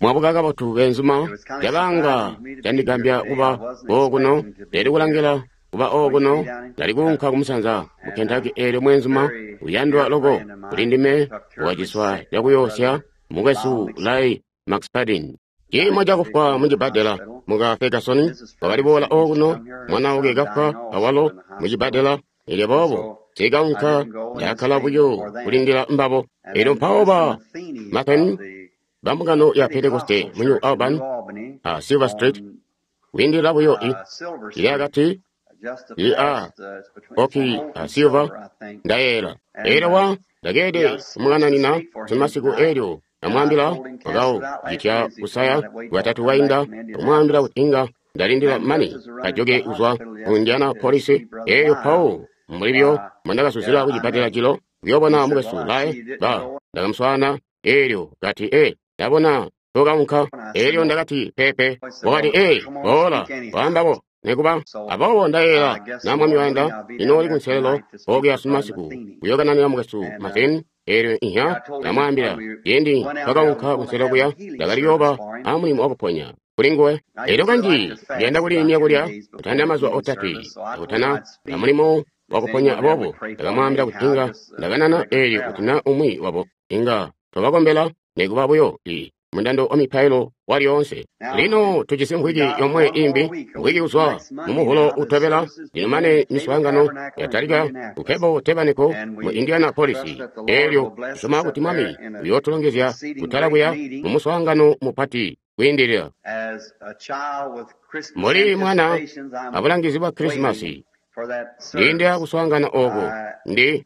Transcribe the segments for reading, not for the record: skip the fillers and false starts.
Mwabuka kabotu beenzuma, cabanga candigambya kuba okuno, ndali kulangila kuba okuno, ndali kuunka kumusanza mu Kentucky eelyo mweenzuma uyandwa loko kuli ndime wakaciswa cakuyoosya, mukwesu Lyle McSpadden. Ciimo cakufwa mucibbadela muka Ferguson wakali boola okuno, mwana wakwe kafwa awalo mucibbadela, elyo boobo nsiikaunka, ndakakkala buyo kulindila mbabo. Elyo mpawo ba Matheny bambungano ya Pentekoste mu New Albany a Silver Street, kwiindilila buyo i ili akati i a Oki a Silver, ndayeeyela. Elyo wa ndakeelede kumukananina sunumasiku elyo ndamwaambila wakau citya kusaya Bwatatu bwainda, kumwaambila kuti inga ndalindila mane kajoke kuzwa ku Indianapolis. Elyo mpawo mbulibyo mbondakazuzila kucibbadela jilo kuyoobona mukwesu Lyle, ba ndakamuswaana elyo kati, Ee, ndabona tokaunka. Elyo ndakati, Peepe. Wakati, Ee, boola, waambabo nekuba. Aboobo ndayeeyela na Mwami wayanda, ndinooli kunselelo okuya sunumasiku kuyookananina mukwesu Matheny. Elyo inhya ndamwaambila, ciindi twakaunka kunselelo kuya, ndakali kuyooba a mulimo wakuponya kuli nguwe. Elyo kanji ndiyanda kuliimya kulya kutandila mazuba otatwe akutana a mulimo wakuponya. Aboobo ndakamwaambila kuti inga ndakanana elyo kuti na umwi wabo inga twabakombela nekuba buyo i mundando wa mipailo walyoonse. Lino tujisi mvwiki yomwe imbi, mvwiki kuzwa mu Muvulo utobela, lino mane miswaangano yatalika ku Cable Tabernacle mu Indianapolis. Elyo tusyoma kuti Mwami uyootulongezya kutala kuya mu muswaangano mupati kwiindilila. Mbuli mwana abulangizi bwa Krisimasi, ndilindila kuswaangana ooko. Ndi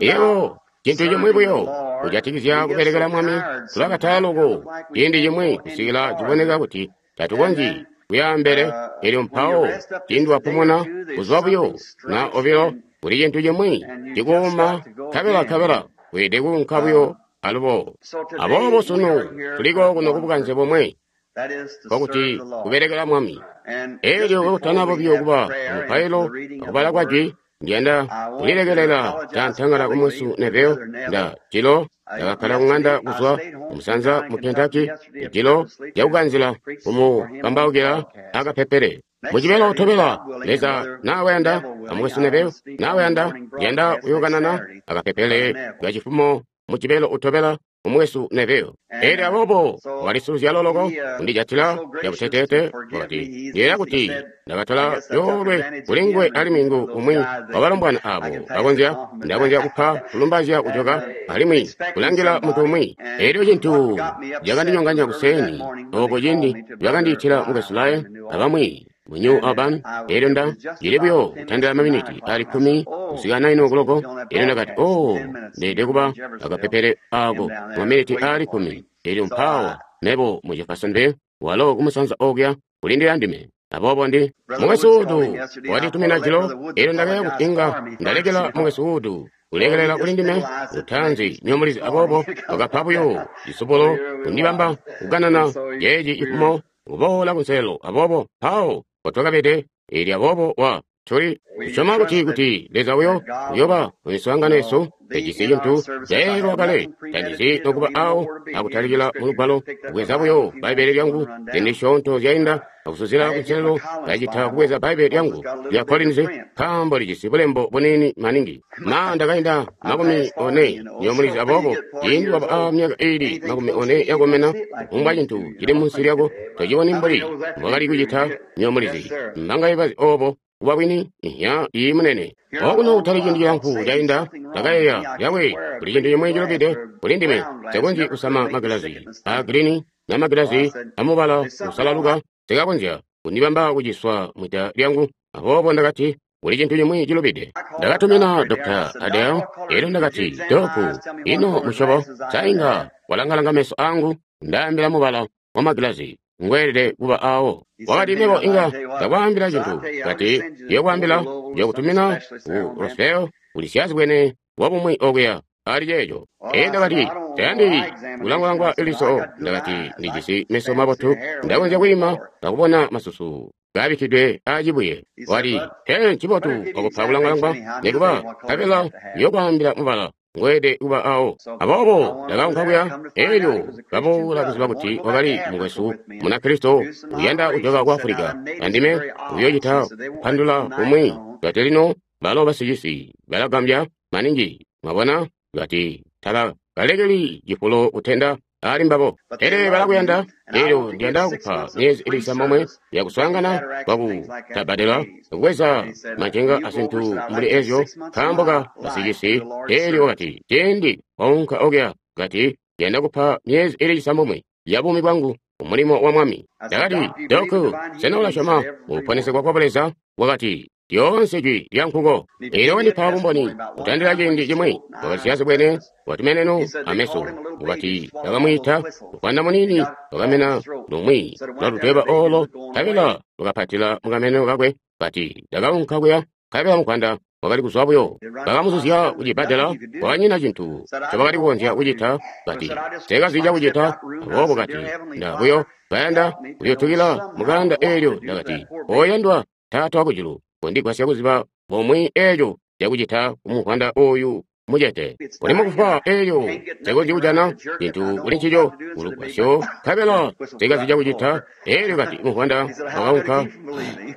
yebo cintu cimwi buyo kujatikizya kubelekela Mwami, tulakatala loko ciindi cimwi kusikila ciboneka kuti tatukonzyi kuyaambele. Elyo mpawo ciindi wapumuna kuzwa buyo na obilo, kuli cintu cimwi cikuuma, nkabela nkabela weelede kuunka buyo alubo. Aboobo sunu tuliko kuno kubukanze bomwe, nkokuti kubelekela Mwami. Elyo kakutanaba buyo kuba mupailo akubala kwa jwi, ndiyanda kulilekelela cantangala ku Mukwesu Neville. Nda jilo ndakakkala kuŋanda kuzwa kumusanza mu Kentucky, jilo lyakukanzila kumukambaukila akapepele. Mujibelo utobela, Leza nawayanda, amukwesu Neville nawayanda, ndiyanda kuyookanana akapepele kacifumo mujibelo utobela umukwesu Neville. Elyo aboobo wakalisuluzyalo loko kundijatila cabuteteete, wakati, Ndiyeeya kuti ndakatola coolwe kuli nguwe alimwi ngu umwi wabalombwana aabo bakonzya, ndakonzya kupa kulumbazya kujoka alimwi kulangila muntu umwi. Elyo cintu cakandinyonganya kuseeni oko ciindi bakandiitila mukwesu Lyle abamwi mu New Albany, elyo Nda cili buyo kutandila maminiti ali kkumi kusika naini okuloko, elyo ndakati, Oh, ndeelede kuba akapepele ako maminiti ali kkumi. Elyo mpaawa mebo mu Jeffersonville, walo kumusanza okuya kulindila ndime. Aboobo ndi Mukwesu Wood watitumina jilo, elyo ndakaya kuti inga ndalekela Mukwesu Wood kulekelela kuli ndime lutaanzi nyomulizi. Aboobo wakapa buyo cisubulo kundibamba kukanana ceeci cifumo kuboola kunselelo. Aboobo mpawo mpotwakabede. Elyo aboobo wa tuli tusyoma kuti kuti Leza uyo uyoba mu miswaangano yesu. Tejisi cintu cayeeyelwa kale, tandizi nokuba awo akutalikila mu Lugwalo, kubweza buyo Bbaibbele lyangu ziindi zisyoonto zyainda akusuzila kunselelo, ndacita kubweza Bbaibbele lyangu lya Collins nkaambo lijisi bulembo buniini maningi. Ma ndakainda 40 nyomulizi. Aboobo ciindi waba a myaka iili 40 yakomena, kufumbwa cintu cili munsi lyako tociboni mbuli mbwakali kucita nyomulizi. Mbangaye bazi obo kuba bwini? Inhya, iyi munene. Okuno kutali ciindi cilamfu cainda, ndakayeeya, Yawe, kuli cintu cimwi cilubide kuli ndime. Nsekonzyi kusama magilazi a girini na magilazi amubala usalaluka, sikakonzya kundibamba kuciswa mwida lyangu. Aboobo ndakati, kuli cintu cimwi cilubide. Ndakatumina Dr. Adel, elyo ndakati, Doku, ino musyobo sa inga walangalanga meso angu, ndaambila mubala wa magilazi ngweelede kuba awo? Wakati, mebo inga ndakwaambila cintu. Kati, ndiyokwaambila, ndiyokutumina ku Roswell, kuli syaazibwene wabumwi okuya ali ceeco. Ee, ndakati, tayandi kulangwalangwa liso. Ndakati, ndijisi meso mabotu, ndakonzya kwiima akubona masusu kabikkidwe aacibuye. Wati, Tee ncibotu wakupa kulangwalangwa nekuba, nkabela ndiyokwaambila mubala ngweede kuba awo. Aboobo ndakaunka kuya, elyo kaboola kuziba kuti wakali mukwesu Munakristo uyanda kujoka ku Africa, andime uyoocita kupandula kumwi. Kati lino balo basicisi balagambya maningi, mwabona, kati taba kalekeli cifulo kutenda ali mbabo, pele balakuyanda. Elyo ndiyanda kupa myezi ili cisambomwe yakuswaangana kwakutabbadela kubweza macenga azintu mbuli ezyo nkaambo ka basicisi. Elyo wakati cindi waunka okuya, kati ndiyanda kupa myezi ili cisambomwe ya buumi bwangu kumulimo wa Mwami. Ndakati, Doku, sena ulasyoma mukuponesegwa kwa Buleza? Wakati, lyoonse jwi lya nkuko. Elyo wandipa bumboni kutandila ciindi cimwi. Wakati siyazibwene watumeneno ameso. Wakati bakamwiita muvwanda muniini wakamena lumwi lwa ludweba olo, nkabela lwakapatila mukameno kakwe. Kati ndakaunka kuya, nkabela muvwanda wakali kuzwa buyo. Bakamuzuzya kucibbadela, kwakanyina cintu ncobakali kukonzya kucita. Kati nseekazi cakucita. Aboobo kati nda buyo kayanda kuyutukila mukanda eelyo. Ndakati, oyandwa Taata wakujulu, kondigwasya kuziba bomwe eeco cakucita kumuvwanda oyu mucete. Uli mukufwa eelyo nsekonzyi kujana cintu kuli ncico kulugwasyo, nkabela nsekazi cakucita. Eelyo kati muvwanda wakaunka,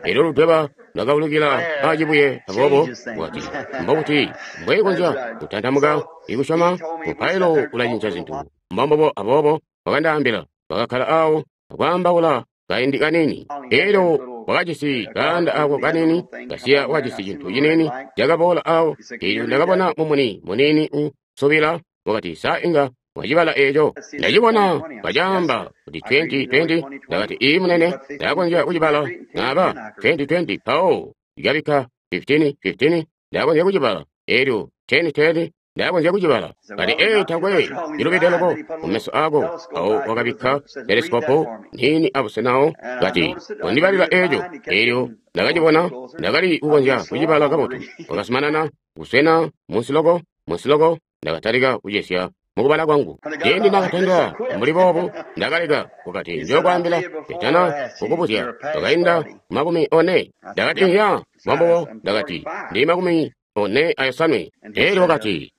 elyo ludweba lwakaulukila acibuye. Aboobo wakati, mbobuti mbwekonzya kutantamuka ikusyoma? Mupailo ulacinca zintu. Mbombubo. Aboobo wakandaambila, bakakkala awo akwaambaula kaindi kaniini. Elyo wakajisi kaanda ako kaniini kasiya, wakajisi cintu ciniini cakaboola awo. Elyo ndakabona mumuni muniini usubila. Wakati, sa inga wacibala eeco? Ndacibona kacaamba kuti 2020. Ndakati, ii munene, ndakonzya kucibala. Naba 2020 mpawo ndikabikka 1515, ndakonzya kucibala. Elyo 1010 ndakonzya kucibala. Kati, ee, takwe cilubide loko kumeso ako. Awo wakabikka telesikopu niini abusenawo. Kati, kondibalila eeco. Elyo ndakacibona, ndakali kukonzya kucibala kabotu. Wakazumanana kuswena munsi loko, munsi loko. Ndakatalika kucesya mukubala kwangu. Ciindi ndakatandila mbuli boobu, ndakaleka. Wakati, ndiyokwaambila nditana kukubuzya. Wakainda 40. Ndakati, iya, mbombubo. Ndakati, ndi 45. Elyo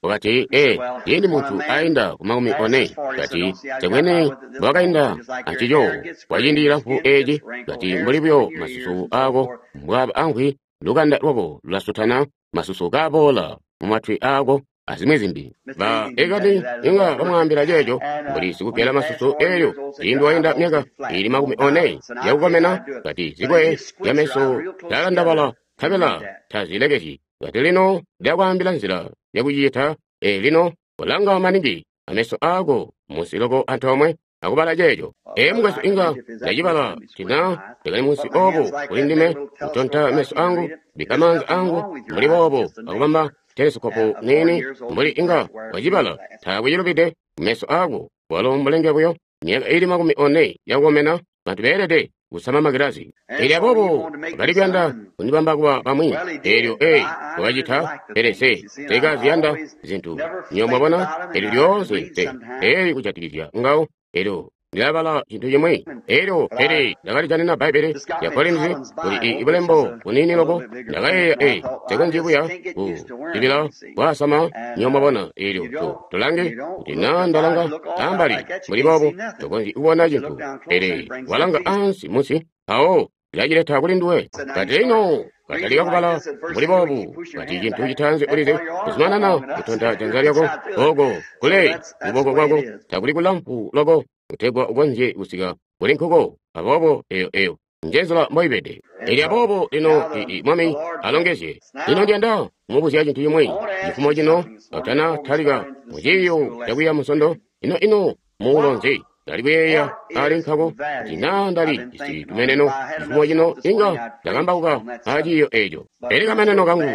wakati, ee, ciindi muntu ainda ku 40, kati nsekwene mbwakainda ancico kwa ciindi cilamfu eeci. Kati mbuli buyo masusu ako mbwaaba amvwi, lukanda lwako lulasutana, masusu kaaboola mumatwi aako azimwi zimbi. Ba ekati inga bamwaambila ceeco mbuli sikugela masusu. Elyo ciindi wainda myaka ili 40 yakukomena, kati zikwe zyameso zyalandabala nkabela tazilekezyi. Kati lino ndakwaambila nzila yakucita. Ee, lino kolanga maningi ameso ako munsi loko antoomwe akubala ceeco. Ee, mukwesu, inga ndacibala tina ndakali munsi obo kuli ndime kutonta meso angu, bikka maanza angu mbuli boobo akubamba telesikopu niini mbuli inga wacibala. Taakwe cilubide meso ako, walo mbulenge buyo. Myaka ili 40 yakukomena, bantu beelede kusama magilazi. Elyo aboobo bakali kuyanda kundibamba kuba bamwi. Elyo ee, wakacita, pele nse nsekaziyanda zintu. Nywebo mwabona, elyo lyoonse nse eli kujatikizya ngawo. Elyo ndilabala cintu cimwi. Elyo pele ndakalijanina Bbaibbele lya Collins kuli ibulembo buniini loko. Ndakayeeya, ee, nsekonzyi buya kuzibila kwaasama. Nywebo mwabona, elyo tulange kuti naa ndalanga ambali mbuli boobo, tokonzyi kubona cintu. Pele walanga ansi munsi, mpawo lilacileta kuli nduwe. Kati lino katalika kubala mbuli boobu, kati cintu citaanzi ulizi kuzumanana kutonta janza lyako oko kule kuboko kwako takuli kulamfu loko kutegwa ukonzye kusika kuli nkuko. Aboobo eyo njenzila mboibede. Elyo aboobo lino Mwami alongezye. Lino ndiyanda kumubuzya cintu cimwi cifumo cino katana talika muciiyo cakwiiya Munsondo. Ino muulo nzi? Ndali kuyeeya ali nkako kuti naa ndali jisi tumeneno cifumo cino inga ndakambauka aciiyo eeco. Pele kameneno kangu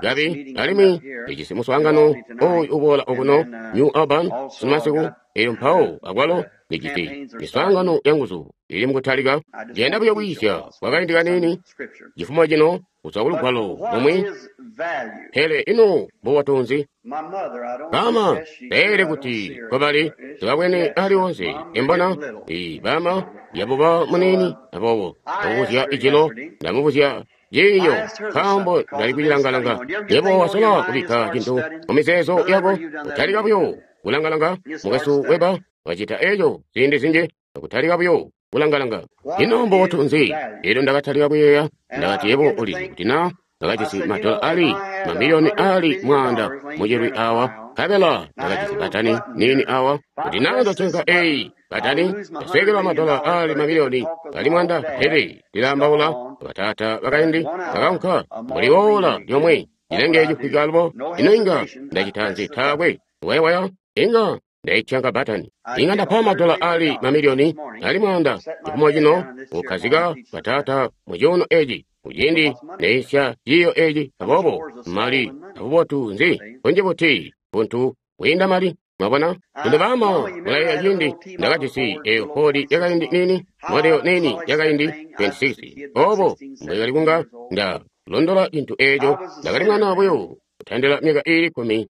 kabi, alimwi ndijisi muswaangano oyu uboola okuno New Albany sumasiku. Elyo mpawo akwalo ndijisi miswaangano yanguzu ili mukutalika. Ndiyanda buyo kwiisya kwakaindi kaniini cifumo cino kuzwa kulugwalo lumwi. Pele ino mbubotu nzi? Bama beelede kuti kobali tibabwene aliwonse imbona i bama yabuba muniini. Aboobo ndamubuzya ijilo, ndamubuzya ciiyo nkaambo ndali kucilangalanga. Yebo wasola kubikka cintu mu mizeezo yako, kutalika buyo kulangalanga. Mukwesu Weber wacita eco ziindi zinji, kutalika buyo kulangalanga. Ino mbotu nzi? Elyo ndakatalika kuyeeya, ndakati yebo ulizi kuti na ndakajisi madola ali mamiliyoni ali 100 mucilwi awa, nkabela ndakajisi batani nini awa, kuti na ndacenka eyi batani ndasweekelwa madola ali mamiliyoni ali 100. Pele ndilaambaula bataata bakaindi bakaunka mbuli woola lyomwe cilenge cifwika alubo. Ino inga ndacita nzi? Taakwe wayawaya inga ndaityanka batani. Inga ndapa madola ali mamiliyoni ali 100 cifumo cino kukhazika bataata mu cuuno eci kuciindi neisya ciiyo eci. Aboobo mali abubotu nzi kunji buti buntu bwiinda mali? Mwabona? Lino baama mulayeeya ciindi ndakajisi eyo Ford yakaindi nini, model nini yakaindi 26. Obo mbwekali kunga nda londola cintu eco. Ndakali mwana buyo kutandila myaka iili 16,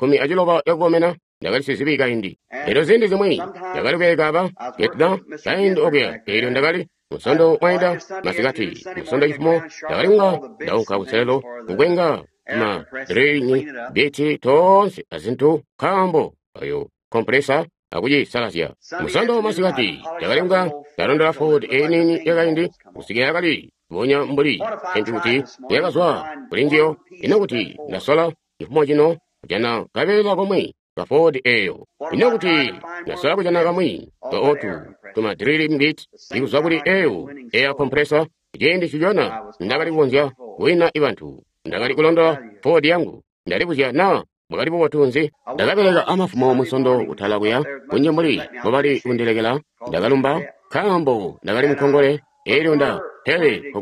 16 yakukomena. Ndakali sizibi kaindi. Elyo ziindi zimwi ndakali kuyekaba Vietnam kaindi okuya. Elyo ndakali musondo mwaida masikati, musondo cifumo ndakali kunga ndaunka kuselelo kukwenga ma drilling biti toonse azintu nkaambo ayo kompresa akucisalazya. Musondo masikati ndakali kunga ndalondola Ford eyi nini yakaindi kusikila yakali bonya mbuli cintu kuti yakazwa kuli njiyo. Ino kuti ndasola cifumo cino kujana kabeela komwe ka Ford eyo. Ino kuti ndasola kujana kamwi ka otu tuma drilling bit ikuzwa kuli eyo air compressor. Ciindi cijona ndakali kukonzya kuwina ibantu. Ndakali kulondola Ford yangu. Ndalibuzya na bwakali bubotu nzi. Ndakabeleka amafumo musondo kutala kuya kunji mbuli mbobali kundilekela. Ndakalumba nkaambo ndakali mukongole. Elyo nda pele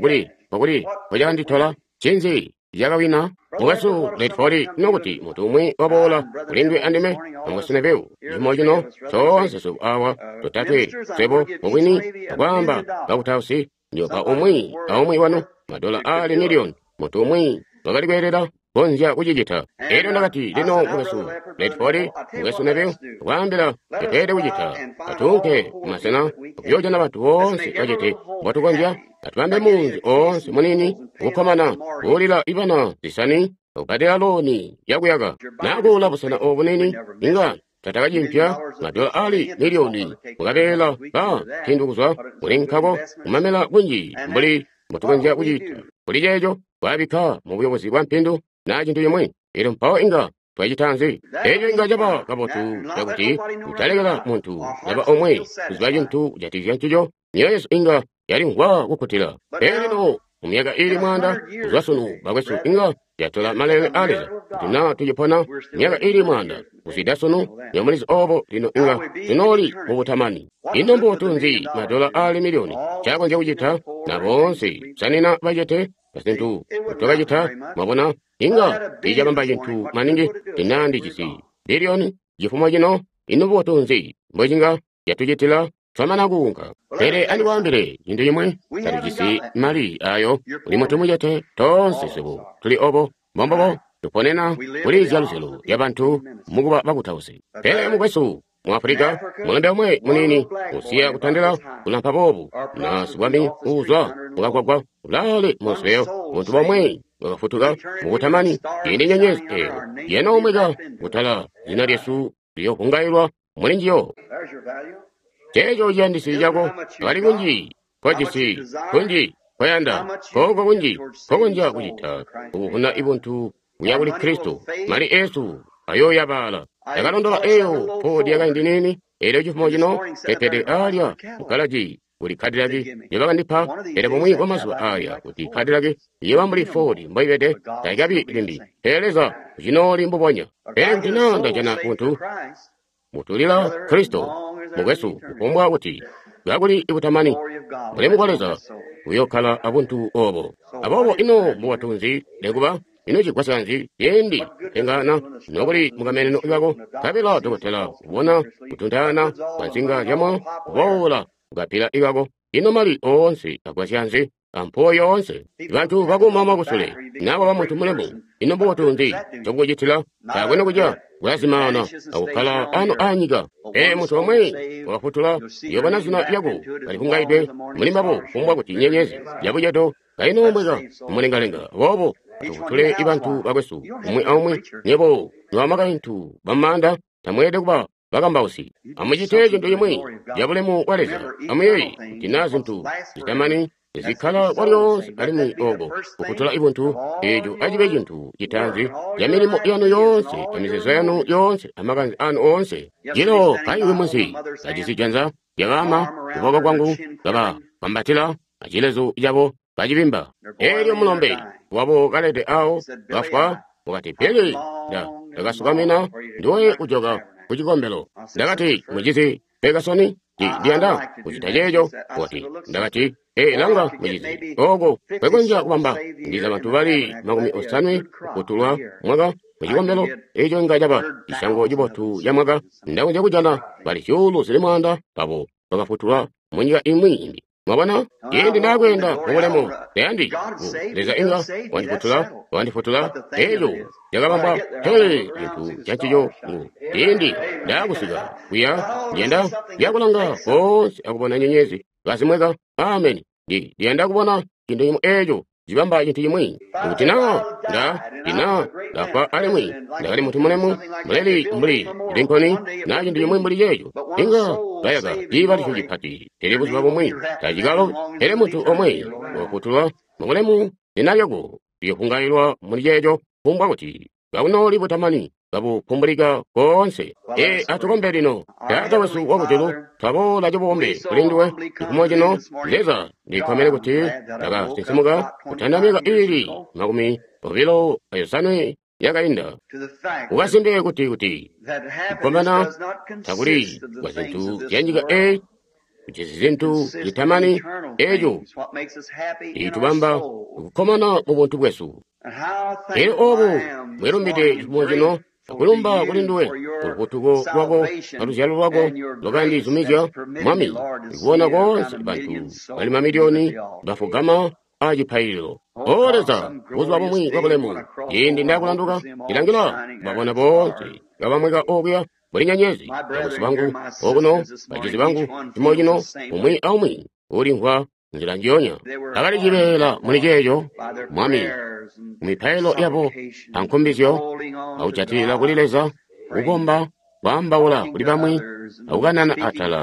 kokuli kocakanditola cinzi cakawina. Mukwesu Redford, nokuti muntu umwi waboola kulindwe andime amukwesu Neville cifumo cino toonse swebo awa totatwe swebo mubwini akwaamba bakutausi njopa umwi aumwi wanu madola ali miliyoni. Muntu umwi wakali kweelela konzya kucicita. Elyo ndakati lino mukwesu Redford, mukwesu Neville, kwaambila tetweelede kucita. Atuunke kumasena kuyoojana bantu boonse bacete mbotukonzya. Atubambe munzi oonse munini kukkomana kuulila ibana zisani akubbadela looni yakuyaka nakuula busena obu bunini. Inga tatakacimpya madola ali miliyoni mukabeela ka mpindu kuzwa kuli nkako kumamela kunji mbuli mbotukonzya kucita kuli ceeco kwabikka mu buyobozi bwa mpindu naa cintu cimwi. Elyo mpawo inga twacita nzi? Eco inga caba kabotu cakuti kutalekela muntu naba omwe kuziba cintu kujatikizya ncico. Myoyo yesu inga yalimvwa kukkutila. Pele lino mu myaka iili 100 kuzwa sunu bakwesu inga yatola malele a Leza kuti naa tucipona myaka iili 100 kuzwida sunu. Nyomulizi obo lino inga tunooli mubutamani. Ino mbubotu nzi madola ali miliyoni cakonzya kucita na boonse kusanina bacete azintu twakacita? Mwabona, inga tiicabamba cintu maningi tinandijisi biliyoni cifumo cino. Ino mbubotu nzi mbocinga yatucitila twamana kuunka? Pele andikwaambile cintu cimwe, tatujisi mali ayo. Uli muntu mucete toonse swebo tuli obo mbombobo tuponena kuli zyaluzyalo lyabantu mukuba bakutausi. Pele mukwesu mu Afulika mulembe omwe munini usiya kutandila kulampa boobu na sibwami uuzwa mukagwagwa ulaale munsibeyo. Muntu bomwe wakafutuka mukutamani ciindi nyenyezi eyo yenoomweka kutala zina lyesu liyovungailwa muli njiyo. Ceeco ciyandisi cako akali kunji kojisi kunji koyanda koko kunji kokonzya kucita kukuvuna ibuntu kuya kuli Kristo. Mali esu ayoyabaala. Ndakalondola eyo Ford yakaindi nini. Elyo cifumo cino pepede alya mukalaji kuli Cadillac njobakandipa. Pele bumwi bwa mazuba aya kuti Cadillac iyoba mbuli Ford mboibede taikabi limbi. Pele Leza ucinooli mbubonya. Pele kuti naa ndajana muntu mutulila Kristo mukwesu kufumbwa kuti kakuli ikutamani bulemu bwa Leza buyokkala abuntu obo. Aboobo ino mbubotu nzi lekuba? Ino cigwasya nzi ciindi kupengana nokuli mukameneno kako? Nkabela dokotela kubona kutuntaana kwa nsinga zyamoyo kuboola kukapila ikako. Ino mali oonse agwasya nzi? Ampuwo yoonse bantu bakuumama kusule nabo ba muntu mulemu. Ino mbubotu nzi cokucitila? Taakwe nokuca kulazimaana akukkala ano anyika. Pele muntu omwe wakafutula uyobona zina lyako kalivungaidwe muli mbabo kufumbwa kuti nyenyezi yabucedo Kainoomweka mumulengalenga. Aboobo atufutule bantu bakwesu umwi aumwi. Nywebo nobamakaintu bamaanda tamweelede kuba bakambausi. Amucite cintu cimwi cabulemu bwa Leza. Amuyeeye kuti naa zintu zitamani zikkala kwalyoonse alimwi oko kufutula ibuntu, eeco acibe cintu citaanzi ca milimo yanu yoonse, amizeezo yanu yoonse, amakanze anu oonse. Jilo kaiwi munsi kajisi janza lyabaama kuboko kwangu kababambatila acilezu cabo kacibimba. Eelyo mulombe wabo kalede awo kafwa, wakati, Billy, ndakasukamina ndiwe kujoka ku cikombelo. Ndakati, mucizi Ferguson, ndiyanda kucita ceeco. Wakati, ndakati, ee, langa mucizi, oko kwekonzya kubamba ndiza bantu bali 80 kufutulwa mwaka mu cikombelo. Eco inga caba cisyango cibotu ca mwaka. Ndakonzya kujana bali 100,000 babo bakafutulwa mu nyika imwi imbi. Mwabona, ciindi ndakweenda mubulemu, tayandi Leza inga wandifutula, eeco cakabambwa. Pele cintu cancico ngu ciindi ndakusika kuya, ndiyanda kuyakulanga koonse akubona nyenyezi kazimweka. Ameni. Ndiyanda kubona cintu cimwi eeco cibamba cintu cimwi. Kuti naa ndafwa alimwi ndakali muntu mulemu muleli mbuli Lincoln naa cintu cimwi mbuli ceeco, inga bayaka ciibalisyo cipati. Pele buzuba bumwi tacikalo, pele muntu omwe wafutulwa mubulemu, zina lyako liyofungailwa muli ceeco, kufumbwa kuti kakunooli butamani kabupumbulika koonse. Ee, atukombe lino. Taata wesu wakujulu, twaboola cibombe kuli nduwe cifumo cino. Leza, ndikkomene kuti ndakasinsimuka kutanda myaka iili 28 yakainda. Ukasimbe kuti kukkomana takuli kwa zintu zya nyika eyi, kujisi zintu zitamani eeco citubamba kukkomana mu buntu bwesu. Elyo obo bwelumbide cifumo cino, akulumba kuli nduwe kulufutuko lwako aluzyalo lwako lwakandizumizya, Mwami, kubona koonse bantu bali mamiliyoni bafugama a cipaililo. O Leza, buzuba bumwi bwabulemu, ciindi ndakulanduka, ndilangila babona boonse kabamweka okuya mbuli nyenyezi. Bakwesu bangu okuno, bacizi bangu, cifumo cino, umwi aumwi ulimvwa nzila njiyonya. Bakali cibeela muli ceeco, Mwami, mumipailo yabo ankumbizyo, akujatilila kuli Leza, kukomba, kwaambaula kuli bamwi, akukanana atala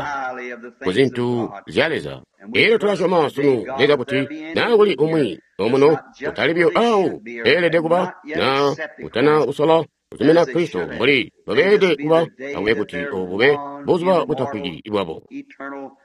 ku zintu zya Leza. Elyo tulasyoma sunu, Leza, kuti naa kuli umwi omuno utali biyo awo eelede kuba, naa utana kusola kuzumina Kristo mbuli babeelede kuba, akube kuti obu bube buzuba butafwiki bwabo.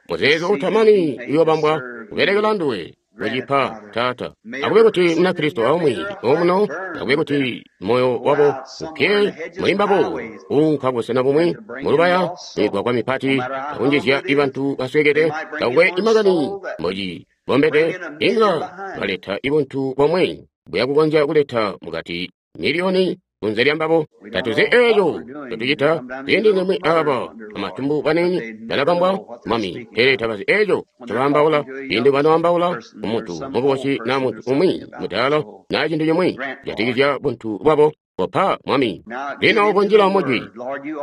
Muzeezo utamani uyoobambwa kubelekela nduwe kucipa, Taata. Akube kuti Munakristo aumwi omuno, akube kuti moyo wabo upye muli mbabo, kuunka busena bumwi mulubaya, migwagwa mipati, akunjizya bantu basweekede, takukwe imakani mbocibombede, inga baleta ibuntu bomwe buyakukonzya kuleta mukati miliyoni kunze lya mbabo. Tatuzi eeco ncotucita. Ziindi zimwi aaba bamatumbu baniini balabambwa, Mwami, pele tabazi eeco ncobaambaula. Ciindi banoambaula kumuntu mukubusi naa muntu umwi mudaala naa cintu cimwi kujatikizya buntu bwabo, kopa, Mwami. Lino kunjila mujwi,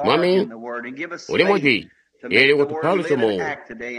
Mwami, uli mujwi, eelyo kutupa lusyomo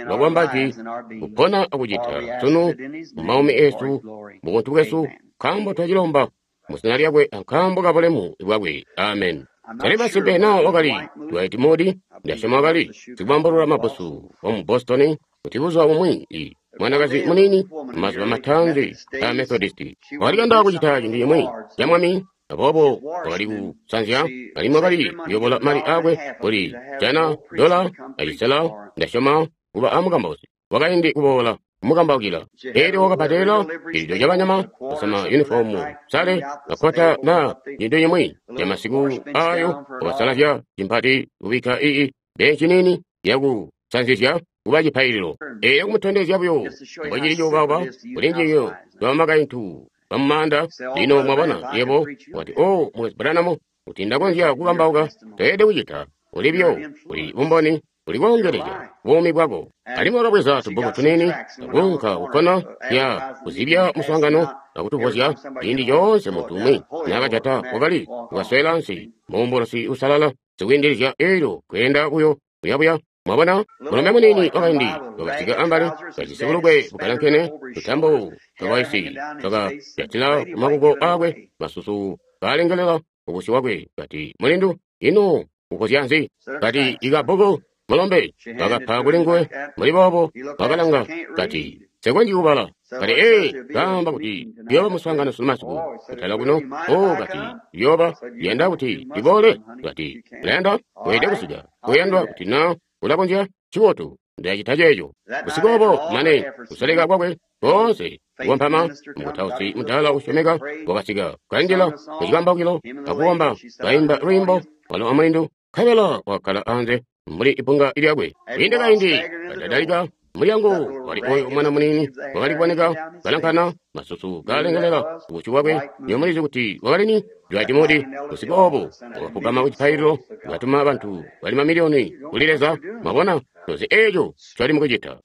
lwakwamba jwi, kupona akucita sunu mumaumi eesu, mubuntu bwesu, nkaambo twacilomba muzina lyakwe ankaambo kabulemu bwakwe. Amen. Tali masimpe naa wakali Dwight Moody, ndasyoma wakali sikubambulula mabbusu wamu Boston, kuti buzuba bumwi i mwanakazi muniini mumazuba mataanzi a Methodisti wakali kuyanda kucita cintu cimwi ca Mwami, aboobo wakali kusanzya alimwi wakali kuyobola mali aakwe kuli jana $1.50, ndasyoma, kuba amukambausi wakaindi kuboola kumukambaukila. Elyo wakabbadela cililyo cabanyama, kusama yunifomu sale, makkota naa cintu cimwi camasiku aayo, wakasalazya cimpati kubikka ii benci niini yakusanzizya kuba cipaililo. Elyo kumutondezya buyo mbocili cuubauba kuli njiyo lwamakaintu bamumaanda. Lino mwabona, yebo wati, O Mukwesu Branham, kuti ndakonzya kukambauka, toyelede kucita. Uli buyo, uli bumboni, uli koongelezya buumi bwako. Alimwi wakabweza tubbuku tuniini akuunka kukkona lya kuzibya muswaangano akutuvozya. Ciindi coonse muntu umwi naakajata, wakali kukaswela ansi muumbulusi uusalala sikwiindilizya, eelyo kweenda buyo kuyabuya. Mwabona, mulombe muniini wakaindi wakasika ambali, kajisi bulukwe bukalankene, tutambo twakaisi twakajatila kumakuko aakwe, masusu kaalengelela kubusyu bwakwe. Kati, mulindu, ino ukozya nzi? Kati, ikabbuku mulombe wakapa kuli nguwe. Mbuli boobo wakalanga, kati, nsekonzyi kubala. Kati, ee, kaamba kuti kuyooba muswaangano sunu masiku kutala kuno. O, kati, kuyooba, yanda kuti ndiboole. Kati, ulayanda weelede kusika, uyandwa kuti na ulakonzya. Ncibotu, ndilacita ceeco. Busiku obo, mane kusoleka kwakwe koonse kukompama, mukutausi mudaala usyomeka wakasika, kanjila mucikambaukilo akukomba, kaimba lwiimbo walo amulindu, nkabela wakkala anze mbuli ipunga lyakwe. Kwiinde kaindi kadadalika mulyango, wali oyo mwana muniini wakali kuboneka kalankana, masusu kalengelela kubusyu bwakwe. Nywebo mulizi kuti wakali ni? Dwight Moody. Busiku obo wakafugama ku cipaililo, wakatuma bantu bali mamiliyoni kuli Leza. Mwabona, tozi eeco ncoli mukucita.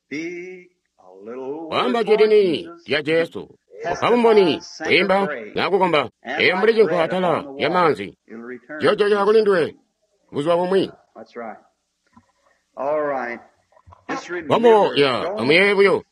Wamba jwi lini lya Jesu, kupa bumboni, kwiimba na kukomba, eyo mbuli cinkwa atala lya maanzi. Ciyojokela kuli nduwe buzuba bumwi. Wambo ya amuyeeye buyo,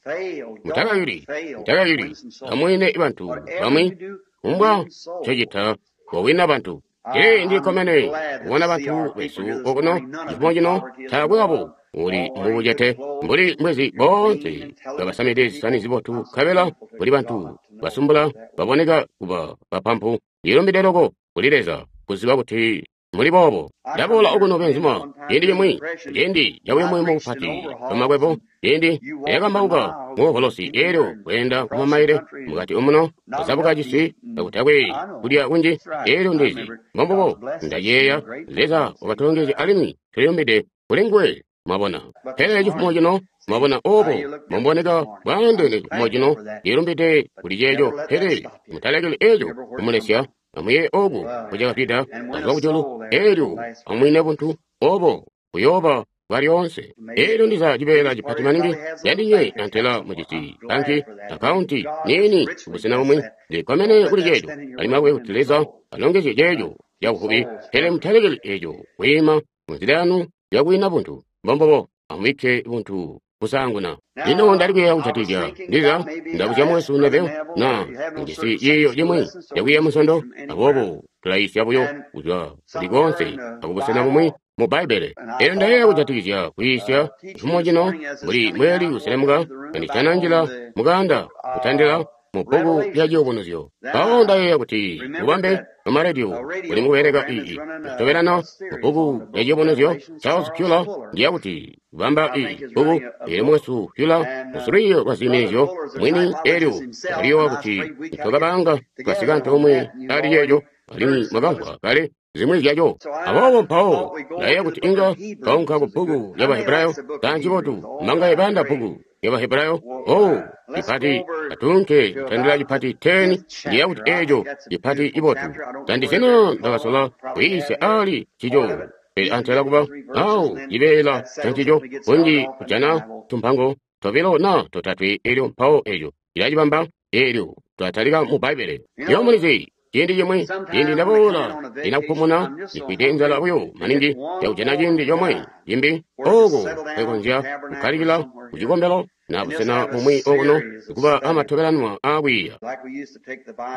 mutakayuli, mutakayuli, amwine bantu bamwi, kumbwa ncocita kowina bantu. Ee, ndikkomene kubona bantu besu okuno cifumo cino, taakwe wabo uli mubucete mbuli mwezi boonse kabasamide zisani zibotu, nkabela kuli bantu basumbula baboneka kuba bapampu. Ndilumbide loko kuli Leza kuziba kuti muli boobo. Ndaboola okuno benzuma ciindi cimwi, ciindi cabuyumuyumu bupati bwamakwebo, ciindi neyakambauka muovolosi eelyo kweenda kumamaile mukati omuno kuzabuka cisi kakutakwe kulya kunji. Eelyo ndizi mbombubo ndayeeya Leza wakatulongezya alimwi tulilumbide kuli nguwe. Mwabona, pele cifumo cino, mwabona obo muboneka bwaandeene cifumo cino, ndilumbide kuli ceeco. Pele mutalekeli eeco kumulesya. Amuyeeye obo mbucakafwida kazwa kujulu, eelyo amwine buntu obo buyooba bwalyoonse. Eelyo ndiza cibeela cipati maningi candinywe antela mujisi banki akaunti niini kubusena bumwi. Ndikkomene kuli ceeco, alimwi akube kuti Leza alongezye ceeco cabuvubi. Pele mutalekeli eeco kwiima munzila yanu yakuwina buntu. Mbombubo, amubikke buntu kusaanguna. Lino ndali kuyeeya kujatikizya ndiza ndabuzya mukwesu Neville na mujisi ciiyo cimwi cakwiiya Munsondo, aboobo tulayiisya buyo kuzwa kuli koonse akubusena bumwi mu Bbaibbele. Eelyo ndayeeya kujatikizya kuyiisya cifumo cino mbuli mbweeli kuselemuka kanditana njila mukaanda kutandila mu bbuku lya Ciyubunuzyo. Mpawo ndayeeya kuti bubambe bwamaradio buli mukubeleka ii kutobelana mu bbuku lya Ciyubunuzyo. Charles Fuller ndiya kuti kubamba ii bbuku eelyo mukwesu Fuller musulwiiyo lwa ziiminizyo mwini, eelyo ndakaliyowa kuti nitwakabanga twasika antoomwe ali ceeco, alimwi mwakamvwa kale zimwi zyaco. Aboobo mpawo ndayeeya kuti inga twaunka ku bbuku lya Bahebrayo. Kanji botu mangaye bayanda bbuku lya Bahebrayo. Oh, cipati atuunke kutandila cipati 10. Ndiya kuti eeco cipati cibotu. Tandizina ndakasola kuyiisya ali ncico, pele antela kuba awo cibeela cancico kunji kujana tumpango tobilo na totatwe, eelyo mpawo eeco cilacibamba. Eelyo twatalika mu Bbaibbele. Nywebo mulizi, ciindi cimwi ciindi ndaboola ndinakupumuna ndifwide nzala buyo maningi yakujana ciindi comwe cimbi ooko nkwekonzya kukkalikila ku cikombelo na busena bumwi okuno kuba amatobelanwa aakwiiya.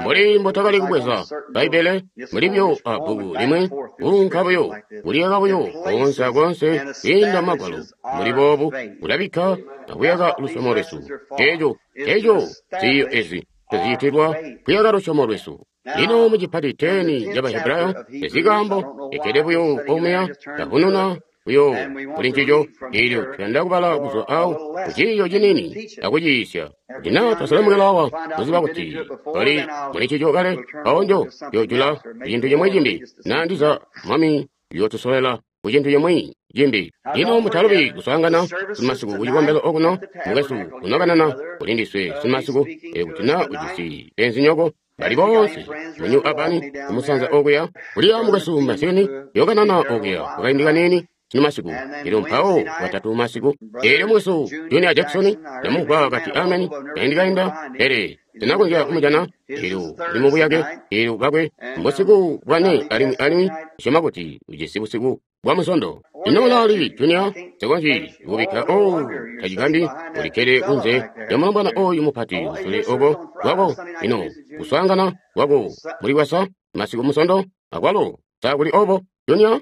Mbuli mbotwakali kubweza Bbaibbele muli buyo a bbuku limwi, kuunka buyo kuliyaka buyo koonse akoonse kwiinda Magwalo mbuli boobu, kulabikka akuyaka lusyomo lwesu. Eeco eeco ziiyo ezi tuziitilwa kuyaka lusyomo lwesu. Lino mucipati 10 ca Bahebrayo ezikaambo ekkede buyo omuya ndavununa buyo kuli ncico. Eelyo tuyanda kubala kuzwa awo kuciiyo ciniini akuciyiisya. Kuti naa twaselemukila awa kuziba kuti twali muli ncico kale, mpawo njo yoojula kucintu cimwi cimbi, naa ndiza Mwami uyootusolela kucintu cimwi cimbi. Lino mutalubi kuswaangana sunu ku cikombelo okuno, mukwesu unokanana kuli ndiswe sunu. Eelyo kuti naa ujisi beenzinyoko bali boonse mu New Albany kumusanza okuya, kuliya mukwesu Masini yokanana okuya kukaindi kaniini sunu masiku. Eelyo mpawo Bwatatu masiku, eelyo mukwesu Junior Jackson ndamumvwa kati ameni kaindi kainda, pele sinakonzya kumujana. Eelyo uli mubuyake, eelyo bakwe mbusiku bwane, alimwi alimwi ndisyoma kuti ujisi busiku bwa Musondo. Ino ulaali, Junior? Nsekonzyi kubikka. Oh, tacigambyi ulikkede kunze lya mulombwana oyu mupati kusule oko kwako. Ino kuswaangana kwako muli bwasa masiku Musondo akwalo sa kuli obo, Junior?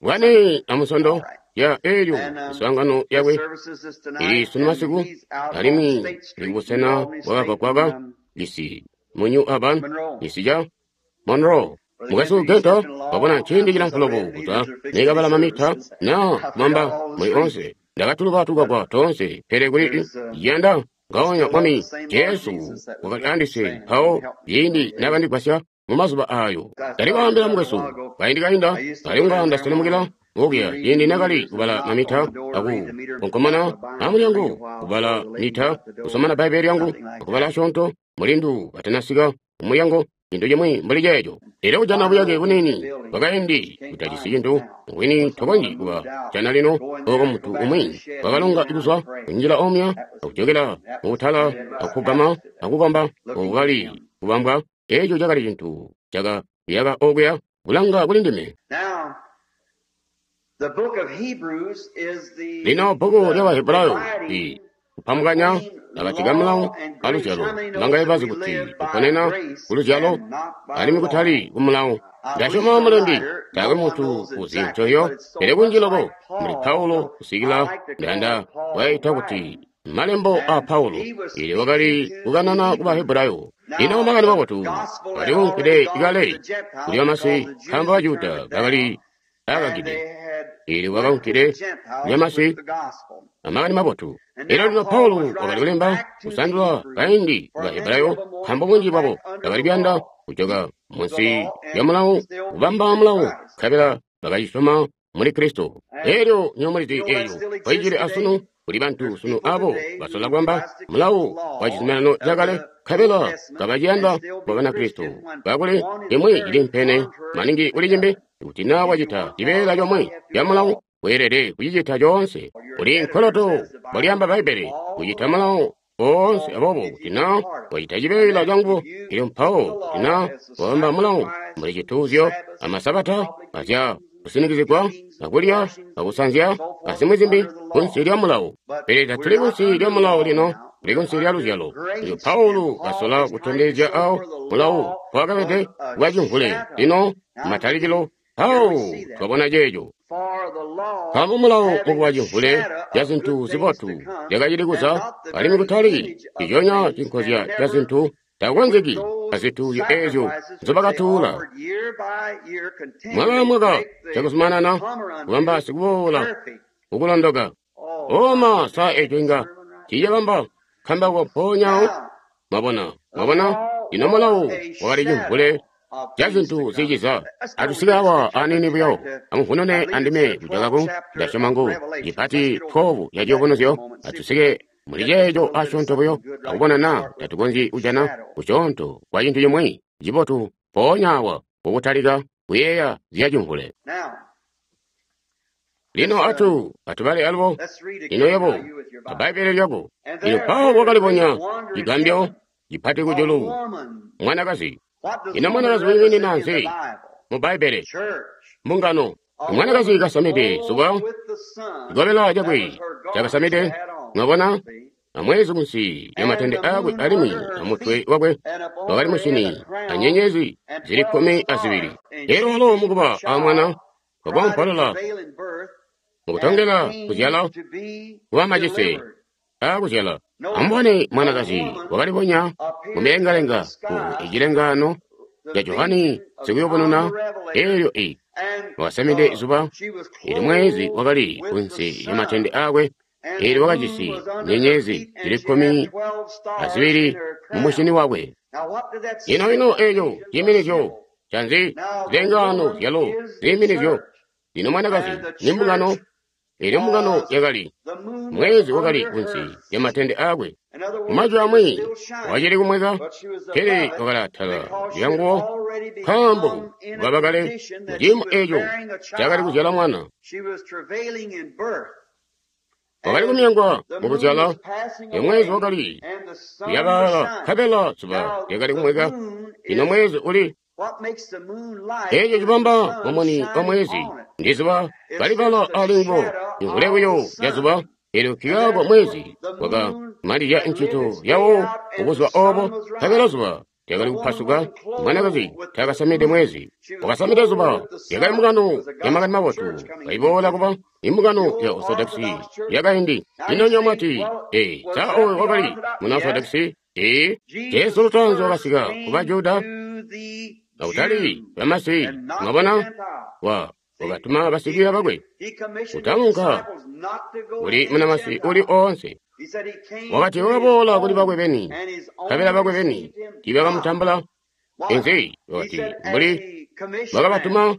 Bwane a Musondo ya elyo miswaangano yakwe ili sunu masiku, alimwi ili kubusena bwakagwagwaga lisi mu New Urban, cisi ca Monroe. Mukwesu Gento wabona ciindi cilamfu loko kuzwa nekabala mamita na kumamba muli onse. Ndakatuluka tukagwa toonse, pele kuli yanda ngaonya Mwami Jesu wakali andise mpawo ciindi nakandigwasya mu mazuba ayo. Ndali kwaambila mukwesu kaindi kainda, kali kunga ndaselemukila okuya ciindi nakali kubala mamita aku konkomana amulyango kubala mita kusomana Bbaibele lyangu akubala asyoonto mulindu katanasika kumulyango, cintu cimwi mbuli ceeco. Elyo kujana buyake buniini bwakaindi butajisi cintu bwini tokonzyi kuba jana lino, oko muntu umwi wakalonga kuzwa kunjila omuya akujokela mubutala akufugama akukomba oko kali kubambwa. Eco cakali cintu caka yaka okuya kulanga kuli ndime. Lino bbuku lya Bahebrayo i kupamukanya akati ka mulawo aluzyalo. Bangaye bazi kuti tuponena ku luzyalo alimwi kutali ku mulawo. Ndasyoma mulembi taakwe muntu uzi ncoyo, pele kunji loko muli Paulo kusikila ndayanda kwaita kuti malembo a Paulo, ili wakali kukanana ku Bahebrayo. Lino makani mabotu aliunkide kale kuli bamasi, nkaambo Bajuda bakali akakide, ili wakaunkide kuli bamasi amakani mabotu. Elyo lino Paulo wakali kulemba kusandula kaindi ku Bahebrayo, nkaambo bunji bwabo bakali kuyanda kujoka munsi lya mulawo, kubamba mulawo, nkabela bakacisyoma muli Kristo. Elyo nywebo mulizi eyo koicili asunu. Kuli bantu sunu abo basola kwamba mulawo wa cizuminano cakale, nkabela kabaciyanda kuba Banakristo, kakuli imwi cilimpene maningi kuli cimbi. Kuti naa wacita cibeela comwe ca mulawo, weelede kucicita coonse. Uli nkoloto mbwalyaamba Bbaibbele kucita mulawo oonse. Aboobo kuti naa wacita cibeela canguwo, elyo mpawo kuti naa wabamba mulawo mbuli cituuzyo amasabata azya kusinikizigwa akulya akusanzya azimwi zimbi kunsi lya mulawo. Pele tatuli kunsi lya mulawo lino, tuli kunsi lya luzyalo. Elyo Paulo kasola kutondezya awo mulawo mpowakabede kuba cimvule. Lino matalikilo mpawo twabona ceeco. Nkaambo mulawo mukuba cimvule ca zintu zibotu zyakacili kuza, alimwi kutali ciconya cinkozya ca zintu takukonzeki azituuzyo eezyo nzobakatuula mwaka amwaka cakuzumanana kubamba sikuboola kukulondoka. Oma sa eco inga tiicabamba nkambauko mpoonyawo. Mwabona, mwabona, ino mulawo wakali cimvule ca zintu ziciza. Atusike awa aniini buyo, amuvunune andime kujakaku. Ndasyoma ngu cipati 12 ya ciyubunuzyo. Atusike muli ceeco asyoonto buyo, akubona naa tatukonzyi kujana kusyoonto kwa cintu cimwi cibotu mpoonya awa kukutalika kuyeeya zya cimvule. Lino atubale alubo. Ino yebo a Bbaibbele lyako. Lino Paulo wakalibonya cigambyo cipati kujulu, mwanakazi. Ino mwanakazi wiiminina nzi mu Bbaibbele? Mbungano. Mwanakazi kasamide zuba, cikobela cakwe cakasamide, mwabona, amwezi kunsi lya matende akwe, alimwi amutwe wakwe wakali musyini anyenyezi zili 12. Elyo walo mukuba a mwana wakoompolola mukutongela kuzyala kuba macise aakuzyala. Amubone, mwanakazi wakalibonya mumilengalenga ku icilengaano ca Johani sikuyubununa. Elyo i wakasamide zuba, elyo mwezi wakali kunsi lya matende akwe, elyo wakajisi nyenyezi zili 12 mumusyini wakwe. Ino ino eco ciiminizyo canzi? Zilengaano zyalo ziiminizyo. Lino mwanakazi ni mbungano, elyo mbungano yakali mwezi wakali kunsi lya matende akwe. Mumajwi amwi wakacili kumweka, pele wakali atala lyanguwo, nkaambo bwaba kale muciimo eco cakali kuzyala mwana. Wakali kumyongwa mukuzyala, mwezi wakali kuyabaala, nkabela zuba lyakali kumweka. Lino mwezi uli Eeco cibamba mumuni wa mwezi ndi zuba kalibala alinguwo, cimvule buyo ca zuba. Elyo nkikaako mwezi waka manizya ncito yawo kubuzuba obo, nkabela zuba lyakali kupasuka. Mwanakazi taakasamide mwezi, wakasamide zuba. Yakali mbungano ya Makani mabotu kaiboola kuba imbungano ya Orthodoxi yakaindi. Ino nywebo mwati, Ee, sa oyo wakali muna Orthodoxi? Ee, Jesu lutaanzi wakasika kuba Juda, akutali bamasi. Mwabona, wa wakatuma basikwiiya bakwe kutaunka kuli munamasi uli oonse. Wakati wakaboola kuli bakwe beni, nkabela bakwe beni tiibakamutambula. Inzi wakati mbuli bakabatuma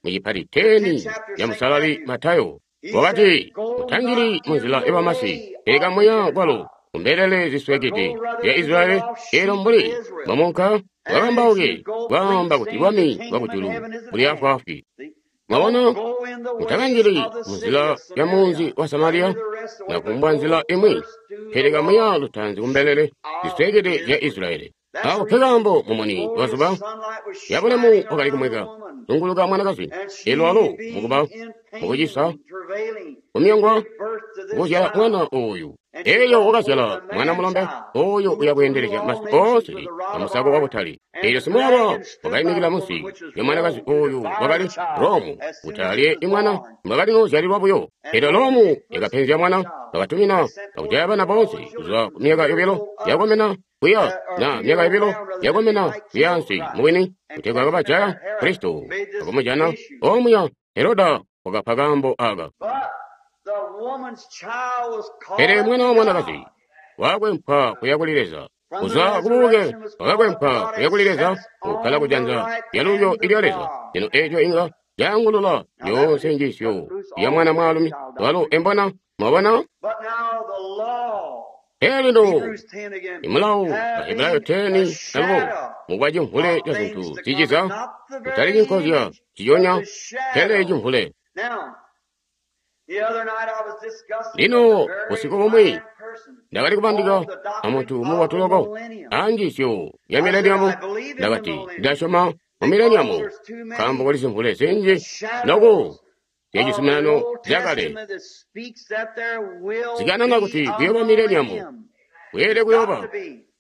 mucipati 10 ya Musalali Matayo. Wakati mutanjili munzila yabamasi, pele kamuya kwalo kumbelele ziswekede zya Israyeli. Elyo mbuli mwamunka mwakambauke kwaamba kuti bwami bwakujulu buli afwaafwi. Mwabona, mutakanjili munzila ya munzi wa Samariya na kumbwa nzila imwi, pele kamuya lutaanzi kumbelele ziswekede zya Israyeli. Awo nkekaambo mumuni wa zuba yabulemu wakali kumweka zunguluka mwanakazi. Elyo alo mukuba mukucisa kumyongwa kuzyala mwana oyu. Elyo wakazyala mwana mulombe oyo uyakweendelezya masi oonse amusako wa butali. Elyo simwaaba wakaimikila munsi lya mwanakazi oyu wakali Romu kuti alye imwana mbwakali nozyalilwa buyo. Elyo Romu yakapenzya mwana, bakatumina akujaya bana boonse kuzwa ku myaka yobilo yakomena kuya na myaka yobilo yakomena kuyaansi mubwini, kutegwa kabajaya Kristo. Akumujana omuya Heroda wakapa kaambo aka. Pele mwana wa mwanakazi wakwempwa kuya kuli Leza, kuzwa kububuke wakakwempwa kuya kuli Leza, kukkala kujanza lyalulyo ilya Leza. Lino eeco inga caangulula yoonse njiisyo ya mwana mwaalumi walo embona. Mwabona? Pele lino imulawo Bahebrayo 10 alubo mukwa cimvule ca zintu ziciza, kutali cinkozya ciyonya, pele cimvule. Lino busiku bumwi ndakali kubandika amuntu mubotu loko anjiisyo ya mileniamu. Ndakati ndasyoma mu mileniamu nkaambo kuli zimvule zinji loko zyacizuminano zyakale zikanana kuti kuyooba mileniamu, kweelede kuyooba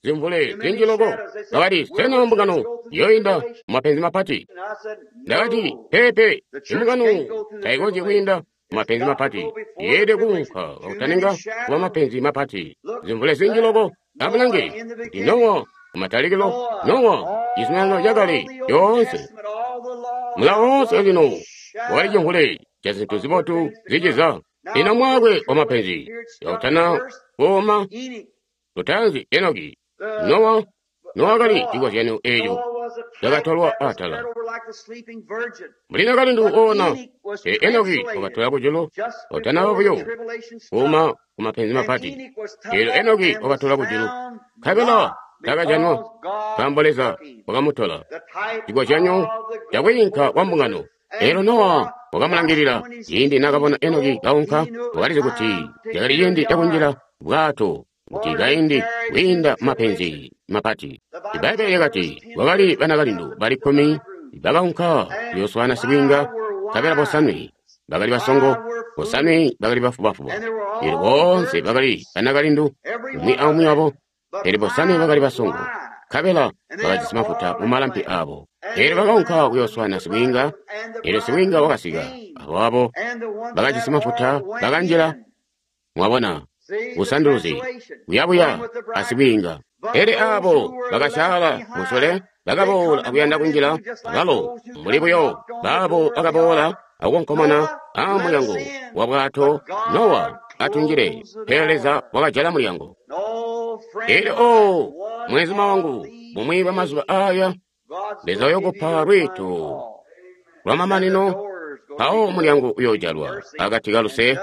zimvule zinji loko. Bakati, sena mbungano yoinda mumapenzi mapati? Ndakati, peepe, imbungano taikonzyi kwiinda mumapenzi mapati, yeelede kuunka kakutaninga kuba mapenzi mapati. Zimvule zinji loko. Amulange kuti Nowa kumatalikilo, Nowa cizuminano cakale yoonse, mulawo woonse lino wakali cimvule ca zintu zibotu ziciza. Lino mwaakwe wa mapenzi yakutana kuuma lutaanzi Enoki, Nowa, Nowa kali cikozyanyo eeco cakatolwa atala. Mbuli nakalindu oona, pele Enoki wakatola kujulu utanaba buyo kuuma ku mapenzi mapati. Eelyo Enoki wakatola kujulu, nkabela takajanwa, nkaambo Leza wakamutola. Cikozyanyo cakwiinka kwa mbungano. Eelyo Nowa wakamulangilila ciindi naakabona Enoki kaunka, wakalizi kuti cakali ciindi cakunjila bwato kuti kaindi kwiinda mapenzi mapati. Ibbaibbele lyakati kwakali banakalindu bali 10 bakaunka kuyooswaana sibwiinga, nkabela bosanwe bakali basongo, bosanwe bakali bafubafuba. Eelyo boonse bakali banakalindu, umwi aumwi wabo, pele bosanwe bakali basongo, nkabela bakajisi mafuta mumalampi aabo. Eelyo bakaunka kuyooswaana sibwiinga, eelyo sibwiinga wakasika, abo bakajisi mafuta bakanjila. Mwabona busanduluzi buyabuya asibwiinga. Pele aabo bakasyaala musule bakaboola akuyanda kunjila, abalo mbuli buyo baabo bakaboola akukonkomona aamulyango wa bwato, Nowa atunjile, pele Leza wakajala mulyango. Eelyo o mwenzuma wangu, bumwi bwa mazuba aaya Leza uyokupa lwiito lwamamanino, mpawo mulyango uyoojalwa akati kaluse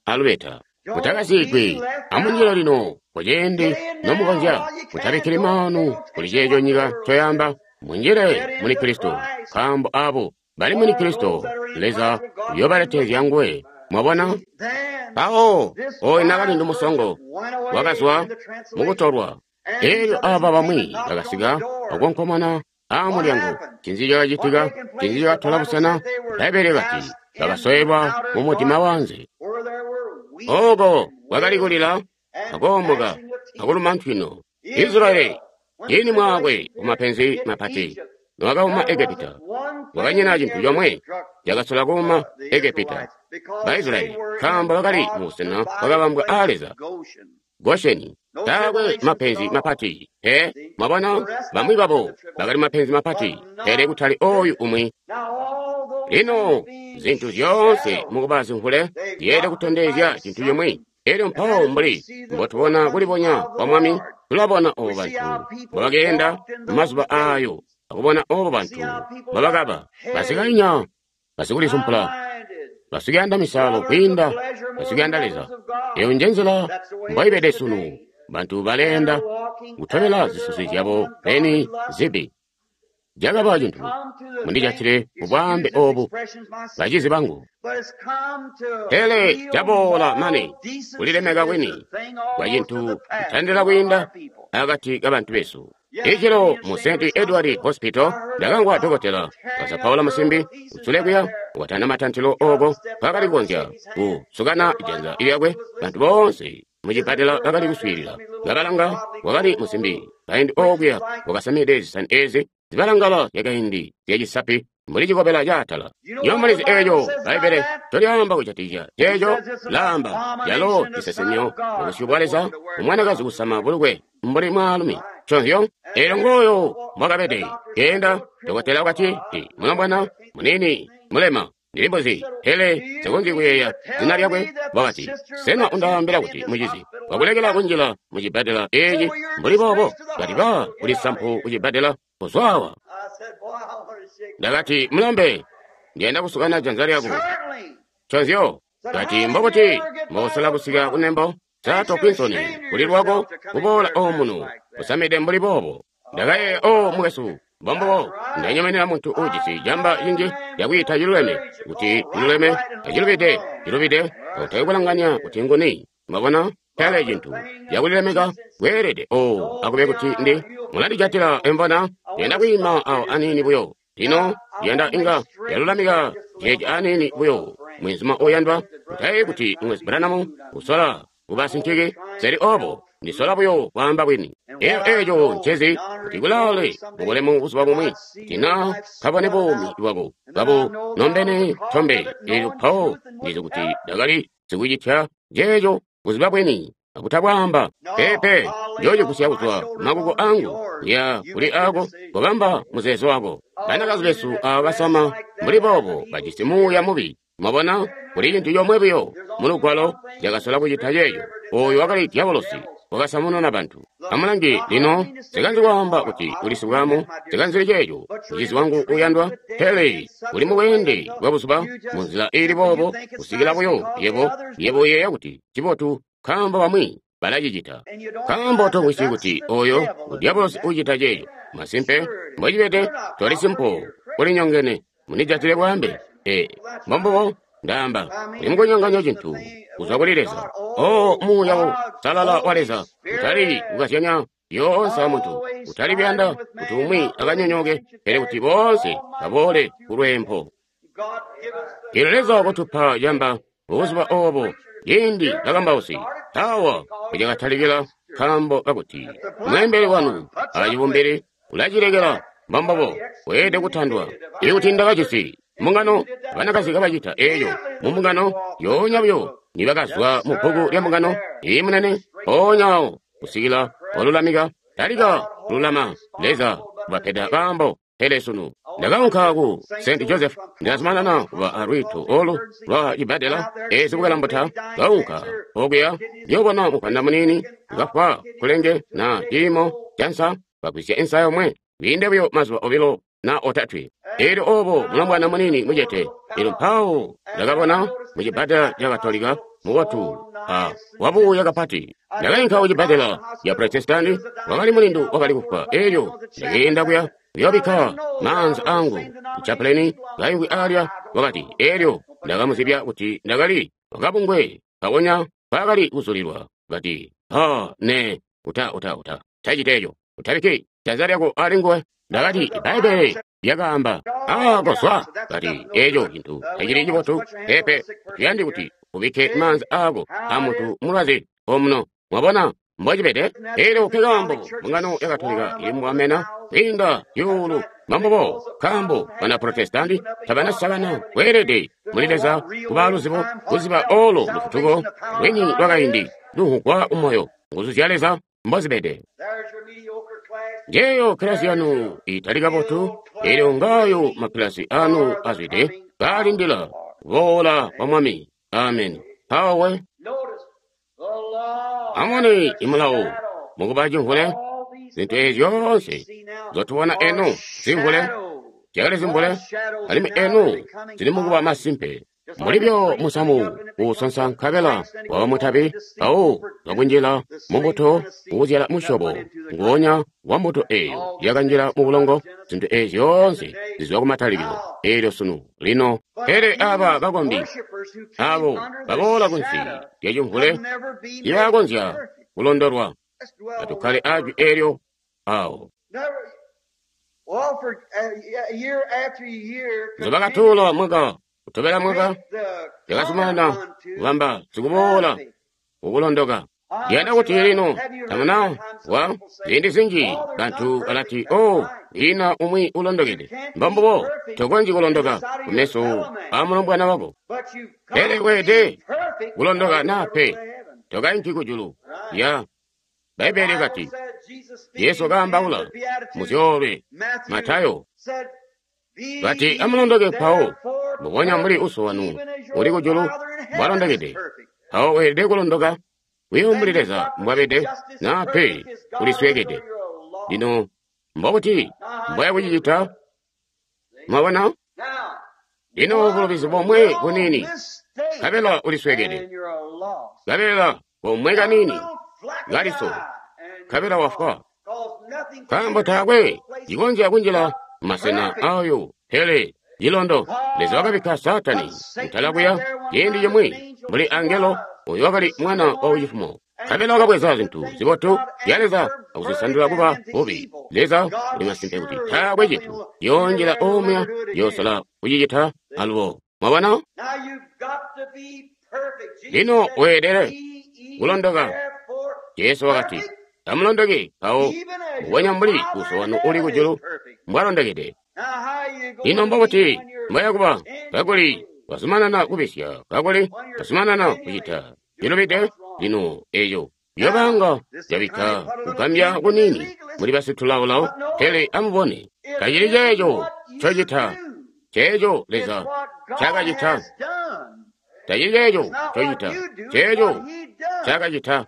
alubeta. Mutakasigwi amunjila lino kuciindi nomukonzya. Mutabikkili maanu kuli ceeco nyika ncoyaamba. Munjile muli Kristo, nkaambo aabo bali muli Kristo Leza uyoobaletezya nguwe. Mwabona? Mpawo oyu nakalindu musongo wakazwa mukutolwa. Eelyo aaba bamwi bakasika akukonkomona aa mulyango. Ncinzi cakacitika? Ncinzi cakatola busena? Bbaibbele kati bakasowelwa mu mudima wanze. Oko kwakali kulila, akoomoka, akuluma ntwino. Israyeli, ini mwakwe kumapenzi mapati, nowakauma Egepita, wakanyina cintu comwe cakasola kuuma Egepita. Baisraeli, nkaambo bakali mubusena bwakabambwa aa Leza, Gosheni, taakwe mapenzi mapati. Pe, mwabona, bamwi babo bakali mapenzi mapati, pele kutali oyu umwi. Lino, zintu zyoonse mukuba zimvule zyeelede kutondezya cintu cimwi. Elyo mpawo mbuli mbotubona kulibonya kwa Mwami, tulabona obo bantu mbobakeenda mumazuba ayo, akubona obo bantu mbobakaba basikainya, basikulisumpula, basikuyanda misalo kwiinda basikuyanda Leza. Eyo nje nzila mboibede sunu. Bantu baleenda kutobela zisusi zyabo beni zibi. Cakaba cintu mundijatile mubwaambe obu, bacizi bangu. Pele caboola mane kulilemeka kwini kwa cintu kutandila kwiinda akati kabantu besu. Icilo mu St. Edward Hospital ndakamvwa dokotela kazapaula musimbi utsule kuya watana matantilo oko kakali kukonzya kusukana janza lyakwe. Bantu boonse mucipatala bakali kuswiilila ngabalanga wakali musimbi kaindi okuya wakasamide zisani ezi zibalangala zyakaindi zyacisapi mbuli cikobela caatala. Nyomulizi eeco Bbaibbele tolyaamba kujatikizya ceeco laamba yalo cisesemyo mubusyu bwa Leza, umwanakazi kusama bulukwe mbuli mwaalumi. Nconzyo eelyo ngooyo mbwakabede keenda. Dokotela wakati, mulombwana munini mulema ndilimbuzi, pele nsikonzyi kuyeeya zina lyakwe. Wakati, sena undaambila kuti mucizi wakulekela kunjila mucibbadela eeci mbuli boobo? Kati ba kuli sampu kucibbadela kuzwawa. Ndakati, mulambe, ndiyanda kusukana janza lyako. Nconzyo. Kati, mbobuti mbosola kusika kunembo? Sa tokwinsooni kuli lwako kuboola omuno usamide mbuli boobo? Ndakayeeya, o mukwesu, mbombubo ndanyomenena muntu uujisi jamba linji lyakwiita ciluleme kuti ciluleme acilubide cilubide, kautali kulanganya kuti nguni. Mwabona? Pele cintu cakulilemeka kweelede o akube kuti ndi mulandijatila embona. Ndiyanda kwiima awo aniini buyo lino, ndiyanda inga yalulamika ceeci aniini buyo. Mwenzuma oyandwa, utayeeyi kuti Mukwesu Branham usola kuba sinciki. Seli obo, ndisola buyo kwaamba bwini. Eyo eeco ncezi kuti kulaale mubulemu buzuba bumwi, kuti na kabone buumi bwako bwabo nombene tombe. Elyo mpawo ndizi kuti ndakali sikucitya ceeco kuziba bwini akutabwaamba. Peepe, njoocigusya kuzwa kumakuko angu kuya kuli ako kubamba muzeezo wako. Banakazi besu aaba basama mbuli boobo bajisi muuya mubi. Mwabona, kuli cintu comwe buyo mu Lugwalo cakasola kucita ceeco. Oyo wakali dyabolosi wakasamununa bantu. Amulange lino, nsikanzi kwaamba kuti uli sibwaamu, nsikanzili ceeco, mucizi wangu uyandwa, pele uli mubweende bwa buzuba munzila iili boobo kusikila buyo yebo yebo uyeeya kuti cibotu nkaambo bamwi balacicita. Nkaambo tomvwisyi kuti oyo dyabolosi ucita ceeco. Masimpe, mbocibede, toli simpo, ulinyongene, mundijatile bwaambe. Ee, mbombubo ndaamba, uli mukunyonganya cintu kuzwa kuli Leza. O muuya uusalala wa Leza, utali kukazyanya yoonse amuntu, utali kuyanda kuti umwi akanyonyooke, pele kuti boonse baboole kulweempo. Eelyo Leza wakutupa camba buzuba obo, ciindi bakambausi awa mpocakatalikila, nkaambo kakuti mweembeli wanu acibumbili ulacilekela. Mbombubo weelede kutandwa. Ikuti ndakajisi mbungano banakazi kabacita eeco mumbungano yoonya buyo nibakazwa mu bbuku lya mbungano iyi munene, mpoonya awo kusikila walulamika talika kululama. Leza ubapeda kaambo. Pele sunu ndakaunka ku St. Joseph, ndazumanana kuba alwiito olu lwa cibbadela ezi bukalambota. Kaunka okuya njoobona mupanda muniini kafwa kulenge na ciimo cansa, bagwisya insa yomwe kwiinde buyo mazuba obilo na otatwe. Eelyo obo mulombwana muniini mucete. Eelyo mpawo ndakabona mu cibbadela ca Katolika mubotu a wabuuya kapati. Ndakainka ku cibbadela ca Protestanti, wakali mulindu wakali kufwa. Eelyo ndakeenda kuya kuyoobikka maanza angu ku chapuleni kaimvwi alya, wakati, eelyo ndakamuzibya kuti ndakali wakabungwe kakonya nkaakali kuzulilwa. Kati, ha, ne, uta, uta, uta, tacita eco. Utabikki janza lyako ali nguwe. Ndakati, Bbaibbele lyakaamba, "A kozwa." Kati, eco cintu tacili cibotu. Peepe, tuyandi kuti ubikke maanza aako a muntu mulwazi omuno. Mwabona mbocibede? Elyo nke kaambo mbungano ya Katolika ili mukamena kwiinda zyuulu. Mbambubo nkaambo bana Protestanti tabanasakana kweelede muli Leza kuba luzibo, kuziba olo lufutuko lwini lwakaindi luhugwa umoyo, nguzu zya Leza mbozibede. Njeeyo kilasi yanu itali kabotu, elyo ngaayo makilasi anu azwide kaalindila kuboola kwa Mwami. Amen. Mpawo amubone imulawo mukuba cimvule, zintu ezi zyoonse nzotubona eno zimvule, zyakali zimvule, alimwi eno zili mukuba masimpe. Mulibyo musamu uusonsa nkabela waba mutabi, mpawo wakunjila mumbuto uuzyala musyobo nguonya wa mbuto eeyo yakanjila mu bulongo. Zintu ezi zyoonse zizwa kumatalikilo eelyo sunu lino. Pele aba bakombi abo baboola kunsi lya cimvule tiibakonzya kulondolwa. Atukkale ajwi eelyo awo. Nzobakatuula mwaka kutobela mwaka yakazumanana kubamba sikuboola kukulondoka. Ndiyanda kuti lino tamuna wa ziindi zinji bantu balati, "Oh, lina umwi ulondokede." Mbambubo, tokonzyi kulondoka kumeso a mulombwana wako. Pele weelede kulondoka naa pe, tokainki kujulu. Ya Bbaibbele kati, Jesu kaambaula muzyoolwe Matayo, kati, "Amulondoke mpawo, mbubonya mbuli Uso wanu uli kujulu mbwalondokede." Mpawo weelede kulondoka buyo mbuli Leza mbwabede, naa pe ulisweekede. Lino mbobuti mbwaya kucicita? Mwabona? Lino bulubizi bomwe buniini, nkabela ulisweekede. Nkabela bomwe kaniini kaliso, nkabela wafwa. Nkaambo taakwe cikonzya kunjila masena ayo, pele cilondo. Leza wakabikka Saatani mutala kuya ciindi cimwi mbuli angelo oyo wakali mwana wa cifumo. Nkabela wakabweza zintu zibotu zya Leza akuzisandula kuba bubi. Leza uli masimpe kuti taakwe cintu yoonjila omuya yoosala kucicita alubo. Mwabona? Lino weelede kulondoka. Jesu wakati, "Amulondoke mpawo, mbubonya mbuli Uso wanu uli kujulu mbwalondokede." Lino mbobuti mbwayakuba kakuli wazumanana kubisya, kakuli wazumanana kucita cilubide? Lino eyo yobanga yabikka kugambya kuniini muli basitulaolao. Pele amubone, tacili ceeco ncocita, ceeco Leza ncaakacita. Tacili ceeco ncocita, ceeco ncaakacita.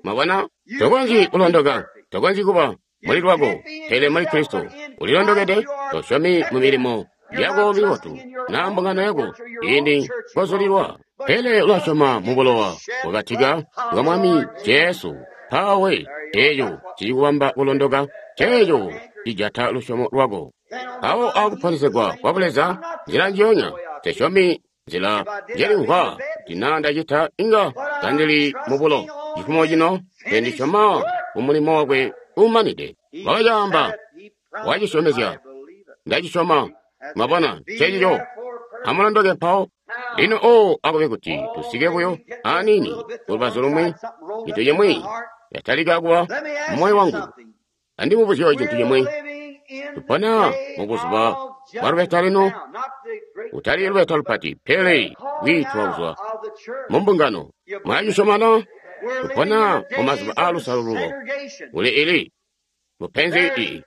Mwabona? Tokonzyi kulondoka, tokonzyi kuba muli lwako, pele muli Kristo ulilondokede. Tosyomi mu milimo yako mibotu naa mbungano yako ciindi kozulilwa, pele ulasyoma mu bulowa bwakatika bwa Mwami Jesu. Mpawe eeco cikubamba kulondoka, ceeco cijata lusyomo lwako. Mpawo akuponesegwa kwa Buleza nzila njionya, tesyomi nzila njelimvwa kuti naa ndacita inga kandili mubulo. Cifumo cino tendisyoma mu mulimo wakwe uumanide. Wakacaamba, wacisyomezya, ndacisyoma. Mwabona, ncecico. Amulondoke mpawo. Lino o akube kuti tusike buyo aniini kulubazu lumwi, cintu cimwi yatalika kuba mumoyo wangu. Andimubuzye cintu cimwi. Tupona mubuzuba bwa lubeta lino, kutali lubeta lupati, pele kwiitwa kuzwa mu mbungano. Mwacisyomana? Tupona mumazuba aalusalululo. Kuli ili mupenzi ii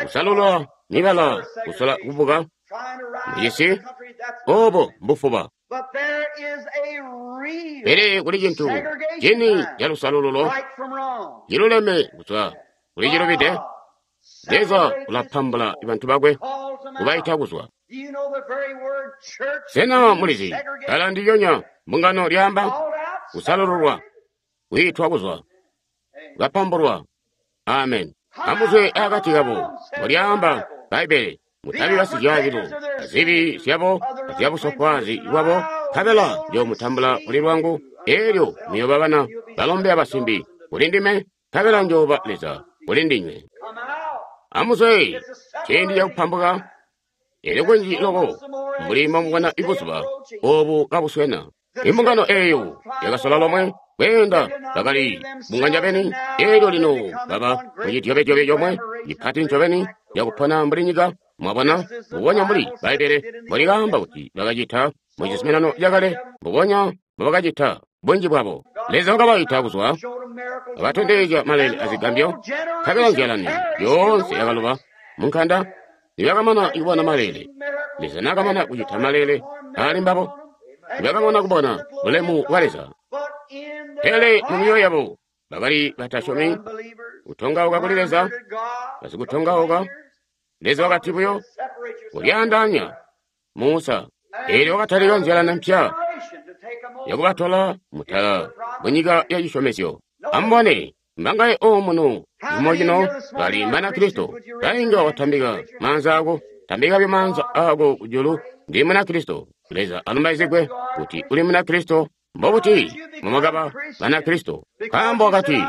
kusalulula mibala kusola kubuka mucisi, obo mbufuba. Pele kuli cintu cini calusalululo ciluleme kuzwa kuli cilubide. Leza ulapambula bantu bakwe kubaita kuzwa. Sena mulizi kala ndilyonya mbungano lyaamba kusalululwa, kwiitwa kuzwa, kapambulwa. Amen. Amuzwe akati kabo, mbulyaamba Bbaibbele, mutabi basizyaabilo azibi zyabo azyabusofwaazi bwabo, nkabela njoomutambula kuli lwangu, eelyo muyooba bana balombe abasimbi kuli ndime, nkabela njooba Leza kuli ndinywe. Amuzwe, ciindi cakupambuka. Elyo kunji loko mbuli mbomubona ibuzuba obu kabuswena. Imbungano eyo yakasola lomwe kweenda, bakali bunganya beni. Elyo lino baba mucidyobedyobe comwe cipati ncobeni cakupona mbuli nyika. Mwabona, mbubonya mbuli Bbaibbele mbolikaamba kuti bakacita mu Cizuminano Cakale, mbubonya mbobakacita bunji bwabo. Leza wakabaita kuzwa, abatondezya maleele azigambyo, nkabela nzyalani yoonse yakaloba munkanda. Nibakamana kubona maleele, Leza naakamana kucita maleele aali mbabo, nibakamana kubona bulemu bwa Leza, pele mu myoyo yabo bakali batasyomi, kutongauka kuli Leza, basikutongauka. Leza wakati buyo, kulyaandaanya Musa. Eelyo wakatalika nzyalani mpya yakubatola mutala munyika ya cisyomezyo. Amubone, mbangaye omuno cimo cino bali Banakristo. Bainga watambika maanza ako, tambika buyo maanza ako kujulu. Ndi Munakristo. Leza alumbaizigwe kuti uli Munakristo. Mbobuti mumwakaba Banakristo? Nkaambo wakati,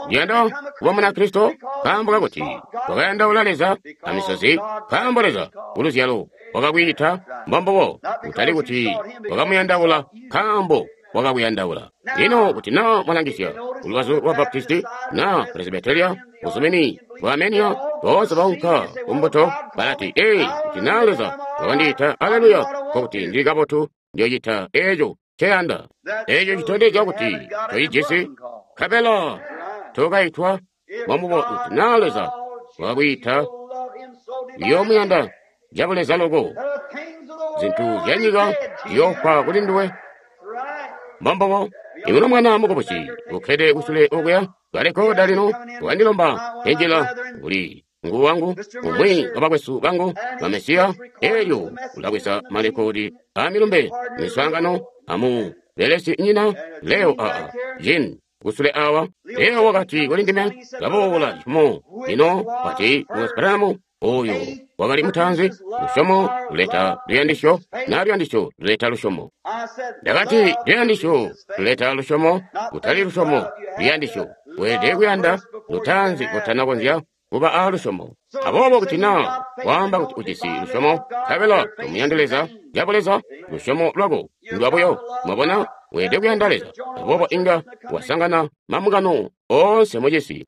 ndiyanda kuba Munakristo. Nkaambo kakuti wakayandaula Leza amisozi. Nkaambo Leza kuluzyalo wakakwiita. Mbombubo, kutali kuti wakamuyandaula, nkaambo wakakuyandaula. Lino kuti naa mwalangisya kulubazu lwa Baptisti na Presbyteria, buzumini bwa Armenia, boonse baunka kumbuto balati, ee, kuti naa Leza wakandiita, aleluya, nkokuti ndili kabotu, ndiyocita eeco nceyanda. Eeco citondezya kuti tocijisi, nkabela tokaitwa. Mbombubo, kuti naa Leza wakakwiita, uyoomuyanda cabuleza loko. Zintu zyanyika ziyoofwa kuli nduwe. Mbombubo, imuno mwana mukubusi ukkede kusule okuya kalekoda lino wandilomba enjila kuli ngu wangu umwi wa bakwesu bangu ba Mesiya. Elyo ulabweza malekodi amilumbe miswaangano amu belesi nyina Leo aa Jin kusule awa. Leo wakati kuli ndime, kaboola cifumo lino wati Wesbramu oyo wakali mutaanzi. Lusyomo luleta luyandisyo, na luyandisyo luleta lusyomo. Ndakati luyandisyo luleta lusyomo, kutali lusyomo luyandisyo. Weelede kuyanda lutaanzi kutanakonzya kuba a lusyomo. Aboobo kuti naa waamba kuti ujisi lusyomo, nkabela tomuyandi Leza cabuleza, lusyomo lwako ndwabuyo. Mwabona, weelede kuyanda Leza. Aboobo inga wasangana mambungano oonse mucisi,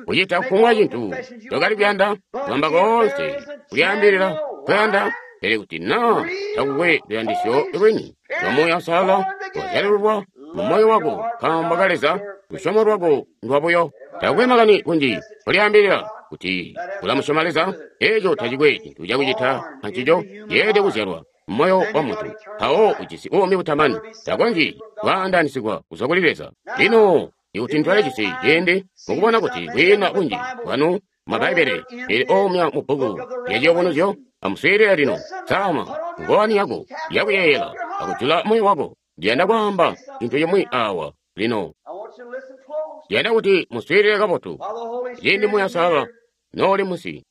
kucita kufumbwa cintu cokali kuyanda, kwamba koonse kulyaambilila kuyanda. Pele kuti naa takukwe luyandisyo lwini lwa Muuya Uusalala wazyalululwa mu moyo wako nkaambo ka Leza, lusyomo lwako ndwabuyo. Takukwe makani kunji kulyaambilila kuti ulamusyoma Leza, eeco tacikwe cintu cakucita ancico. Yeelede kuzyalwa moyo wa muntu, mpawo ujisi buumi butamani, takonzyi kwaandaanisigwa kuzwa kuli Leza. Lino ikuti ntwale cisi ciindi mukubona kuti kwiina bunji bwanu ma Bbaibbele ili omya mu bbuku lya Ciyubunuzyo, amuswiilile lino. Sama ngowani yako yakuyeeyela akujula moyo wako. Ndiyanda kwaamba cintu cimwi awa lino. Ndiyanda kuti muswiilile kabotu ciindi Muuya Uusalala nooli musi.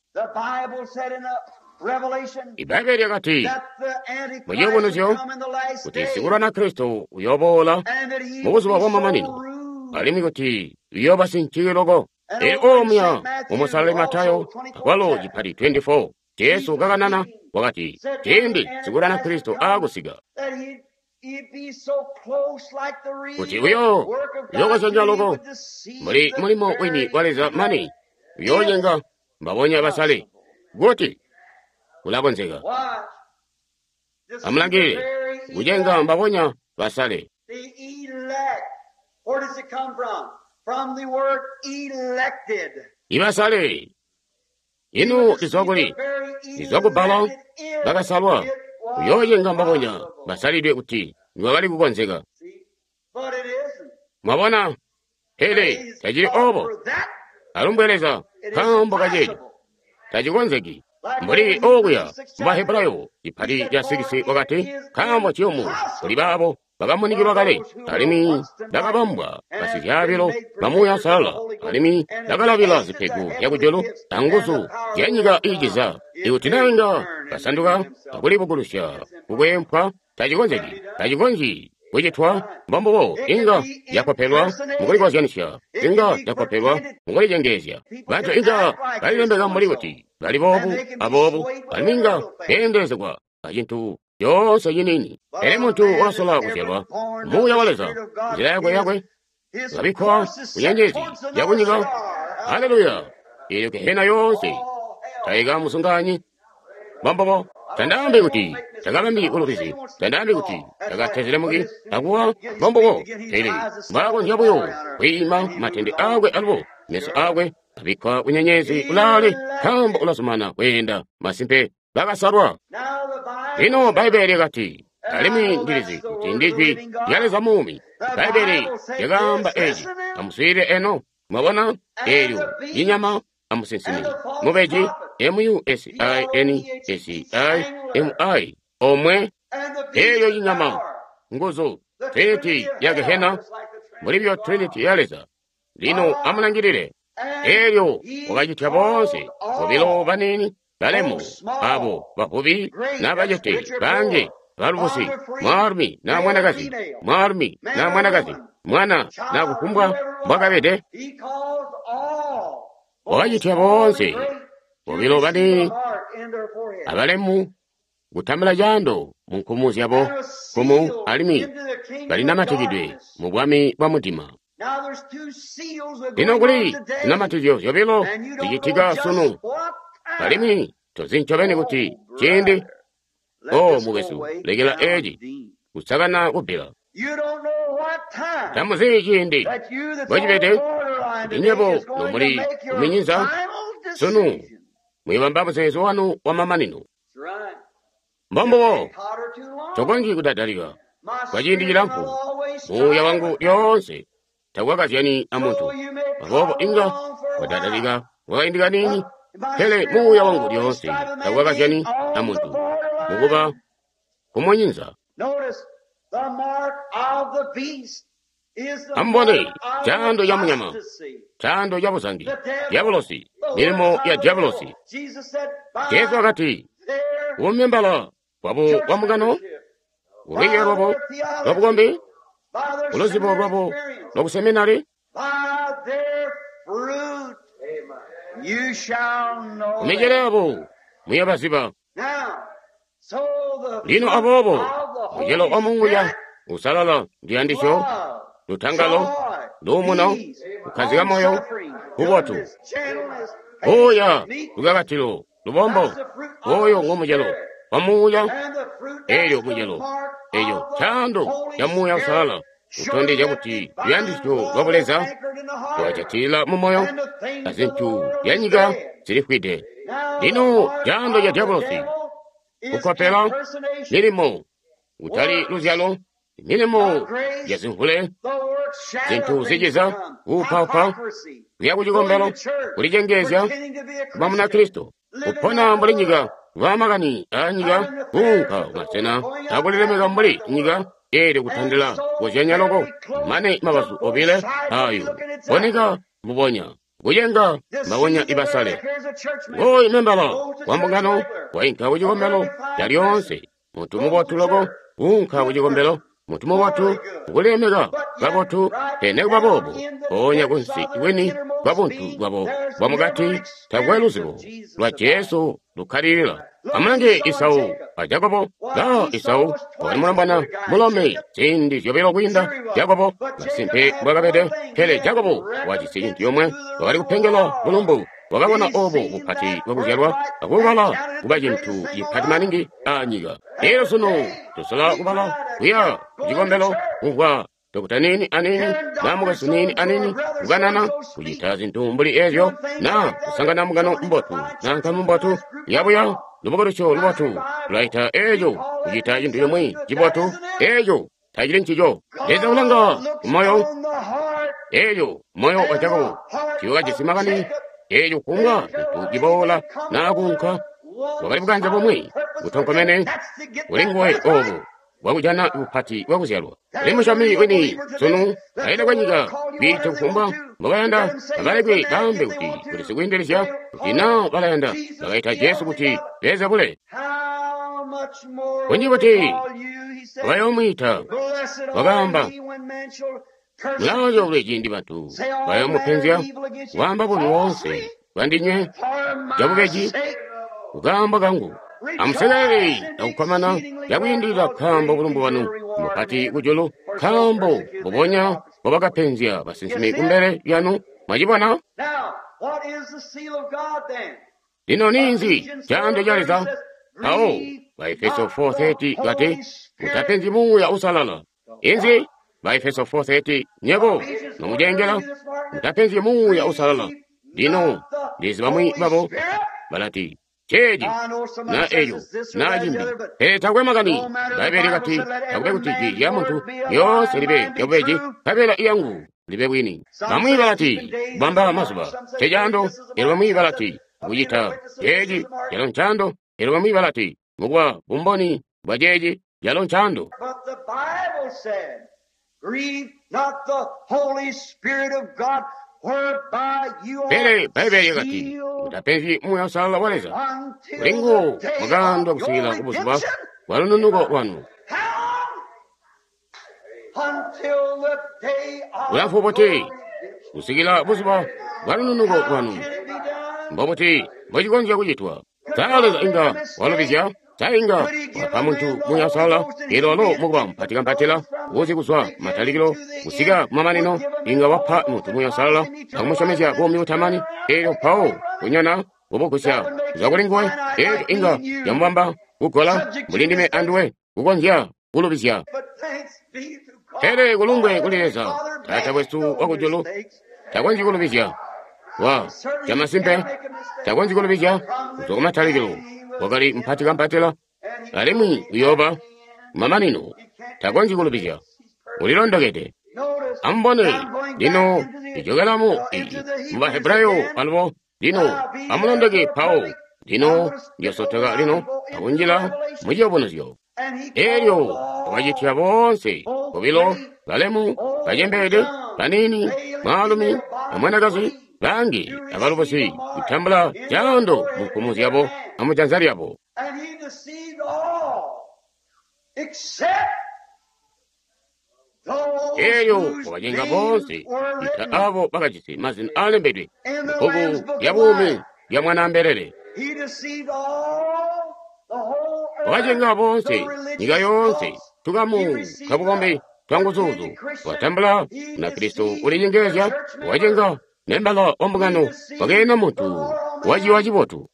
Ibbaibbele lyakati mu Ciyubunuzyo kuti sikulwana Kristo uyooboola mubuzuba bwamamanino, alimwi kuti uyooba sinciyi loko. Elyo omuya mu Musalali Matayo akwalo cipati 24, Jesu kakanana wakati, ciindi sikulwana Kristo aakusika, kuti uyo uyookozyanya loko mbuli mulimo wini wa Leza mane uyoocenga mbabonya basale. Kuti ulakonzeka. Amulangilile, kucenga mbabonya basale. Ibasale ino lizwa kuli? Lizwa kubbala bakasalwa. Uyoocenga mbabonya basalidwe kuti niwakali kukonzeka. Mwabona? Pele tacili obo. Alumbwe Leza nkaambo kaceeco tacikonzeki. Mbuli okuya mu Bahebrayo cipati ca 6 wakati, nkaambo ciyumu kuli baabo bakamunikilwa kale, alimwi bakabambwa basizyaabilo ba Muuya Uusalala, alimwi bakalabila zipego zyakujulu anguzu zyanyika iiciza. Ikuti naa inga basanduka akulibukulusya kukweempwa, tacikonzeki, tacikonzyi kucitwa, mbombubo inga yakopelwa mukulikozyanisya, inga yakopelwa mukulicengeezya. Bantu inga balilembeka mbuli kuti bali boobu aboobu, alimwi inga beendelezegwa acintu coonse ciniini. Pele muntu wakasola kuzyalwa Muuya wa Leza, nzila yakwe yakwe kabikkwa kunyenyeezi yakunyika. Haleluya! Eelyo gehena yoonse taika musunganyi. Mbombubo. Tandaambi kuti takabambi bulubizi, tandaambi kuti takatezelemuki akuwa. Mbombubo. Pele mbwaakonzya buyo kwiima matende aakwe alubo meso aakwe abikkwa kunyenyeezi kulaale, nkaambo ulazumana kweenda. Masimpe, bakasalwa. Lino Bbaibbele lyakati, alimwi ndilizi kuti ndijwi lya Leza muumi. Bbaibbele lyakaamba eci. Amuswiilile eno. Mwabona? Eelyo inyama amusinsimi mubeji M-U-S-I-N-S-I-M-I omwe. Eelyo inyama nguzu Trinity ya Gehena mulibyo Trinity ya Leza. Lino amulangilile. Eelyo wakacitya boonse bobilo baniini balemu abo bavubi n'abacete bange balubusi, mwaalumi na mwanakazi, mwaalumi na mwanakazi, mwana na kufumbwa mbwakabede. Wakacitya boonse bobilo baniini abalemu kutambula caando mu nkumu zyabo nkumu, alimwi balinamatikidwe mu bwami bwa mudima. Lino kuli zinamatizyo zyobilo zicitika sunu, alimwi tozi ncobeni kuti ciindi. O mukwesu, lekela eci kusakana kubbila. Tamuzi ciindi mbocibede kuti nywebo nomuli kuminyinza sunu muyobamba muzeezo wanu wamamanino. Mbombubo. Tokonzyi kudadalika kwa ciindi cilamfu. Muuya wangu lyoonse takwakazyani amuntu, aboobo inga wadadalika kwakaindi kaniini, pele muuya wangu lyoonse takwakazyani amuntu mukuba kumunyinza. Amubone caando ca munyama, caando ca buzangi, diabolosi, milimo ya diabolosi. Jesu wakati, umembala wabo wa mungano, ulwiiyo lwabo lwa bukombi, uluzibo lwabo lwa kuseminari, kumicelo yabo muyabaziba. Lino aboobo mucelo wa Muuya usalala ndiyandisyo, lutangalo, luumuno, kukkazika moyo, bubotu, buuya, lukakatilo, lubombo. Oyo ngomucelo wa Muuya. Eelyo mucelo eyo caando ca Muuya Usalala utondezya kuti luyandisyo lwa buleza lwajatilila mu moyo, azintu zya nyika zilifwide. Lino caando ca diabolosi kukopela milimo, kutali luzyalo, milimo ya zimvule, zintu ziciza, kuupaupa, kuya kucikombelo, kulicengeezya kuba Munakristo, kupona mbuli nyika, kuba makani aa nyika, kuunka kumasena akulilemeka mbuli nyika. Eelyo kutandila kuzyanya loko mane mabazu obile ayo boneka mbubonya kucenga mbabonya ibasale. Oyu membala wa mbungano wainka kucikombelo calyoonse, muntu mubotu loko kuunka kucikombelo, muntu mubotu kulilemeka kabotu, pele nekuba boobo mpoonya kunsi kwini kwa buntu bwabo bwamukati takwe luzibo lwa Jesu lukkalilila. Amulange Isau a Jakobo. La Isau wakali mulombwana mulome ziindi zyobilo kwiinda Jakobo, masimpe mbwakabede. Pele Jakobo wajisi cintu yomwe, wakali kupengela bulumbu. Wakabona obo bupati bwakuzyalwa akubala kuba cintu cipati maningi anyika. Elyo sunu tusola kubala kuya kucikombelo, kumvwa Dokota nini anini na mukwesu nini anini kukanana kucita zintu mbuli ezyo, na kusangana mungano mbotu na nkamu mbotu yabuya lubukulusyo lubotu lulaita eco kucita cintu cimwi cibotu. Eco tacili ncico. Leza ulanga kumoyo. Eco moyo wa Jakobo tiwakajisi makani. Eco kufumbwa cintu ciboola na kuunka wakali bukanze bumwi butonkomene kuli nguwe obo bwakujana bupati bwakuzyalwa. Kuli musyomi wini sunu aida kwanyika kwiita kufumbwa mbobayanda, abalekwe baambe kuti kuli sikwiindelezya, kuti naa balayanda bakaita Jesu kuti Beelzebule. Kunji buti bayoomwiita, wakaamba, mulacoolwe ciindi bantu bayoomupenzya, kwaamba bubi woonse bwandinywe cabubeji kukaambo kangu. Amusekelele akukkomana cakwiindilila nkaambo bulumbu bwanu mbupati kujulu, nkaambo mbubonya mbobakapenzya basinsimi kumbele lyanu. Mwacibona? Lino ninzi caando ca Leza? Mpawo Baefeso 4:30 kati, mutapenzyi Muuya Uusalala. Inzi? Baefeso 4:30 nyebo nomucengela, mutapenzyi Muuya Uusalala. Lino ndizi bamwi babo balati, ceeci na eco na cimbi, pele takwe makani. Bbaibbele kati, takube kuti jwi lya muntu lyoonse libe lyabubeji, nkabela iyangu libe bwini. Bamwi balati, kubamba mazuba ncecaando, elyo bamwi balati, kucita ceeci calo ncaando, elyo bamwi balati, mukuba bumboni bwa ceeci calo ncaando. Pele Bbaibbele lyakati, mutapenzyi Muuya Uusalala wa Leza, kuli nguwo mwakaandwa kusikila kubuzuba bwa lununuko lwanu. Bulamfu buti kusikila buzuba bwa lununuko lwanu? Mbobuti mbocikonzya kucitwa? Sa Leza inga walubizya? Sa inga wapa muntu Muuya Uusalala, eelyo walo mukuba mupatikampatila uzi kuzwa kumatalikilo kusika kumamanino, inga wapa muntu Muuya Uusalala akumusyomezya buumi butamani, eelyo mpawo kunyona kubugusya kuzwa kuli nguwe, eelyo inga yamubamba kugola mbuli ndime anduwe kukonzya kulubizya. Pele kulumbwe kuli Leza, Taata wesu wakujulu, takonzyi kulubizya. Wa camasimpe takonzyi kulubizya. Kuzwa kumatalikilo wakali mupatikampatila, alimwi uyooba kumamanino. Takonzyi kulubizya, ulilondokede. Amubone lino ijokelamu mu Bahebrayo alubo. Lino amulondoke Pawo. Lino ndiyosotoka lino akunjila mu ciyubunuzyo. Eelyo wakacitya boonse bobilo, balemu, bacembeede, baniini, mwaalumi amwanakazi, bangi abalubusi, kutambula caando mu nkumu zyabo amujanza lyabo. Eelyo wakacenga boonse ita abo bakajisi mazina aalembedwe mubbuku lya buumi lya Mwanaambelele. Wakacenga boonse, nyika yoonse, tukamu twabukombi twanguzuuzu. Watambula Munakristo ulinyengelezya, wacenga membala wa mbungano, wakeena muntu waciwa cibotu.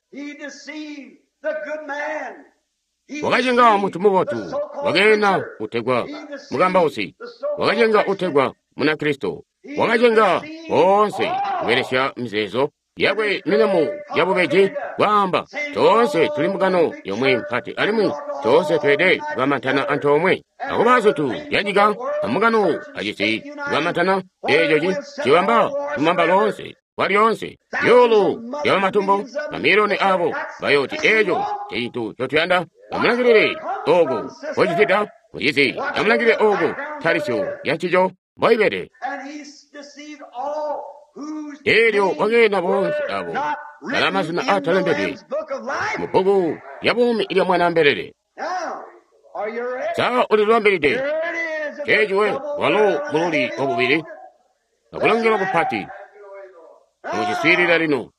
Wakacenga muntu mubotu, wakeena utegwa mukambausi, wakacenga utegwa Munakristo, wakacenga boonse kubelesya mizeezo yakwe milimo yabubeji, kwaamba toonse tuli mbungano yomwe mpati alimwi toonse tweelede kukamantana antoomwe. Akuba zintu zyanyika ambungano acisi kukamantana, eeco cibamba lumamba loonse kwalyoonse. Zyuulu zyabamatumbo, mamiliyoni aabo bayooti eeco ncecintu ncotuyanda. Amulangilile ooko mbocicita mucizi, amulangilile ooko ntalisyo yancico mboibede. Eelyo wakeena boonse abo balaa mazina aatalembedwe mubbuku lya buumi lya Mwanaambelele. Sa ulilibambilide? Ceeciwe walo mululi wabubili akulongelwa kupati. Muciswiilila lino.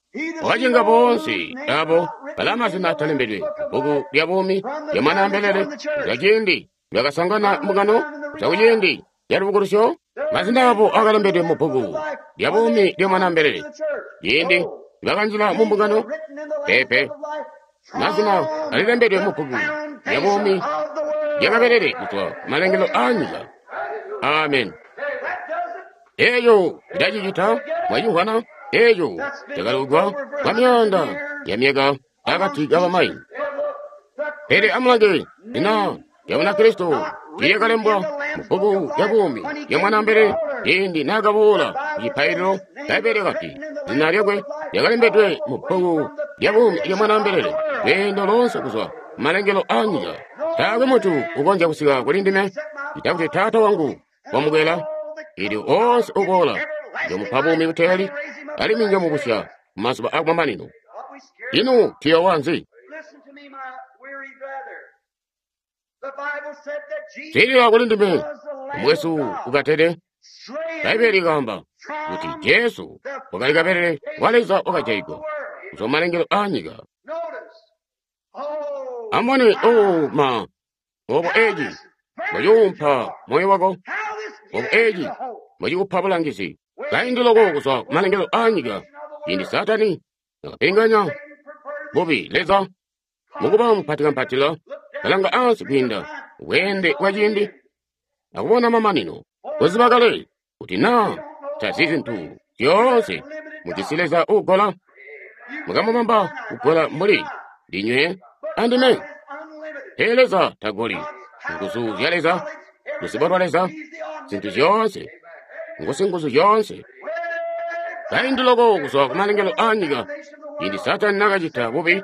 Wakacenga boonse abo balaa mazina aatalembedwe mubbuku lya buumi lya Mwanaambelele kuzwa ciindi nibakasangana mbungano, kuzwa kuciindi calubukulusyo. Mazina abo akalembedwe mubbuku lya buumi lya Mwanaambelele ciindi nibakanjila mu mbungano. Peepe, mazina alilembedwe mubbuku lya buumi lya Kabelele kuzwa kumalengelo aanyika. Amen. Eeco ilacicita mwacimvwana. Eeco cakalugwa kwa myaanda ya myaka akati kabamayi. Pele amulange zina lya Munakristo lyakalembwa mubbuku lya buumi lya Mwanaambelele ciindi naakaboola kucipaililo. Bbaibbele kati zina lyakwe lyakalembedwe mubbuku lya buumi lya Mwanaambelele lweendo loonse kuzwa kumalengelo aanyika. Taakwe muntu ukonzya kusika kuli ndime ccita kuti Taata wangu wamukwela. Eelyo oonse uboola njomupa buumi buteeli, alimwi njomubusya mumazuba akumamanino. Ino tuyoowa nzi? Swiilila kuli ndime, mukwesu ukatede. Bbaibbele likaamba kuti Jesu wakali kabelele wa Leza wakajaigwa kuzwa malengelo aanyika. Amubone, oh ma, obo eci mbociwumpa moyo wako, obo eci mbocikupa bulangizi. Kaindi loko kuzwa kumalengelo aanyika, ciindi Saatani nakapinganya bubi Leza mukuba mupatikampatila, kalanga ansi kwiinda bweende bwa ciindi akubona mamanino. Kuziba kale kuti naa tazi zintu zyoonse mujisi Leza uugola, mukamubamba kugola mbuli ndinywe andime. Pele Leza tagoli. Nguzu zya Leza, luzibo lwa Leza, zintu zyoonse, ngusinguzu zyoonse. Kaindi loko kuzwa kumalengelo aanyika, ciindi Saatani nakacita bubi,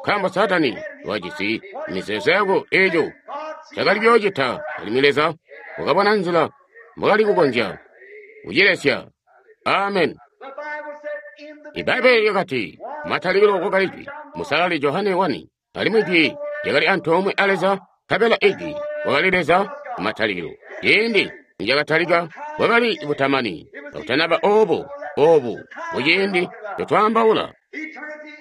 nkaambo Saatani wajisi mizeezo yako eeco cakali kuyoocita, alimwi Leza wakabona nzila mbwakali kukonzya kucilesya. Amen. Ibbaibbele lyakati, matalikilo kwakali Jwi, Musalali Johane 1, alimwi Jwi lyakali antoomwe a Leza, nkabela Ijwi wakali Leza kumatalikilo. Ciindi nicakatalika bwakali butamani, kakutanaba oobo oobu muciindi ncotwaambaula.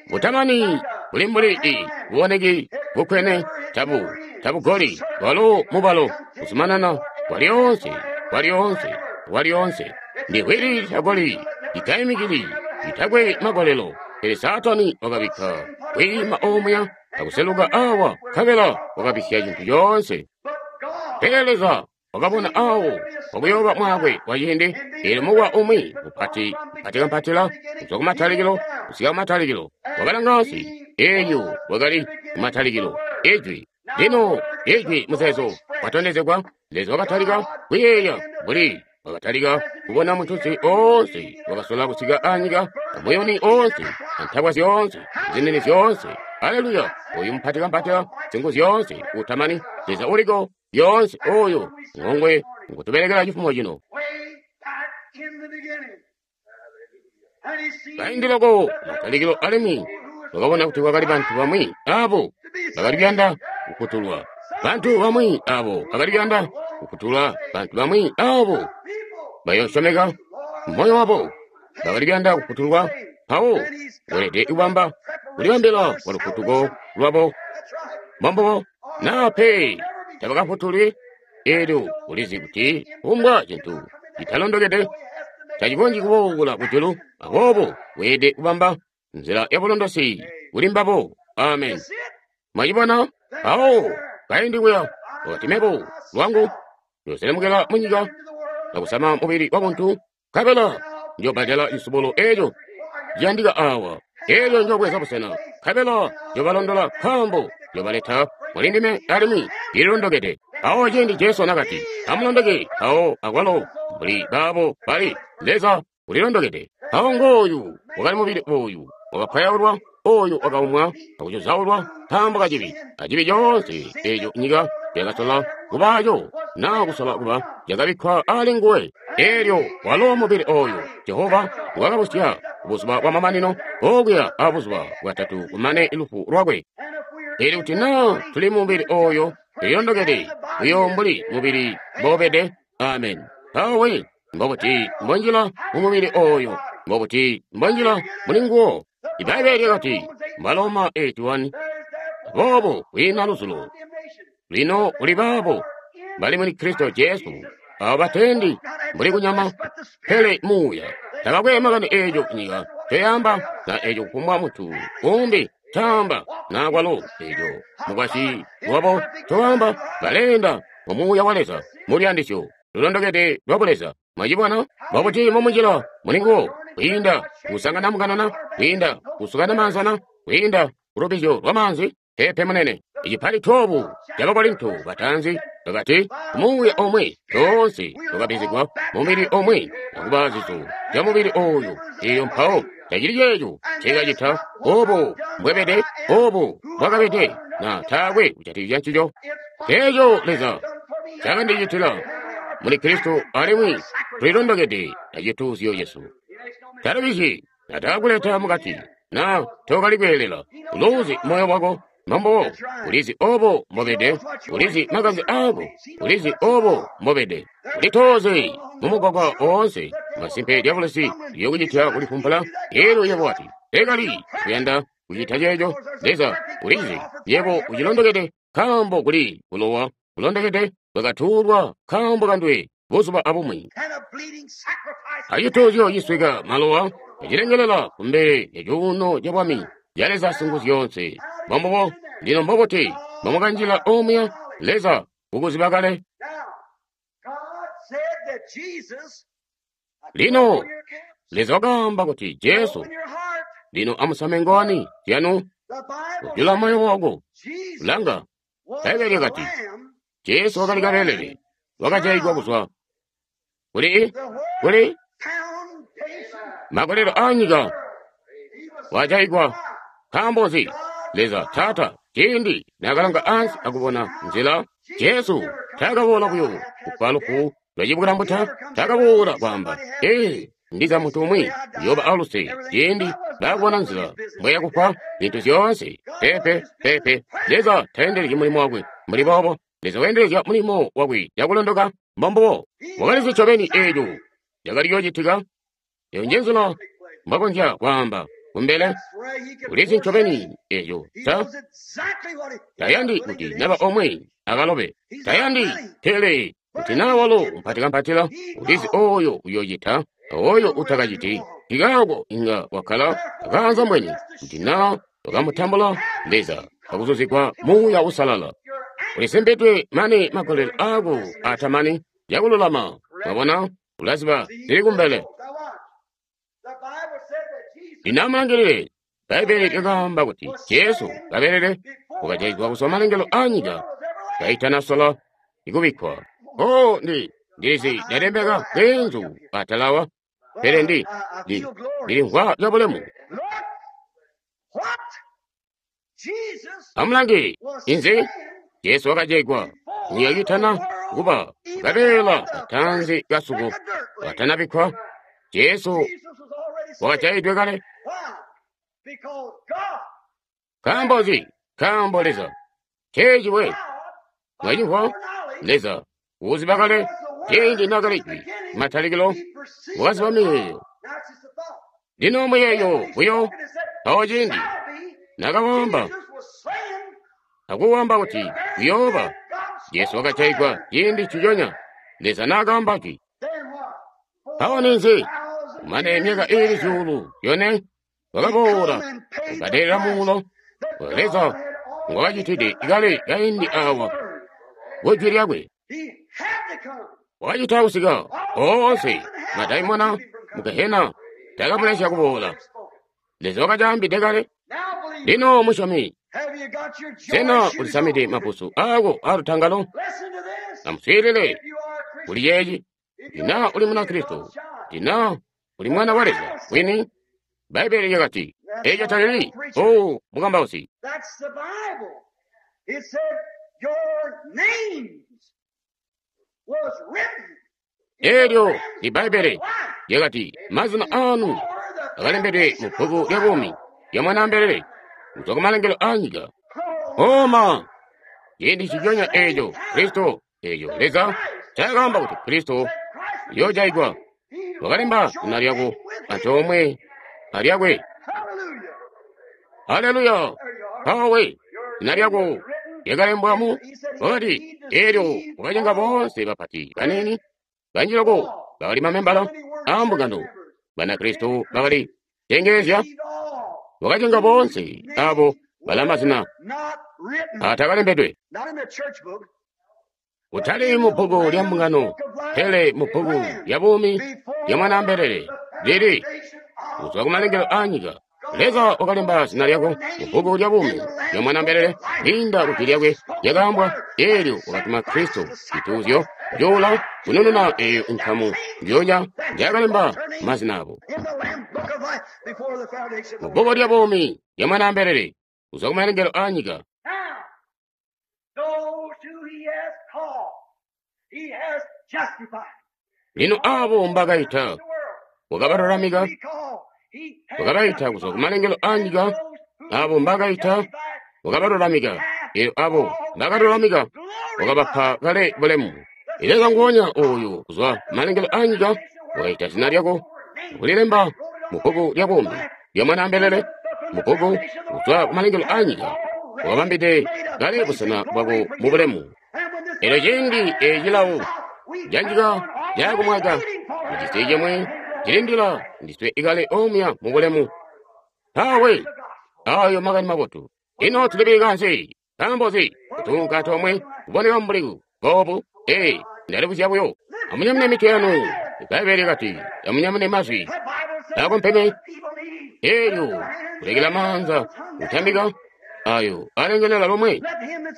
Butamani buli mbuli i buboneki bukkwene tabu tabugoli bwalo mubalo kuzumanana kwalyoonse kwalyoonse kwalyoonse. Ndi hwili litagoli litaimikili litakwe magolelo. Pele Saatani wakabikka kwiima omuya akuseluka awa nkabela wakabisya cintu coonse. Pele Leza wakabona awo wakuyooba mwaakwe wa ciindi, eelyo mukwa umwi mupati mpatikampatila kuzwa kumatalikilo kusika kumatalikilo wakalanga ansi, eelyo wakali kumatalikilo Ijwi. Lino Ijwi muzeezo watondezegwa, Leza wakatalika kuyeeya mbuli wakatalika kubona muntunsi oonse wakasola kusika anyika, amuyuni oonse, antabwa zyoonse, zinini zyoonse. Aleluya! Oyu mupatikampatila zingu zyoonse utamani, Leza uliko lyoonse oyo ngongwe ngutubelekela cifumo cino. Kaindi loko matalikilo alimwi wakabona kuti kwakali bantu bamwi abo bakali kuyanda kufutulwa, bantu bamwi abo bakali kuyanda kufutulwa, bantu bamwi abo bayosyomeka moyo wabo bakali kuyanda kufutulwa. Mpawo weelede kubamba kulibambila kwa lufutuko lwabo mbombubo naa pe tabakafutulwi. Eelyo ulizi kuti kufumbwa cintu citalondokede tacikonzyi kuboola kujulu, aboobo weelede kubamba nzila yabulondosi kuli mbabo. Amen. Mwacibona? Mpawo kaindi kuya wakati, mebo lwangu ndiyooselemukela munyika akusama mubili wabuntu, nkabela njobbadela cisubulo eeco ciyandika awa. Eelyo njoobweza busena, nkabela njoobalondola nkaambo njoobaleta mulindime alimwi ndililondokede. Mpawo ciindi Jesu nakati, amulondoke, mpawo akwalo mbuli baabo bali Leza ulilondokede. Mpawo ngooyu wakali mubili oyu wakapwayaulwa, oyu wakaumwa akucuzaulwa nkaambo kacibi, acibi coonse eeco nyika yakasola kubaaco naa kusola kuba cakabikkwa ali nguwe. Eelyo walo mubili oyu Jehova wakabusya buzuba bwamamanino okuya abuzuba bwatatu kumane lufu lwakwe. Eelyo kuti naa tuli mubili oyo tulilondokede buyo mbuli mubili mboubede. Amen. Mpawo we mbobuti mbonjila mumubili oyo, mbobuti mbonjila muli nguwo. Ibbaibbele lyakati Baloma 8:1, aboobo kwiina luzulo lino kuli baabo bali muli Kristo Jesu, abo batendi mbuli kunyama pele muuya. Tabakwe makani eeco nyika ncoyaamba na eeco kufumbwa muntu umbi ncaamba na kwalo eeco mukwasyi wabo ncowaamba, baleenda mu muuya wa Leza muluyandisyo lulondokede lwa buleza. Mwacibona? Mbobuti mbomunjila muli nguwo? Kwiinda kusangana mukanana, kwiinda kusukana maanzana, kwiinda kulubizyo lwa maanzi? Peepe munene. Icipali 12 ca Bakorinto bataanzi bakati, muuya omwe toonse twakabbizigwa mumubili omwe akuba zizo zya mubili oyu. Eeyo mpawo tacili ceeco ncekacita, obo mbwebede, obo mbwakabede, na taakwe kujatikizya ncico. Eeco Leza cakandicitila muli Kristo alimwi tulilondokede acituuzyo cesu. Talubizyi nataakuleta mukati, na tookali kweelela. Uluuzi moyo wako. Mbombubo, ulizi obo mbobede, ulizi makanze aako, ulizi obo mbobede. Ulitoze mumugwagwa oonse, masimpe dyabulusi liyokucitya kulifumpula. Elyo yebo wati, tekali kuyanda kucita ceeco. Leza ulizi yebo ucilondokede, nkaambo kuli bulowa bulondokede bwakatuulwa nkaambo kanduwe buzuba abumwi. Acituuzyo cisweka malowa acilengelela kumbele lya cuuno ca bwami ca Leza Singuzyoonse. Mbombubo, lino mbobuti mbomukanjila omuya? Leza ukuziba kale. Lino Leza wakaamba kuti Jesu, lino amusame ngowani zyanu, kujula moyo wako. Langa, Bbaibbele lyakati Jesu wakali kabelele wakajaigwa kuzwa kuli makolelo aanyika, wajaigwa. Nkaambo nzi? Leza Taata ciindi naakalanga ansi akubona nzila, Jesu taakaboola buyo kufa lufu lwacibukilambuta, taakaboola kwaamba, ee, ndiza muntu umwi uyooba aluse ciindi baakubona nzila mbweya kufa zintu zyoonse. Peepe, peepe, Leza tayendelezyi mulimo wakwe mbuli boobo. Leza weendelezya mulimo wakwe cakulondoka. Mbombubo, wakalizi ncobeni eeco cakali kuyoocitika. Eyo nje nzila mbwakonzya kwaamba kumbele. Ulizi ncobeni eeco ta tayandi kuti naba omwe akalobe, tayandi pele kuti naa walo mpatikampatila, ulizi ooyo uyoocita ooyo utakaciti. Nkikaako inga wakkala akaanza mbweni kuti naa wakamutambula Leza akuzuzigwa Muuya Uusalala. Ulisimbidwe mane magolelo aako atamani cakululama. Mwabona, ulaziba zili kumbele. Lino amulangilile, Bbaibbele lyakaamba kuti Jesu kabelele wakajaigwa kuzwa malengelo aanyika kaitanasola ikubikkwa. Oh, ndilizi ndalembeka bweenzu atalawa, pele ndilimvwa cabulemu. Amulange, inzi? Jesu wakajaigwa nyika kiitana kuba kabeela katanzi kasuko katanabikkwa. Jesu wakajaidwe kale. Nkaambo nzi? Nkaambo Leza ceeci we. Mwacimvwa? Leza uziba kale ciindi naakali jwi matalikilo, wakaziba miyeeyo. Lino muyeeyo buyo mpawo ciindi naakawamba akuwamba kuti kuyooba, Jesu wakajaigwa ciindi nciconya Leza naakaamba jwi. Mpawo ninzi? Kumane myaka iili 4,000 wakaboola kubadelela muulo Leza ngwakacitide kale kaindi awa kujwi lyakwe. Wakacita kusika oonse madaimona mu Gehena takamulesya kuboola. Leza wakacaambide kale. Lino musyomi, sena ulisamide mapusu aako aalutangalo? Amuswiilile kuli ceeci. Kuti naa uli Munakristo, kuti naa uli mwana wa Leza wini, Bbaibbele lyakati eeco talili oh mukambausi. Eelyo ndi Bbaibbele lyakati mazina aanu akalembedwe mu bbuku lya buumi lya Mwanaambelele kuzwa kumalengelo aanyika. Oma ciindi nciconya eeco Kristo, eeco Leza ncaakaamba kuti Kristo uyoojaigwa, wakalemba zina lyako antoomwe alyakwe. Haleluya! Mpawo zina lyako lyakalembwa mu wakati, eelyo wakacenga boonse bapati baniini banji loko bakali mamembala aambungano Banakristo bakali cengeezya, wakacenga boonse abo bala mazina atakalembedwe kutali mu bbuku lya mbungano, pele mu bbuku lya buumi lya Mwanaambelele lili kuzwa kumalengelo aanyika. Leza wakalemba zina lyako mu bbuku lya buumi lya Mwanaambelele kwiinda ku jwi lyakwe lyakaambwa, eelyo wakatuma Kristo cituuzyo cuula kunununa eeyo nkamu njoonya njaakalemba mazina abo mu bbuku lya buumi lya Mwanaambelele kuzwa kumalengelo aanyika. Lino aabo mbakaita wakabalulamika, wakabaita kuzwa kumalengelo aanyika. Aabo mbakaita wakabalulamika. Elyo abo mbakalulamika, wakabapa kale bulemu. Leza nguonya oyo kuzwa malengelo a nyika wakaita zina lyako kulilemba mu bbuku lya buumi lya Mwanaambelele, mu bbuku kuzwa kumalengelo a nyika, wakabambide kale busena bwako mu bulemu. Elyo ciindi ecilawo ca nyika caakumwaka, mucisi cimwi cilindila ndiswe ikale omuya mu bulemu. Tawe ayo makani mabotu. Ino tulibilika nzi? Nkaambo nzi kutunka tomwe kuboneka mbuli boobu? Ee, ndalibuzya buyo. Amunyamune mitwe yanu. Bbaibbele kati, amunyamune mazwi akompeme. Elyo kulekela maanza kutambika ayo alengelela lomwe.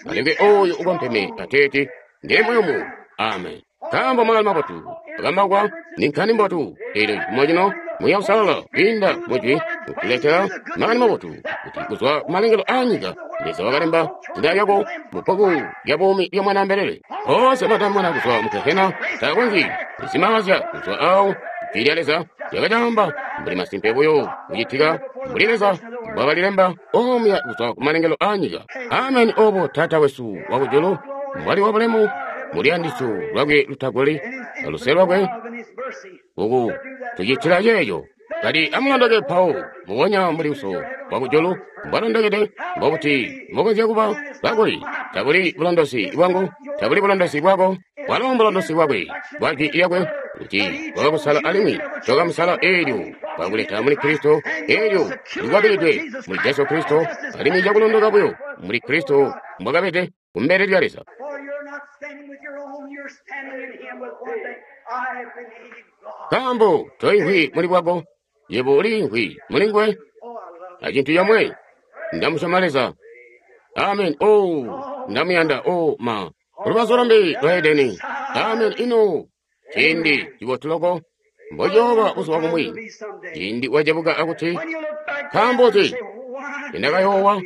Aleke oyo ukompeme ateeti ndiye muyumu. Amen. Nkaambo makani mabotu akambauka ni nkhani mbotu. Elyo cifumo cino Muuya Uusalala kwiinda mujwi kutuletela makani mabotu kuti kuzwa kumalengelo a nyika Leza wakalemba zina lyako mu bbuku lya buumi lya Mwanaambelele. Boonse batamona kuzwa mu gehena takonzyi kuzimaazya kuzwa awo. Jwi lya Leza lyakacaamba mbuli masimpe buyo kucitika mbuli Leza mbwakalilemba omuya kuzwa kumalengelo a nyika. Ameni. Obo Taata wesu wakujulu mbwali wa bulemu muluyandisyo lwakwe lutagoli aluse lwakwe uku tucitila ceeco. Kati amulondoke mpawo mubonya mbuli Uso wakujulu mbwalondokede, mbobuti mbokonzya kuba bakuli? Tabuli bulondosi bwangu, tabuli bulondosi bwako, bwalo mbulondosi bwakwe bwa jwi lyakwe, kuti wakakusala alimwi tokamusala eelyo wakuleta muli Kristo, eelyo likwabilidwe muli Jesu Kristo, alimwi cakulondoka buyo muli Kristo mbwakabede kumbele lya Leza. Nkaambo toimvwi muli bwako, yebo uliimvwi muli nguwe. A cintu comwe, ndamusyoma Leza. Amen. Oh, ndamuyanda. Oh, ma. Lubazu lumbi lwa Edeni. Amen. Ino ciindi cibotu loko mbociyooba buzuba bumwi, ciindi wacebuka akuti, nkaambo nzi ndakayoowa?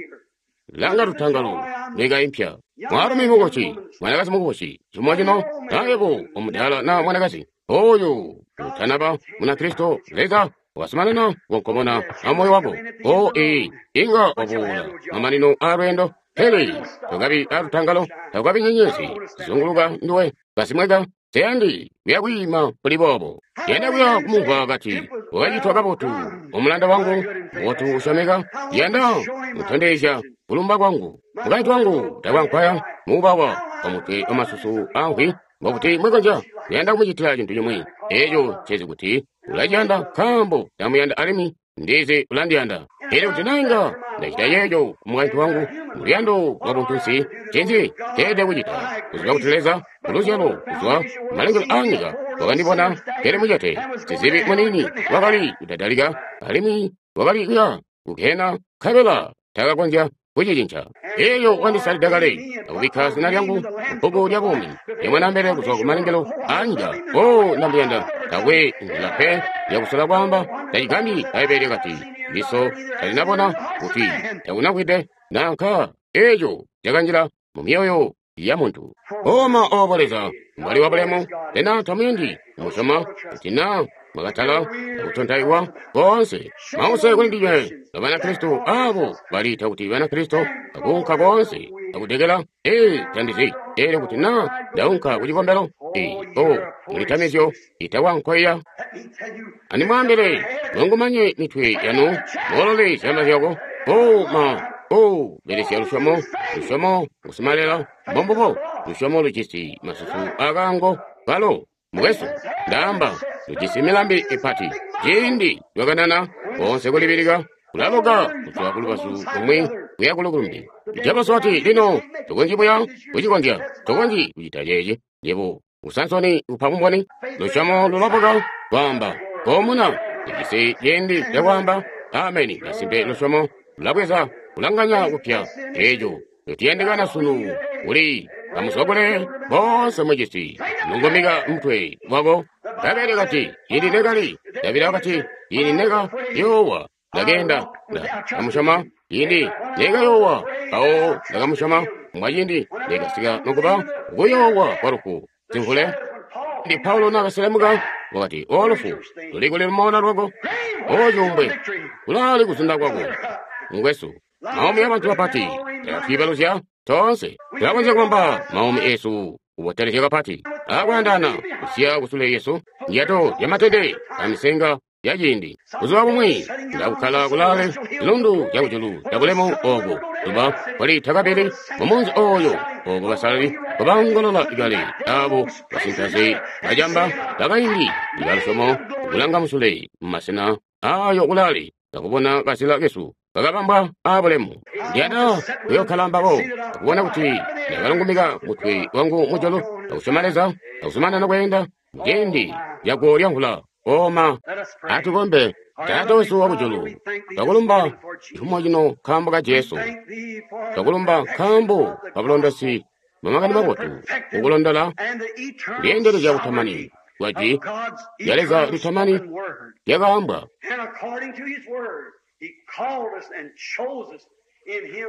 Langa lutangalo lweka impya. Mwaalumi mukubusi, mwanakazi mukubusi, cifumo cino, nayebo omudaala na mwanakazi oyo utanaba Munakristo, Leza wasumanana kukomona amoyo wako. O ee, inga wabuula mamanino a lweendo, pele tokabi alutangalo, takukabi nyenyezi zizunguluka nduwe kasimweka. Teyandi kuya kwiima kuli boobo. Yanda kuya kumumvwa kati, wakacitwa kabotu, omulanda wangu, mubotu usyomeka. Yanda kutondezya kulumba kwangu. Mukaintu wangu takwankwaya muubawa omutwe wamasusu amvwi, mbokuti mwekonzya kuyanda kumucitila cintu cimwi. Eeco ncezi kuti ulaciyanda nkaambo ndamuyanda alimwi ndizi ulandiyanda. Elyo kuti nainga ndacita ceeco kumukaintu wangu muluyando lwa buntunsi, ncinzi nceelede kucita? Kuziba kuti Leza muluzyalo kuzwa kumalengelo a nyika wakandibona keli mucete, sizibi muniini wakali kudadalika alimwi wakali kuya kugehena, nkabela takakonzya kucicinca. Eeyo wandisalida kale akubikka zina lyangu mu bbuku lya buumi lya Mwanaambelele kuzwa kumalengelo a nyika. O, ndamuyanda. Taakwe nzila pe yakusola kwaamba. Tacigambyi Bbaibbele lyakati, liso talinabona kuti takunamvwide nanka eeco cakanjila mu myoyo ya muntu. Oma obo Leza mbwali wa bulemu, sena tamuyandi kumusyoma kuti naa mwakatala akutontaiwa koonse mause kuli ndinywe ba Banakristo abo baliita kuti Banakristo akuunka koonse akudekela. Ee, tandizi eelyo kuti naa ndaunka ku cikombelo. Ee, o mulitamizyo itakwankoya. Andimwaambile, mungumanye mitwe yanu, moolole zyamba zyako. O ma, o belesya lusyomo, lusyomo ngusimalela, mbombubo lusyomo lujisi masusu akaango kalo. Mukwesu, ndaamba lujisi milambi ipati. Ciindi lwakanana koonse kulibilika kulaloka kuzwa kulubazu lumwi kuya kulumbi. Jabaso ati, lino tokonzyi buya kucikonzya, tokonzyi kucita ceeci. Yebo usansoni upa bumboni. Lusyomo lulabuka kwaamba komuna lijisi ciindi cakwaamba ameni. Masimpe lusyomo lulabweza kulanganya kupya eeco lutiyandikana sunu kuli kamuzwakule boonse mucisi lungumika mutwe wako. Bbaibbele kati ili nekali Davida wakati ili neka yoowa ndakenda ndakamusyoma ili neka yoowa mpawo ndakamusyoma mbwacindi ndikasika nokuba kuyoowa kwa lufu simvule. Ndi Paulo nakaselemuka wakati, o lufu luli kuli lumoona lwako, o cuumbwe kulaali kuzunda kwako. Mukwesu, maumi abantu bapati Twiibaluzya toonse. Tulakonzya kubamba maumi esu kubotelezya kapati akwaandaana kusiya kusule yesu ndyato zyamatete amisenga ya ciindi. Buzuba bumwi ndakukkala kulaale zilundu zyakujulu zyabulemu ooko zuba kwalitakabili mumunzi ooyo ooko basalali babaongolola ikale abo basintaze bacamba bakaindi ibalusyomo kulanga musule mumasena aayo kulaale akubona kazila kesu kakabambwa aabulemu. Ndiyanda kuyokkala mbabo akubona kuti ndakalungumika mutwe wangu mujulu akusyoma Leza akuzumanana kweenda muciindi lyaguwo lyamvula. Oma, atukombe. Taata wesu wakujulu, twakulumba cifumo cino nkaambo ka Jesu. Twakulumba nkaambo ka bulondosi bwa makani mabotu kukulondola lyeendelezya kutamani kwa jwi lya Leza litamani lyakaambwa.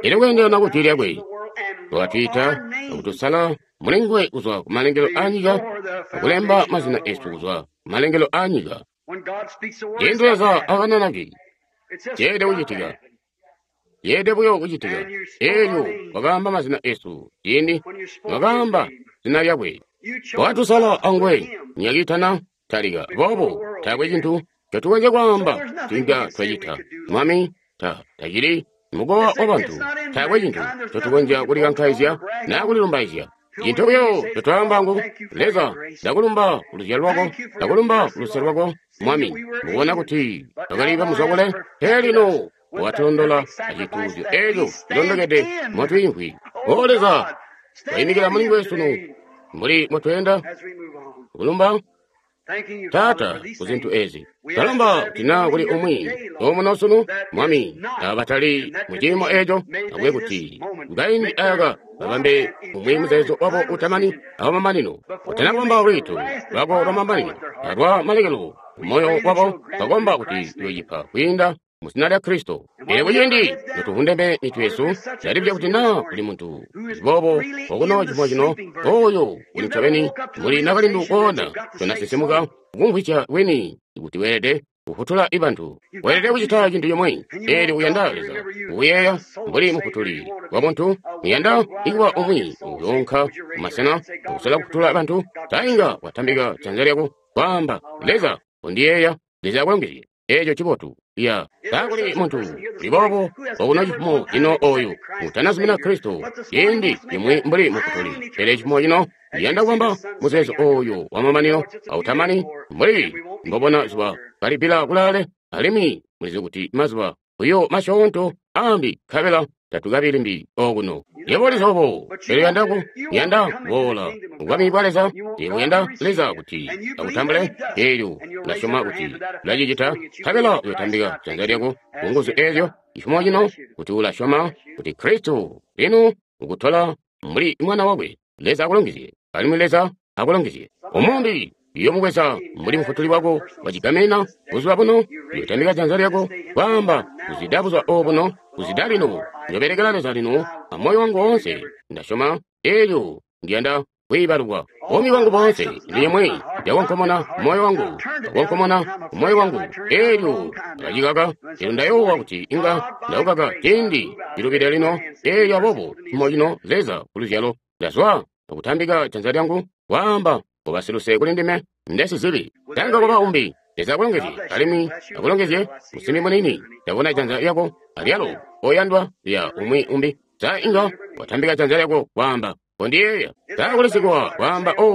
Ili kweendelana ku jwi lyakwe, wakatwiita akutusala mulinguwe kuzwa kumalengelo aanyika akulemba mazina esu kuzwa kumalengelo aanyika. Ciindi Leza akanana jwi, ceelede kucitika. Yeelede buyo kucitika. Eelyo wakaamba mazina esu ciindi wakaamba zina lyakwe. Wakatusala anguwe nyakiitana talika. Boobo taakwe cintu ncotukonzya kwaamba cinga twacita. Mwami tacili mukowa wabantu. Taakwe cintu ncotukonzya kulikankaizya naa kulilumbaizya. Cintu buyo ncotwaamba ngu, Leza, ndakulumba kuluzyalo lwako, ndakulumba kuluse lwako, Mwami. Mukubona kuti twakali bamuzwakule, pele lino watulondola acituuzyo eeco cilondokede motwiimvwi. O Leza, twayimikila mulinguwe sunu mbuli motweenda kulumba Taata kuzintu ezi. Twalomba kuti naa kuli umwi omuno sunu, Mwami, abatali muciimo eeco, akube kuti kaindi aaka babambe umwi muzeezo wabo utamani awamamanino. Utana kubamba lwiito lwako lwamamanino alwa malekelo kumoyo wabo, twakomba kuti uyocipa kwiinda muzina lya Kristo. Pele kuciindi notuvundeme mitwe yesu, ndalibya kuti naa kuli muntu boobo okuno cifumo cino, oyo uli ncobeni muli nakalindu koona tonasisimuka kumvwisya bwini kuti weelede kufutula ibantu. Weelede kucita cintu cimwi. Eelyo uyanda Leza kukuyeeya mbuli mufutuli wa muntu, uyanda ikuba umwi uyoonka kumasena akusola kufutula bantu, tainga watambika janza lyako kwaamba, Leza undiyeeya, Leza akulongezye. Eeco cibotu. Ya, taakuli muntu uli boobo okuno cifumo cino oyu utanazumina Kristo ciindi cimwi mbuli mufutuli. Pele cifumo cino ndiyanda kubamba muzeezo oyu wamamanino autamani mbuli mbobona zuba kalipila kulaale, alimwi mulizi kuti mazuba buyo masyoonto ambi nkabela tatukabi limbi okuno. Yebo ulizi obo, pele uyanda kuboola kubwami bwa Leza, yebo uyanda Leza kuti akutambule, eelyo ulasyoma kuti ulacicita, nkabela uyotambika janza lyako ku nguzu eezyo cifumo cino kuti ulasyoma kuti Kristo lino ukutola mbuli mwana wakwe. Leza akulongezye, alimwi Leza akulongezye. Umumbi uyomubweza mbuli mufutuli wako wacigamena buzuba buno, uyotambika janza lyako kwaamba, kuzida buzuba obuno, kuzida lino, njobelekela Leza lino amoyo wangu woonse. Ndasyoma eelyo ndiyanda kwiibalukwa buumi bwangu boonse. Limwi ndyakonkomona moyo wangu, ndakonkomona moyo wangu, eelyo ndakacikaka. Eelyo ndayoowa kuti inga ndaukaka ciindi cilubide lino. Eelyo aboobo cifumo cino Leza kuluzyalo ndazwa akutambika janza lyangu kwaamba, koba siluse kuli ndime ndesizibi. Tanga kuba umbi. Leza akulongezye, alimwi akulongezye musimbi munini. Ndabona janza lyako alyalo oyandwa lya umwi umbi. Sa inga watambika janza lyako kwaamba, kondiyeeya. Takulisikwa kwaamba, o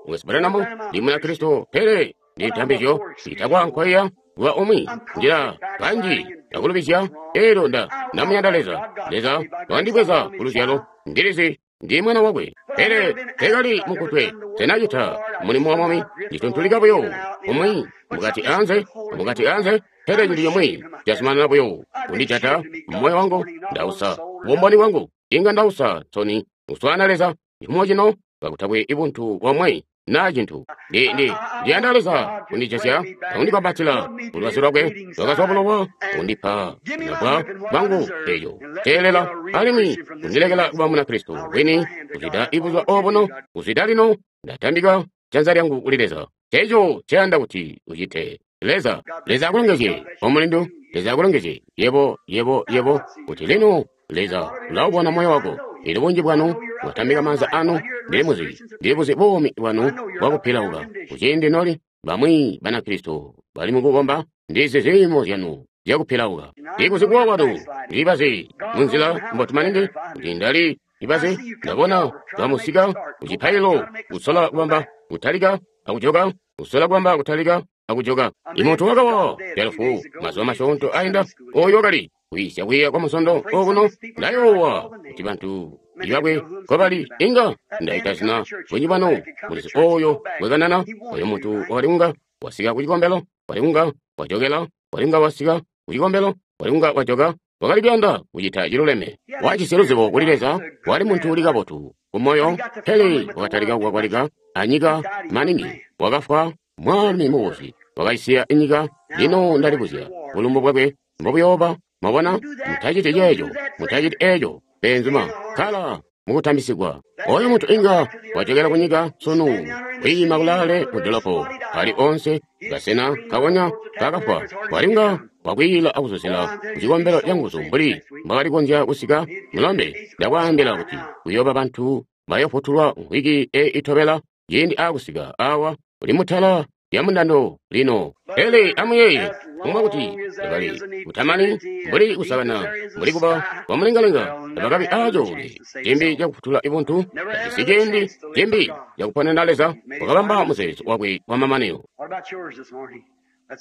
Mukwesu Branham, ndi Munakristo, pele ndi ntambizyo itakwa nkoiya kuba umwi njira kanji ndakulubizya. Eelyo ndamuyanda Leza. Leza wandibweza kuluzyalo, ndilizi ndi mwana wakwe, pele tekali mukutwe. Senacita mulimo wa Mwami, ndituntulika buyo umwi mukati anze, mukati anze, pele cintu cimwi cazumanana buyo kundijata moyo wangu. Ndausa bumboni bwangu, inga ndausa nsoni kuswaana Leza cifumo cino kakutakwe ibuntu bwamwe naa cintu. Ndiyanda Leza kundijazya akundikwambatila ulwazi lwakwe lwakazwa bulowa, kundipa nabwa bwangu eeyo teelela, alimwi kundilekela kuba Munakristo wini kuzida ibuzuba obuno, kuzida lino. Ndatambika janza lyangu kuli Leza. Eeco nceyanda kuti ucite. Leza, Leza akulongezye, omulindu. Leza akulongezye, yebo, yebo, yebo, kuti lino Leza ulaubona moyo wako. Elyo bunji bwanu mwatambika maanza anu, ndili muzi, ndili buzi buumi bwanu bwakupilauka. Kuciindi noli bamwi Banakristo bali mukukomba, ndizi ziimo zyanu zyakupilauka. Ndikuzi kuwa kwanu, ndibazi munzila mbotu maningi, kuti ndali ibazi, ndabona bamusika kucipaililo kusola kubamba kutalika akujoka, kusola kubamba kutalika akujoka. Imuntu wakawa lyalufu mazuba masyoonto ainda, oyo wakali kwiisya kwiiya kwa musondo okuno, ndayoowa kuti bantu ibakwe nkobali inga ndaita zina bunji bwanu mulizi oyo bwekanana, oyo muntu wakali kunga wasika ku cikombelo, wali kunga wajokela, wali kunga wasika ku cikombelo, wali kunga wajoka, wakali kuyanda kucita ciluleme. Wajisi luzibo kuli Leza, wali muntu uli kabotu kumoyo, pele wakatalika kukwakwalika anyika maningi, wakafwa mwaalumi mubuzi, wakaisiya inyika. Lino ndalibuzya bulumbu bwakwe mbobuyooba. Mwabona, mutaciti ceeco, mutaciti eeco, beenzuma, kkala mukutambisigwa. Oyo muntu inga wajokela kunyika sunu, kwiima kulaale mu dolopo, ali onse kasena kakonya kakafwa, walinga wakwiila akuzuzila kucikombelo canguzu mbuli mbwakali konzya kusika. Mulombe, ndakwaambila kuti kuyooba bantu bayofutulwa mvwiki itobela ciindi aakusika awa uli mutala lya mundando lino. Pele amuyeeye kumwa kuti tabali kutamani mbuli kusakana mbuli kuba kwamulengalenga, tabakabi aacoolwe cimbi cakufutula ibuntu, tajisi ciindi cimbi cakuponena Leza. Wakabamba muzeezo wakwe wamamanino.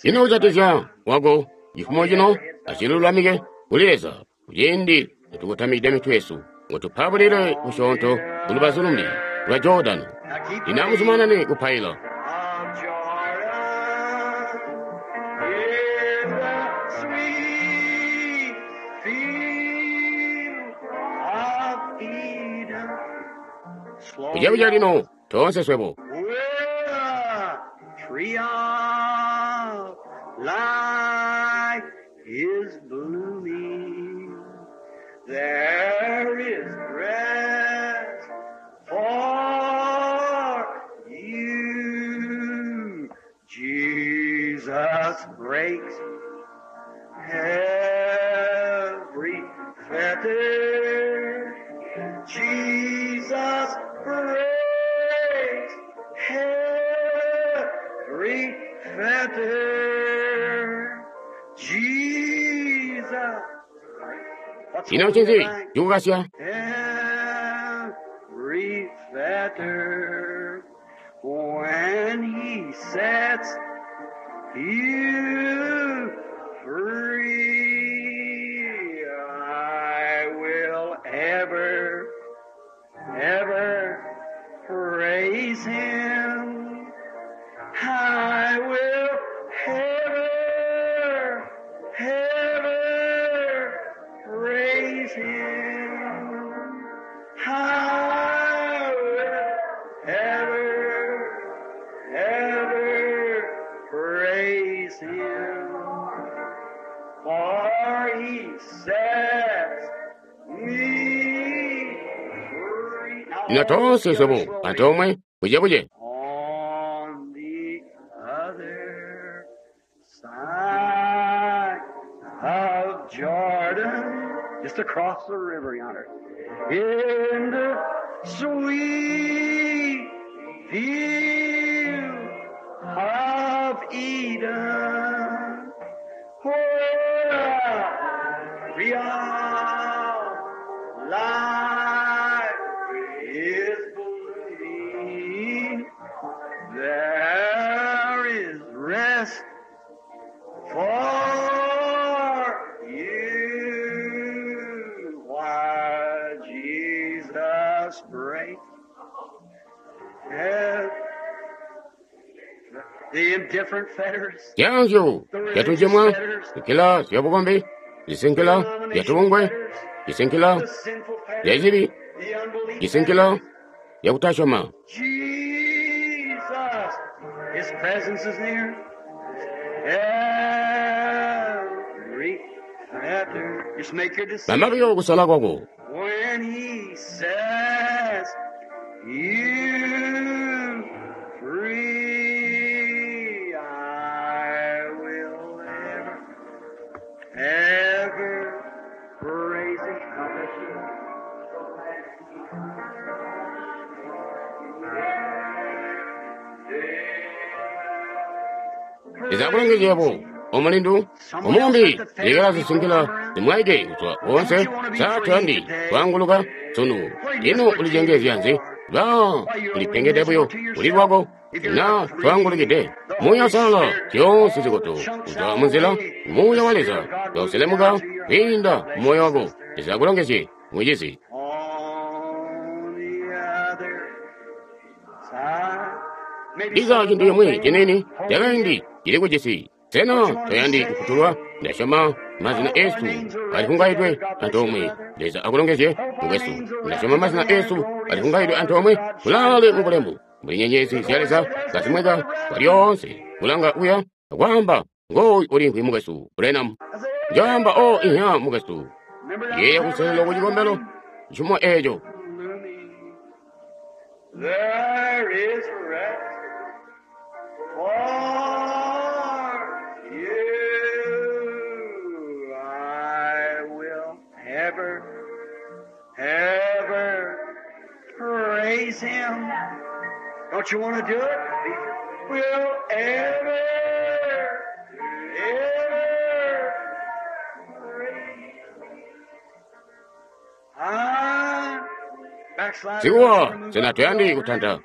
Ino kujatikizya wako cifumo cino acilulamike kuli Leza kuciindi nitukotamikide mitwe yesu, ngutupabulile kusyoonto kulubazu lumbi lwa Jordano. Lino amuzumanane kupaila. Kujakuja lino toonse swebo. Tree of life is blooming. There is rest for you. Jesus breaks every fetter. Jesus breaks every fetter. Jesus. Ino ncinzi cikukasya? Every fetter. When he sets you free, I will ever, ever praise him. I will ever, ever praise him. I will ever, ever praise him. For he sets me free. Now Lino all toonse together swebo slowly. antoomwe kujebuye. On the other side of Jordan, just across the river yonder, in the sweet field of Eden, where real life is blooming. There is rest for you while Jesus breaks the indifferent fetters, Zyanzyo the religious zyatunjimwa, fetters, zikila zyabukombi, zisinkila the zyatubungwe, denomination fetters, zisinkila the sinful fetters, zyacibi, the unbelief zisinkila fetters. zyakutasyoma. Jesus, His presence is near. Every fetter. Just make your decision. Bamba buyo kusala kwako. When He says you free, I will ever, ever praise Him. Leza akulongezye yebo, omulindu, omumbi, lekela zisungila zimwaike kuzwa wonse. Sa toyandi kwaanguluka sunu? Ino ulicengezya nzi? Ba ulipengede buyo uli lwako. Na twaangulukide Muuya Uusalala zyoonse zikoto kuzwa munzila. Muuya wa Leza kauselemuka kwiinda mumoyo wako. Leza akulongezye, mucizi. On the other side. Maybe Ndiza some cintu little cimwi thing ciniini holding cakaindi you. cili kujisi. Sena toyandi kufutulwa? Ndasyoma mazina eesu alifungayidwe antoomwe. Leza akulongezye, mukwesu. Ndasyoma mazina eesu alifungayidwe antoomwe kulaale mu bulemu. Mbuli nyenyezi zya Leza kazimweka kwalyoonse. Kulanga kuya akwaamba, ngooyu ulimvwi mukwesu Branham. I say, Njaamba, o ihya mukwesu. remember that Yeeya kuselelo ku cikombelo cifumo eeco. looming. There is rest for you. I will ever, ever praise Him. Don't you want to do it? Will ever, ever praise Him. Ah, backslider, don't you Sikuwa want to move sena up to the toyandi altar? kutanta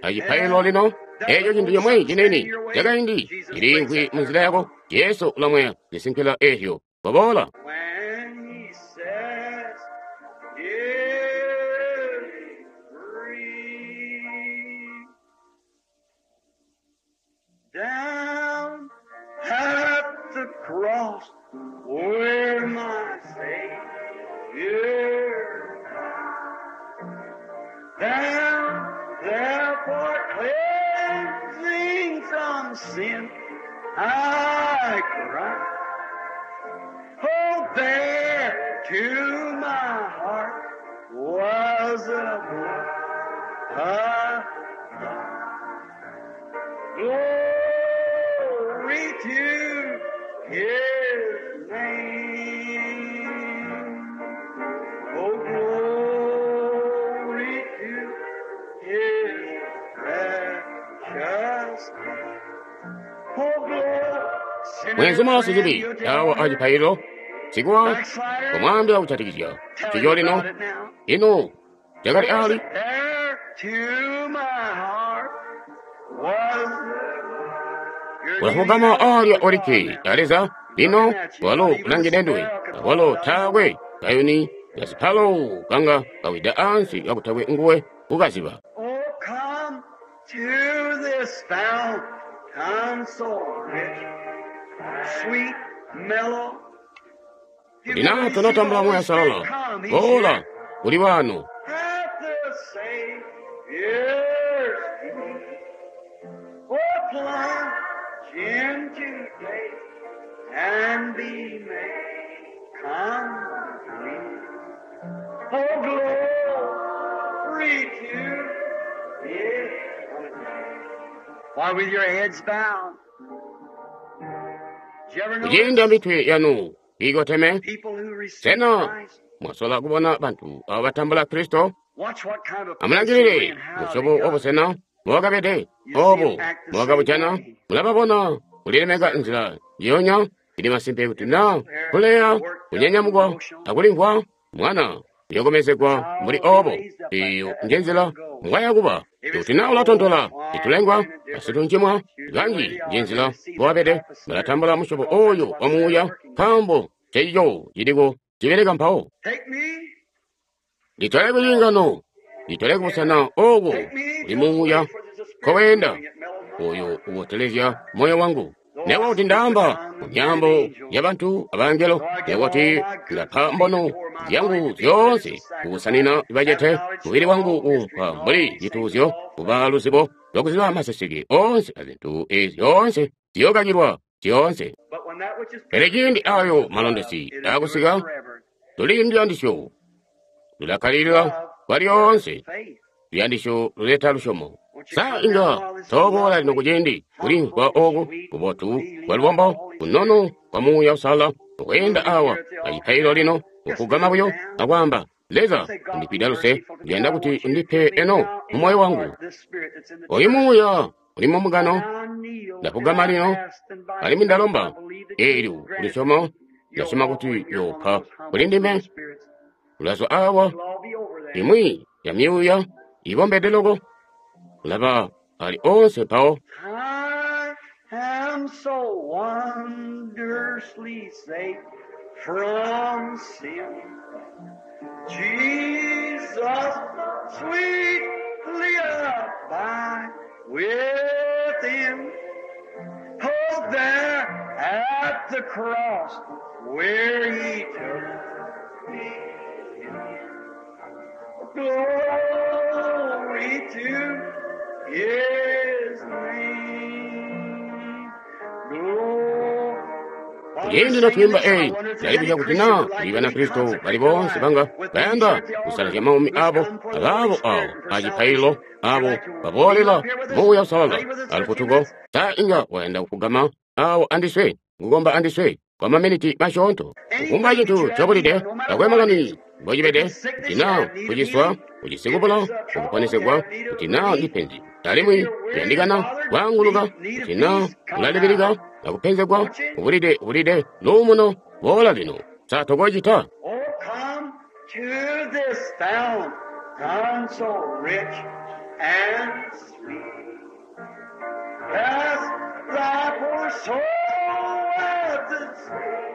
acipaililo lino. Eeco cintu cimwi ciniini cakaindi ciliimvwi munzila yako. Jesu ulamweya zisinkila eezyo. Waboola. When he says, "Give free," down at the cross where my Savior down there for cleansing from sin, I cry. Oh, there to my heart was a blood. Glory to His name. Oh, glory to His precious name. Oh, glory. Mwenzuma sizibi awa acipaililo. Sikuwa Backslider, kumwambira kuchatikizya tell cico him lino. about it now. Ino cakali ali. There to my heart was your Ulafugama alya olikke aleza lino walo ulangidendwe awalo taakwe kayuni kasipalo kanga kawida ansi kakutakwe nguwe kukaziba. Oh, come to this fountain so rich, sweet, mellow. You Lina really see the tonatambula Holy Muuya Spirit Uusalala. come. He's Boola here. uli wano. At the Savior's feet. Oh, plunge into faith and be made complete. Oh, glory to His. Why, with your heads bowed, did you ever notice Kucinda mitwe yanu ikoteme. people who receive Sena Christ? mwasola kubona bantu abo batambula Kristo. Watch what kind of place they were Amulangilile in, how they musyobo got wa it. busena mwakabede You see obo them act the same mwakabujana way. mulababona kulilemeka nzila njiyonya. Ili masimpe kuti na kuleya kunyanyamukwa akulimvwa mwana uyokomezegwa mbuli obo. Iyo nje nzila mbwayakuba. Kuti na ulatontola itulengwa asituncimwa kanji nje nzila mbwabede balatambula musyobo oyo wa muuya nkaambo ceico ciliko cibeleka mpawo. Take me, Litole kucingano, litole kubusena ooko take me kuli to the muuya place where there's a spirit kowenda moving that mellows my oyo heart. ubotelezya moyo wangu. Though Newa I kuti speak with ndaamba tongues mu and myambo angels, ya bantu abangelo, though I give newa all kuti my goods ndapha to feed the mbono poor, my body zyangu to be made as zyoonse a kukusanina sacrifice, have bacete, knowledge to mubili know wangu all mysteries kuumpwa and all mbuli these things of cituuzyo, all kuba things. luzibo lwakuziba maseseke onse azinthu ezi zonse ziyokakilwa zyoonse. But when that which is Pele perfect ciindi comes, ayo love, malondesi it endureth akusika, forever. tuli ndiyandisyo lulakkalirira Love kwa worketh lyonse. faith. Luyandisyo luleta lusyomo. Won't you Sa come now inga while this toboola lino lovely, kuciindi kulimvwa humble, oku sweet kubotu feeling kwa of the lubombo Holy kunono Spirit kwa Muuya Uusalala ukuyenda moving awa here at the altar acipaililo now? lino Just kufugama kneel buyo down. akwaamba, Leza Say, God, be undipida luse, merciful to me. ndiyanda I kuti want you to undipe give me eno now mu in moyo my wangu. heart this spirit that's in the Oyu church. muuya uli mu mugano I need Ndafugama lino, alimwi ndalomba. Eelyo kulusyomo, ndasyoma kuti yoopa kuli ndime. Ulazwa awa, imwi ya myuuya ibombede loko, ulaba ali onse mpawo. I am so wondrously safe from sin. Jesus, sweetly abide within. Oh, there at the cross where he took me in. Glory to his name. Glory. Kuciindi notwiimba eyi, ndalibuzya kuti naa kuli Banakristo bali boonse banga bayanda kusalazya maumi abo abaabo awo acipaililo abo baboolela Muuya Uusalala alufutuko, sa inga wayanda kufugama awo andiswe, kukomba andiswe kwa maminiti masyoonto. Kufumbwa cintu cobulide, takwe makani mbocibede, kuti naa kuciswa, ujisi kubula, ukuponesegwa, kuti naa ndi penzi, alimwi kuyandikana kwaanguluka, kuti naa ulalibilika akupenzegwa, ubulide ubulide luumuno, boola lino. Sa tokocita? Oh, come to this fountain so rich and sweet. Cast thy poor soul at its feet.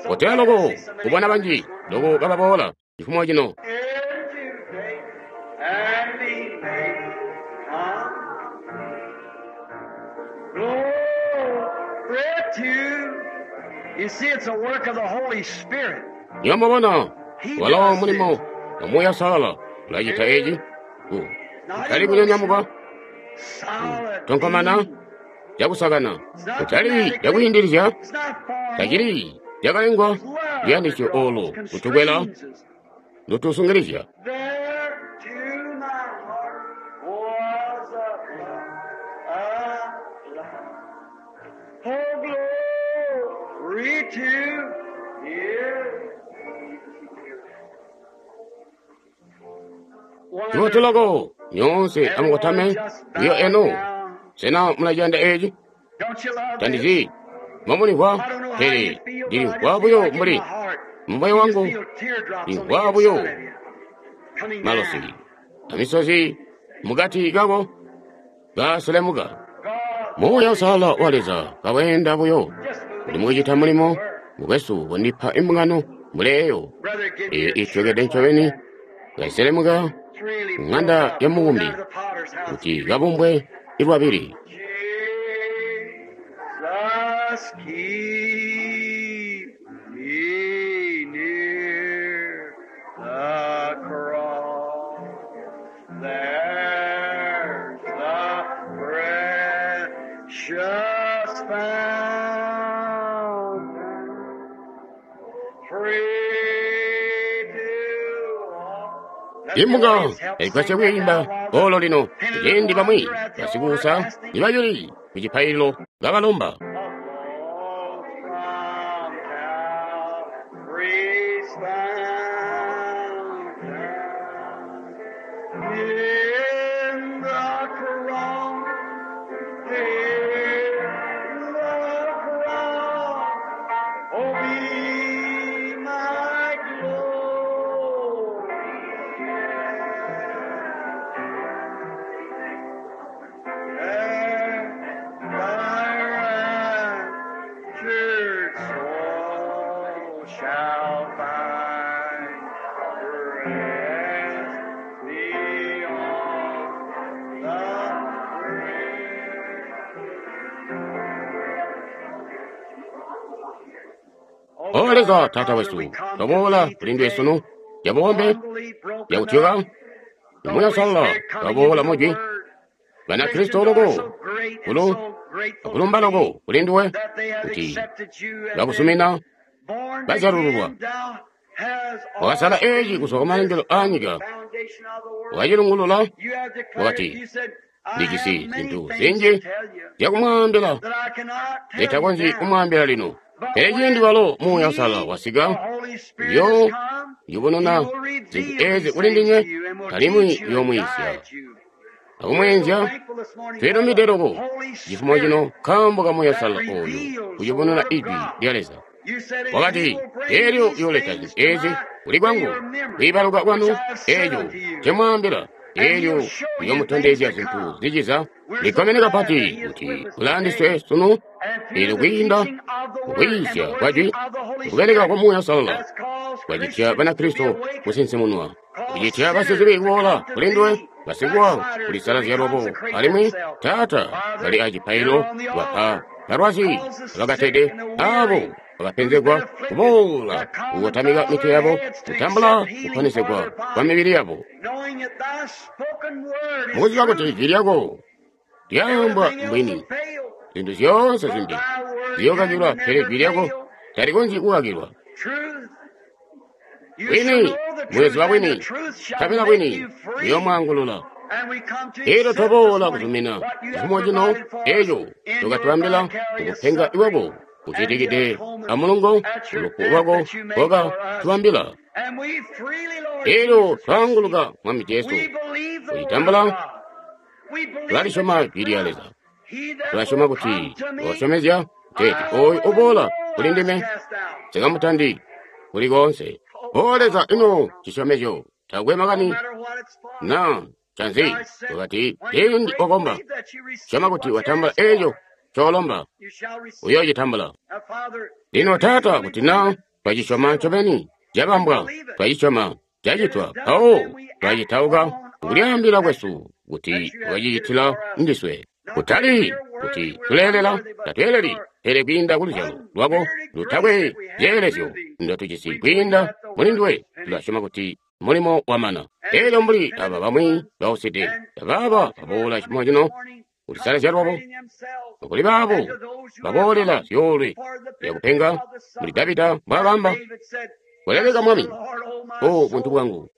Kotero loko kubona banji loko bababoola chifumo chino. In today and be made come. Glory to you. See, it's a work of the Holy Spirit. Nyamubona He walo does mulimo this. wa Muuya Uusalala ulacita eci. Kutali kunyonyamuka, Solid. tonkomana, being. cakusakana, It's not kutali dramatic. cakwiindilizya, It's not formal. tacili cakalengwa It's love that luyandisyo draws, olo lutukwela constrains us. lutusungilizya. There to my heart was a love, a love. Oh, glory to His. Choti loko nyonse amukotame Everyone just iyo bow eno down. sena mulaciyanda eci Don't you love this? tandizi momulimvwa I don't know how pele you feel, but I ndilimvwa just feel buyo like in mbuli my heart, mumoyo you just wangu feel teardrops on the ndimvwa buyo inside of you coming malosi down. amisozi mukati kako kaselemuka. God, Muuya Holy Uusalala wa Spirit, Leza kawenda buyo just kuti moving mukucita in mulimo work. mukwesu wandipa imbungano muleyo Brother, give eyo you a ityokede church like ncobeni that. kaiselemuka It's really ku broke ŋanda up. ya Go mubumbi down to the potter's house and kuti you read. kabumbwe ilwabili. Jesus, keep me near the cross. There's the precious fountain, free to all. Let the Imbunga audience help yaigwasya sing that kwiimba now while the olo lino penitent kuciindi ones bamwi are at the altar basikuusa asking nibayuli ku cipaililo kabalomba. From Calvary's fountain, in the cross, in the cross, oh, be my glory. There thy raptured soul shall find rest beyond the grave. Oh O God, Leza our Taata Father, wesu we come to toboola thee kuli ndiwe today, sunu yabombe humbly broken yakutyoka up, the Muuya Holy Uusalala Spirit coming kaboola into the mujwi Word. Banakristo Christians are loko so great and kulu so grateful to akulumba thee loko kuli ndiwe that they have kuti accepted you and been bakusumina born bazyalululwa. again. Thou hast Wakasala eci ordained kuzwa ku this malengelo from a the nyika foundation of the world. wakacilungulula You have declared, wakati you said, I ndijisi have many zintu things zinji to tell you zyakumwaambila that I cannot tell you zitakonzyi now. kumwaambila lino. But Pele ciindi when walo Muuya Uusalala He, the wasika, Holy Spirit, has uyo come, He yubununa will zintu reveal ezi these kuli things ndinywe to you and will alimwi teach you and uyoomwiisya guide you. Akumweenzya twilumbide loko cifumo cino nkaambo ka Muuya Uusalala oyu kuyubununa Ijwi lya Leza. Wakati, eelyo uyooleta zintu ezi kuli kwangu, kwiibaluka kwanu eeco ncemwaambila, eelyo uyoomutondezya zintu ziciza. Likkomene kapati kuti ulaandiswe sunu, eelyo kwiinda mukwiisya kwa Jwi, kubeleka kwa Muuya Uusalala kwacitya Banakristo kusinsimunwa, kucitya basizibi kuboola kuli nduwe, basikuwa kulisalazya lwabo, alimwi Taata bali acipaililo wapa balwazi bakatede abo bakapenzegwa kuboola kukotamika mitwe yabo, kutambula kuponesegwa kwa mibili yabo. Mukuziba kuti ijwi lyako lyaambwa mbwini, zintu zyoonse zimbi ziyookakilwa, pele ijwi lyako talikonzyi kukakilwa. Bwini, muyoziba bwini, nkabela bwini buyoomwaangulula. Elyo twaboola kuzumina cifumo cino eco tokatwaambila kukupenga iwako kucitikide amulungo ulufu lwako kokatubambila. Elyo twaanguluka Mwami Jesu kucitambula, tulalisyoma Jwi lya Leza. Tulasyoma kuti wasyomezya teeti oyu uboola kuli ndime nsikamutandi kuli koonse. O Leza, ino cisyomezyo takwe makani na canzi wakati ciindi wakomba, syoma kuti watambula eco coolomba, uyoocitambula. Lino Taata, kuti na twacisyoma ncobeni, cabambwa, twacisyoma, cacitwa, mpawo twacitauka kulyaambila kwesu kuti twacicitila ndiswe. Kutali kuti tuleelela, tatweeleli, pele kwiinda kuluzyalo lwako lutakwe zyeelezyo ndotujisi kwiinda muli nduwe, tulasyoma kuti mulimo wamana. Elyo mbuli aba bamwi bauside, abaaba baboola cifumo cino kulisalazya lwabo, kuli baabo baboolela zyoolwe zyakupenga, mbuli Davida mbwaakaamba, "Koleleka Mwami, o buntu bwangu,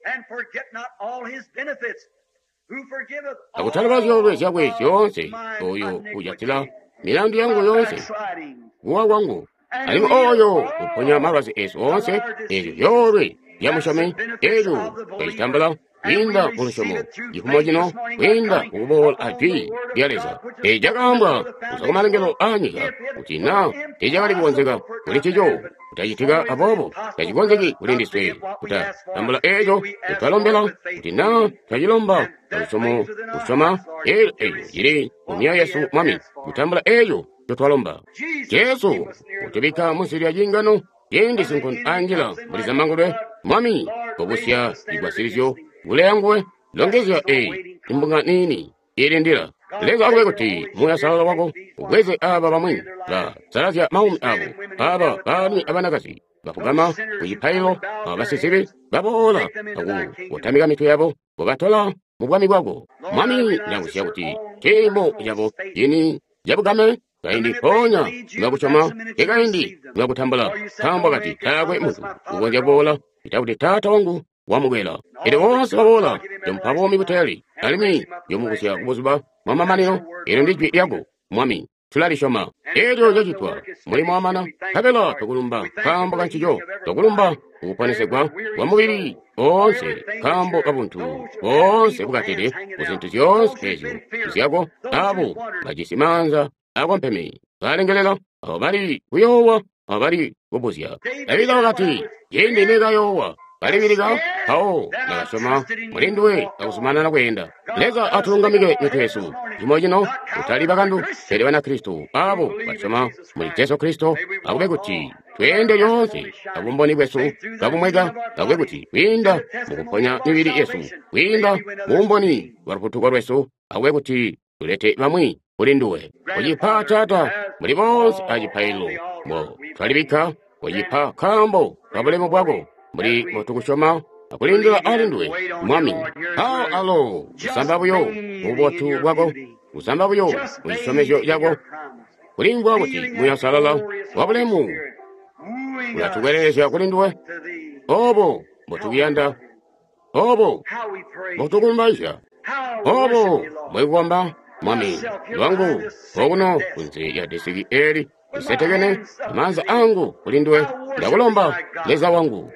akutaloba zyoolwe zyakwe zyoonse, oyo ujatila milandu yangu yoonse, kuwa kwangu, alimwi oyo uponya malwazi esu oonse." Ezyo zyoolwe zyamusyomi, elyo twacitambula kwiinda mu lusyomo cifumo cino, kwiinda mukuboola a Jwi lya Leza. Eeci cakaambwa kuzwa kumalengelo aanyika kuti na teecakali kukonzeka kuli ncico kutacitika, aboobo tacikonzeki kuli ndiswe kutatambula eeco ncotwalombela kuti na twacilomba alusyomo kusyoma eelyo eeco cili mu myoyo yesu, Mwami, kutambula eeco ncotwalomba. Jesu utubikka munsi lya ciingano ciindi sinkondo anjila muli zamangulwe. Mwami, kobusya cigwasilizyo kuleya nguwe, longezya eyi imbunga niini ilindila. Leza akube kuti Muuya Uusalala wako ubweze aba bamwi basalazya maumi abo, aba baalumi abanakazi bafugama ku cipaililo, aba basizibi baboola akukotamika mitwe yabo, kubatola mu bwami bwako. Mwami, ndakuzya kuti ciimo cabo cini cabugame kaindi mpoonya ngakusyoma, kekaindi ngakutambula, nkaambo kati taakwe muntu ukonzya kuboola ita kuti Taata wangu wamukwela. Elyo boonse baboola njomupa buumi buteeli, alimwi njomubusya kubuzuba bwamamanino. Elyo ndi jwi lyako, Mwami, tulalisyoma. Elyo cacitwa, mulimo wamana, nkabela twakulumba nkaambo kancico, twakulumba kukuponesegwa kwa mubili oonse, nkaambo kabuntu boonse bukatede kuzintu zyoonse ezyo zyako, abo bajisi maanza akompeme balengelela, abo bali kuyoowa, abo bali kubuzya. Davida wakati, ciindi nekayoowa, kalibilika, mpawo ndakasyoma muli nduwe akuzumanana kweenda. Leza atulungamike mitwe yesu cimo cino, kutali bakandu, pele Banakristo abo basyoma muli Jesu Kristo. Akube kuti tweende lyoonse abumboni bwesu kabumweka, akube kuti kwiinda mukuponya mibili yesu, kwiinda mubumboni bwa lufutuko lwesu, akube kuti tulete bamwi kuli nduwe. Kucipa Taata, muli boonse acipaililo mbo twalibikka, kucipa nkaambo kabulemu bwako, mbuli mbotukusyoma akulindila ali nduwe, Mwami. Mpawo alo kusamba buyo mububotu bwako, kusamba buyo mu cisyomezyo cako, kulimvwa kuti Muuya Uusalala wabulemu ulatukwelelezya kuli nduwe. Obo mbotukuyanda, obo mbotukulumbaizya, obo mbwekukomba, Mwami lwangu okuno kunze ya desiki eli lisetekene, amaanza angu kuli nduwe, ndakulomba Leza wangu,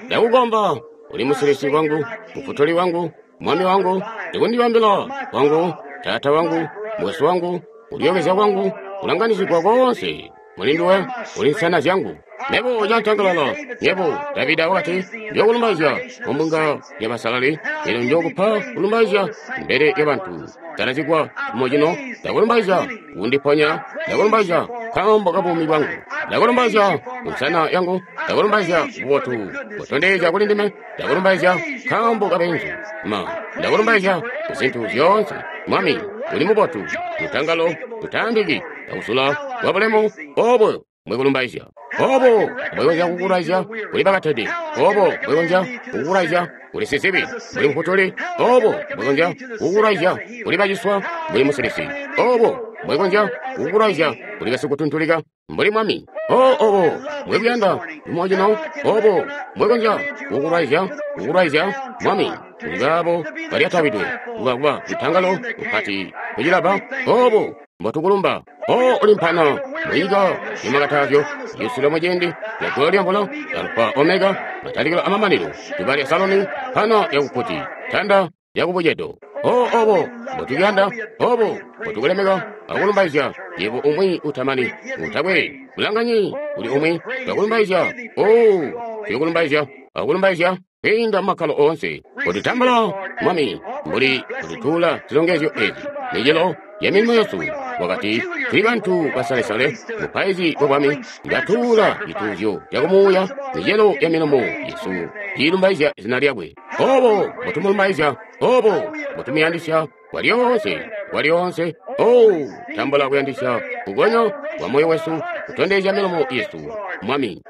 ndakukomba, uli musilisi wangu, mufutuli wangu, Mwami wangu, ndikundibambila wangu, Taata wangu, mukwesu wangu, kulyookezya kwangu, kulanganizigwa koonse muli nduwe, uli nsana zyangu. Mebo cantangalala, yebo, Davida wakati, njokulumbaizya mumbunga yabasalali, elyo njokupa kulumbaizya mbele yabantu. Salazigwa cimo cino, ndakulumbaizya kundiponya, ndakulumbaizya nkaambo kabuumi bwangu, ndakulumbaizya kunsana yangu, ndakulumbaizya bubotu butondezya kuli ndime, ndakulumbaizya nkaambo kabenzu ma, ndakulumbaizya kuzintu zyoonse. Mwami, uli mubotu, lutangalo lutaambiki, akusula kwa bulemu obo mwekulumbaizya. Obo mbwekonzya kukulwaizya kuli bakatede, obo mbwekonzya kukulwaizya kuli sizibi mbuli mufutuli, obo mbwekonzya kukulwaizya kuli baciswa mbuli musilisi, obo mbwekonzya kukulwaizya kuli basikutuntulika mbuli Mwami. O obo mbwekuyanda lumocino, obo mbwekonzya kukulwaizya kukulwaizya Mwami kuli baabo balyatabidwe kuba lutangalo lupati kucilaba, obo mbotukulumba. O uli mpana munyika yamakatazyo yusilo muciindi lyagulo lyamvula Alufa Omega, matalikilo amamanino, duba lya Saloni, mpana yakuputi, tanda yakubucedo. O obo mbotukuyanda, obo mbotukulemeka akulumbaizya yebo umwi utamani utakwe bulanganyi uli umwi twakulumbaizya. O tuyokulumbaizya akulumbaizya kwiinda mumakkalo oonse. Kotutambula Mwami mbuli kututula zilongezyo ezi micelo ya milimo yesu. Wakati tuli bantu basalesale, mupaizi wa bwami, ndatuula cituuzyo cakumuuya, micelo ya milomo yesu iilumbaizya zina lyakwe. Obo mbotumulumbaizya, obo mbotumuyandisya kwalyoonse kwalyoonse. O tambula kuyandisya kugonya kwa moyo wesu kutondezya milomo yesu Mwami,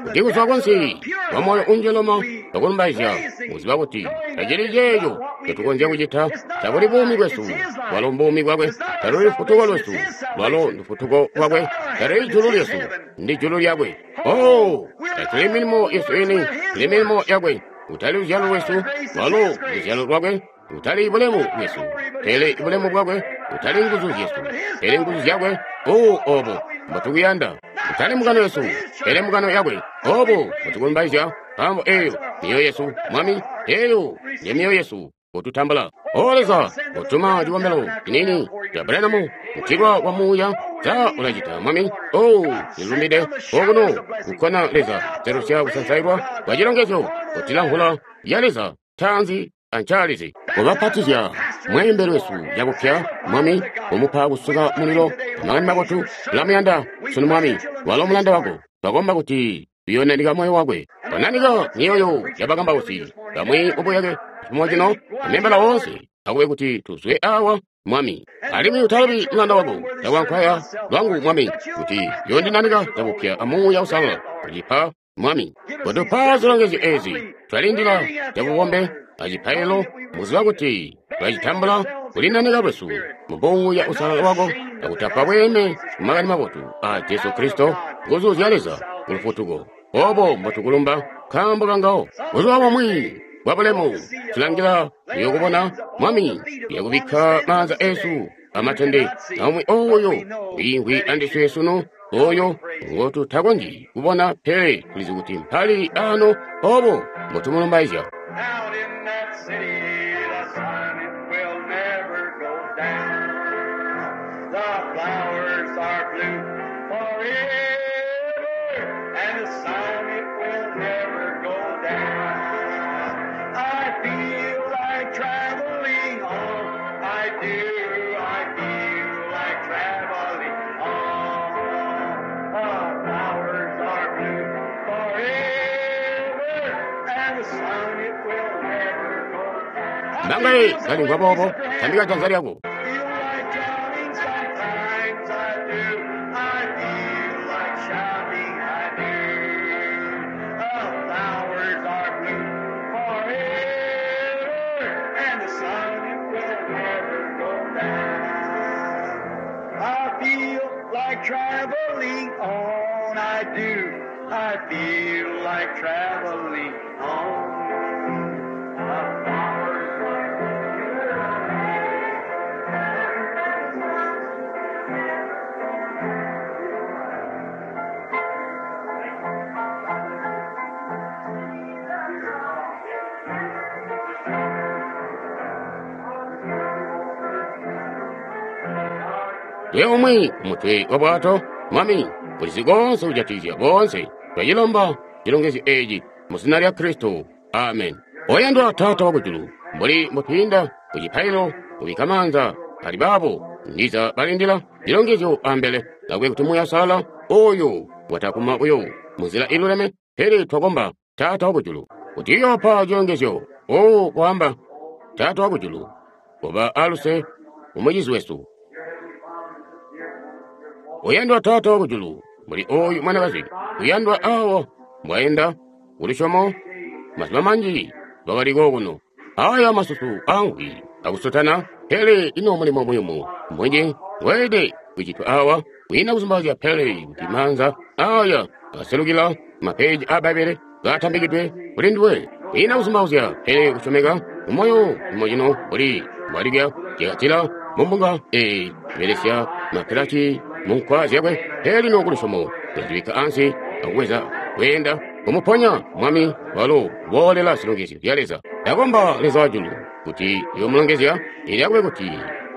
kuti kuzwa kunsi kwa moyo unjeloma twakulumbaizya, muziba kuti tacili ceeco ncotukonzya kucita, tabuli buumi bwesu, lwalo mbuumi bwakwe, taluli lufutuko lwesu, lwalo ndufutuko lwakwe, talili julu lyesu, ndi julu lyakwe. O tatuli milimo yesu ini, tuli milimo yakwe, kutali luzyalo lwesu, lwalo luzyalo lwakwe, kutali bulemu bwesu, pele bulemu bwakwe, kutali nguzu zyesu, pele nguzu zyakwe. O obo mbotukuyanda, kutali mukano yesu, pele mukano yakwe. Obo mbotukulumbaizya, nkaambo eyo mioyo yesu Mwami, eyo ndiyo mioyo yesu kututambula. O Leza, kutuma cikombelo cinini ca Branham kutilwa kwa muuya, sa ulacita Mwami? O ndilumbide okuno kukkona Leza zerusya kusansailwa kwa cilongezyo kutila mvula ya Leza taanzi ancaalizi kubapatizya mweembeli wesu cakupya Mwami, kumupa kusuka mulilo amakani mabotu. Tulamuyanda sunu Mwami, walo mulanda wako, twakomba kuti tuyonanika moyo wakwe, twananika mioyo yabakambausi bamwi mubuyake cifumo cino, amembala woonse akube kuti tuzwe awa Mwami. Alimwi utalubi mulanda wako cakwankwaya lwangu Mwami, kuti yondinanika cakupya amuuya usalala kucipa Mwami. Kutupa zilongezyo ezi twalindila cabukombe acipailo, muziba kuti twacitambula kulinanika lwesu mubuuya usalala wako, akutapa bweeme kumakani mabotu a Jesu Kristo, nguzu zya Leza kulufutuko. Obo mbotukulumba nkaambo kangawo. Buzuba bumwi bwa bulemu tulangila kuyokubona Mwami, yakubikka maanza esu amatende aumwi oyo wiimvwi andiswe sunu, oyo ngotutakonzyi kubona, pele tulizi kuti mpali ano. Obo mbotumulumbaizya. Out in that city, the sun it will never go down. The flowers are blue forever, and the sun it will never go down. I feel like traveling on. I do. I feel like traveling on. The flowers are blue forever, and the sun it will never go down. Mbangaye kalimvwa boobo, tambika janza lyako. Feel like drowning sometimes, I do. I feel like shouting, I do. The flowers are blue forever, and the sun it will never go down. I feel like traveling on, I do. I feel like traveling on. The flowers are Twe umwi ku mutwe wa bwato, Mwami, ulizi konse kujatikizya boonse. Twacilomba cilongezyo eci mu zina lya Kristo. Amen. Oyandwa Taata wakujulu, mbuli mbutwiinda ku cipaililo kubikka maanza ali baabo ndiza balindila cilongezyo ambele, lakwe kuti Muuya Uusalala oyu watakuma buyo munzila iluleme, pele twakomba Taata wakujulu kuti uyoopa cilongezyo. O kwaamba, Taata wakujulu, koba aluse kumucizi wesu. Uyandwa Taata wakujulu, mbuli oyu mwanakazi uyandwa awo mbwaenda kulusyomo mazuba manji lwakaliko kuno. Aya masusu amvwi akusotana, pele ino mulimo muyumu munji weelede kucitwa awa kwiina kuzumbazya, pele kuti maanza aya aselukila mapeji a Bbaibbele gatambikidwe kuli nduwe. Kwiina kuzumbauzya pele kusyomeka mumoyo mumocino mbuli mbwalibya jakatila mumbunga eyi kubelesya mapilati munkwa zyakwe, pele lino kulusyomo ulazibikka ansi akubweza kweenda kumuponya Mwami walo uboolela zilongezyo zya Leza. Ndakomba Leza wajulu kuti uyoomulongezya, ili akube kuti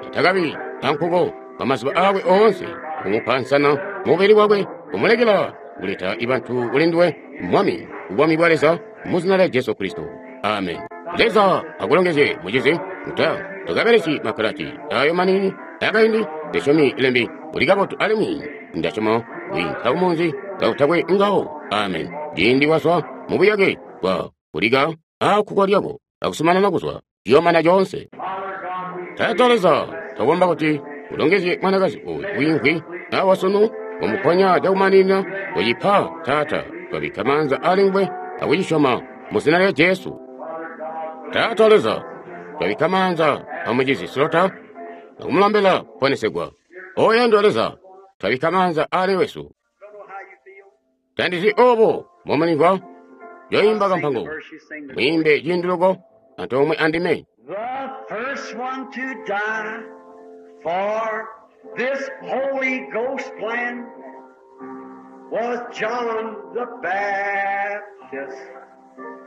atakabi ankuko kwa mazuba aakwe oonse, kumupa nsana mubili wakwe, kumulekela kuleta ibantu kuli nduwe, Mwami, kubwami bwa Leza, mu zina lya Jesu Kristo. Amen. Leza akulongezye mucizi. Uta tukabelesyi makalati ayo manini akaindi, ndisyomi lembi uli kabotu alimwi ndasyoma wiinka kumunzi kakutakwe ngawo. Amen. Ciindi wazwa mubuyake bwa kulika akukwa lyako akusumanana kuzwa ciyoomana coonse. Taata Leza, twakomba kuti ulongezye mwanakazi oyu wiimvwi awa sunu, umuponya cakumaninina kucipa. Taata, twabikka maanza ali nguwe akucisyoma mu zina lya Jesu. Taata Leza, twabikka maanza amucizi Slota akumulambila kuponesegwa. Oyandwa Leza, twabikka maanza ali wesu. Tandizi obo momulimvwa yoimba kampango mwimbe ciindi loko antoomwe andime. The first one to die for this Holy Ghost plan was John the Baptist.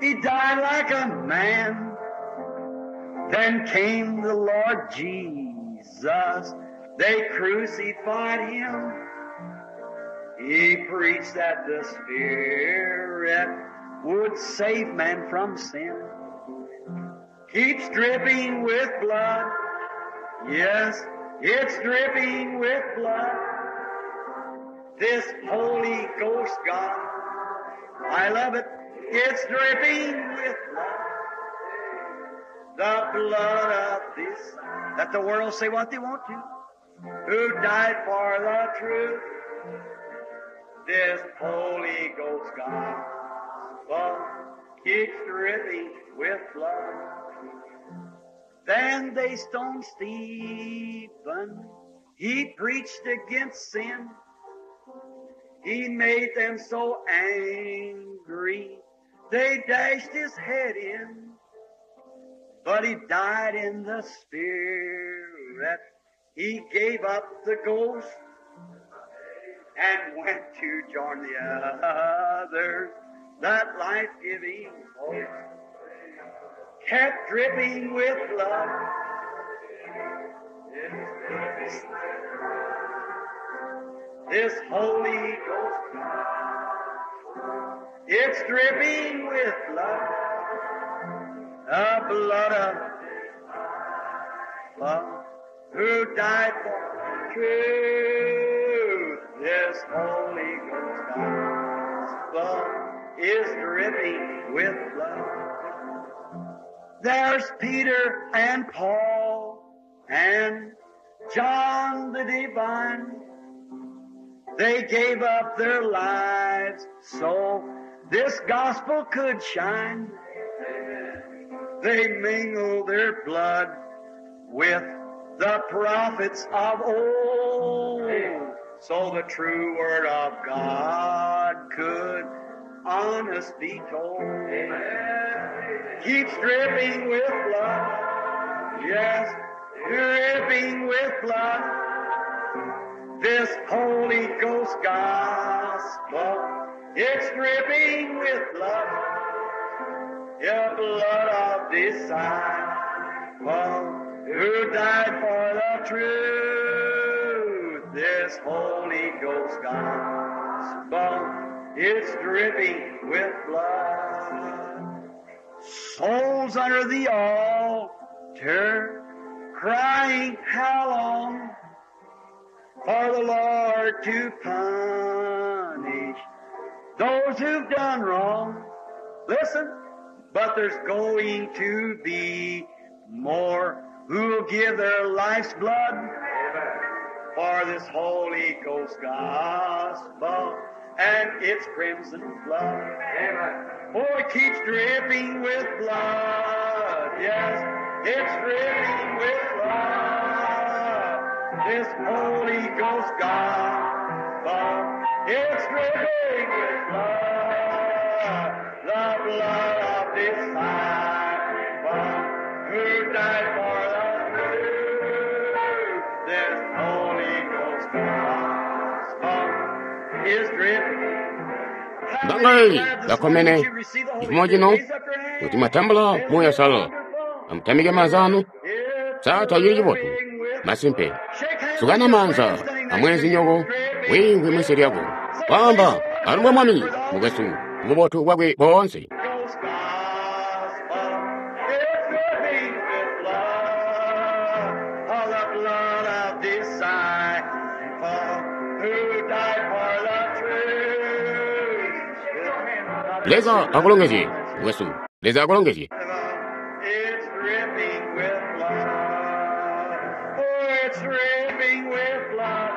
He died like a man. Then came the Lord Jesus. They crucified him. He preached that the Spirit would save man from sin. Keeps dripping with blood. Yes, it's dripping with blood. This Holy Ghost God. I love it. It's dripping with blood. The blood of this. Let the world say what they want to. Who died for the truth. This Holy Ghost gospel keeps dripping with blood. Then they stoned Stephen. He preached against sin. He made them so angry, they dashed his head in. But he died in the Spirit. He gave up the ghost and went to join the others. That life-giving host kept dripping with blood. This Holy Ghost, it's dripping with blood, the blood of love, who died for truth. This Holy Ghost gospel is dripping with blood. There's Peter and Paul and John the Divine. They gave up their lives so this gospel could shine. They mingled their blood with the prophets of old, so the true word of God could honest be told. Keeps dripping with blood. Yes, dripping with blood. This Holy Ghost gospel, it's dripping with blood. The blood of disciple who died for the truth. This Holy Ghost gospel is dripping with blood. Souls under the altar crying, how long for the Lord to punish those who've done wrong? Listen, but there's going to be more who'll give their life's blood for this Holy Ghost gospel and its crimson flood. Amen. Oh, it keeps dripping with blood. Yes, it's dripping with blood. This Holy Ghost gospel, it's dripping with blood. The blood of disciple who died for the truth. This Holy Ghost gospel is dripping. Bangayi bakomene chifukwa chino kuti mwatambula Muuya Woyera amutamike manza anu satha chili chibotu masimpe sukana manza amwezi nyoko wingwi mwisi lyako kwamba alumbwa mwami mukwesu bubotu bwakwe bonse. Ghost gospel is dripping with blood, oh, the blood of disciple who died for the truth. Leza akulongezye mukwesu, Leza akulongezye. It's dripping with blood. Oh, it's dripping with blood.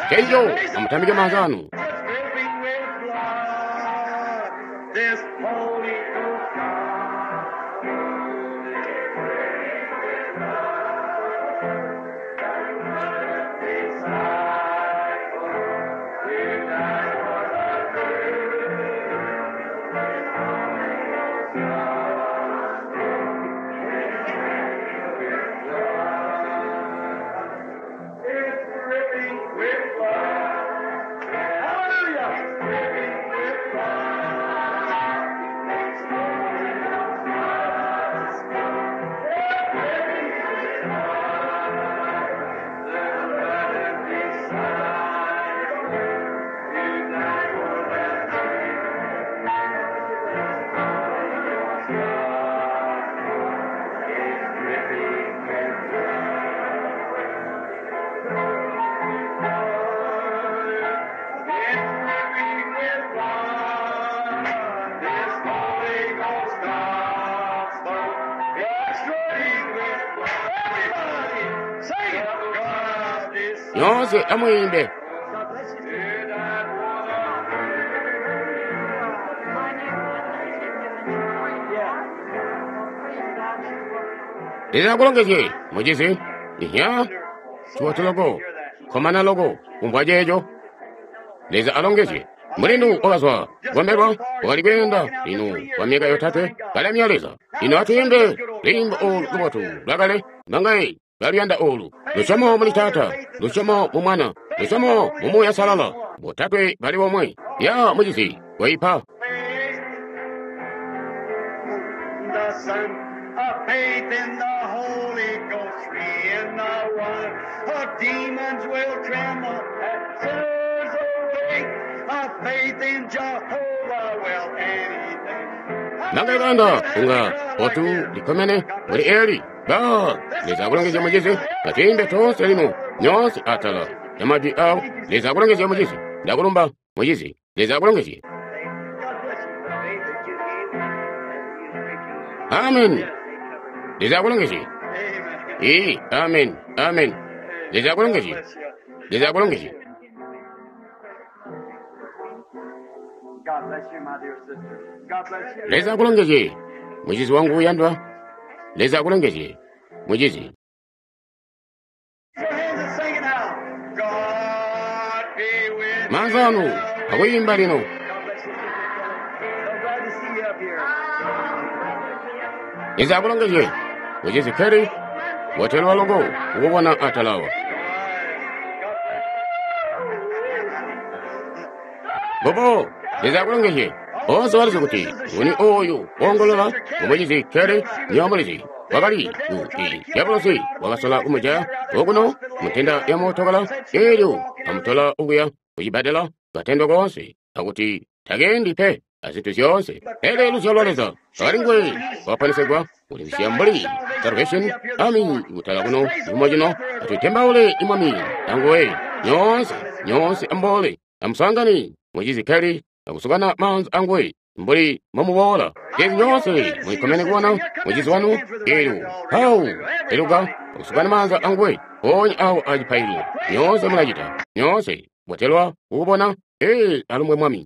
Kenjo amutamike manza anu. It's dripping with blood. This Holy Ghost It's dripping with blood. Hallelujah! It's dripping with blood. It's Holy Ghost gospel. It's dripping with blood. The blood of disciple who died for the truth. Holy Ghost gospel is dripping with blood. Yonse amuyimbe. Leza akulongezye muchizi ihya chibotu loko komana loko kumvwa checho. Leza alongezye mulindu wakazwa kugombelwa wakali kuyenda linu kwa myaka yotatwe kalemya Leza. Ino atuyimbe luyimbo olu lubotu lwakale mangayi lwaluyanda olu. Lusyomo muli Taata, lusyomo mu Mwana, lusyomo mu Muuya Salala, botatwe bali bomwe. Ya muchizi waipa. The Son of faith in the Holy Ghost, three in the one. The demons will tremble at sinners awake. Of faith in Jehovah will anything. Nangaikanda unga otu likomene muli eli ba Leza akulongezye muchizi atuyimbe tonse lino nyonse atala ya majwi awo. Leza akulongezye muchizi, ndakulumba muchizi. Leza akulongezye. God bless you. Faith that you gave and you preaching. Amen. Leza akulongezye. Amen. Ee, amen, amen. Leza akulongezye. God bless you. Leza akulongezye. God bless you, my dear sister. God bless you. Leza akulongezye muchizi wangu uyandwa. Leza akulongezye muchizi. Your hands and sing it now. God be with Manza anu you. akuyimba lino. God bless you, Sister Kelly. So glad to see you up here. Leza akulongezye muchizi Kelly wotelwa loko ukubona atalawa. Bobo, Leza akulongezye. Onse walizi kuti nguni oyu wongolola umuchizi Kelly nyomulizi. Wakali i dyabulosi wakasola kumujaya okuno mutenda ya mootokala, elyo amutola okuya kucibbadela, katendwa koonse, akuti takendi pe azintu zyoonse. Pele luzyalo lwa Leza lwakali nguwe, wakaponesegwa, kulimbisya mbuli Salvation Army kutala kuno cifumo cino. Atutembaule Mwami anguwe nyoonse, nyoonse amboole amusangane mucizi Kelly akusukana maanza anguwe mbuli mbomuboola. Ezi nyoonse mulikkomene kubona mucizi wanu elyo mpawo eluka akusukana maanza anguwe mpoonya awo acipaililo. Nyoonse mulacita, nyoonse botelwa kukubona. Ee, alumbwe Mwami.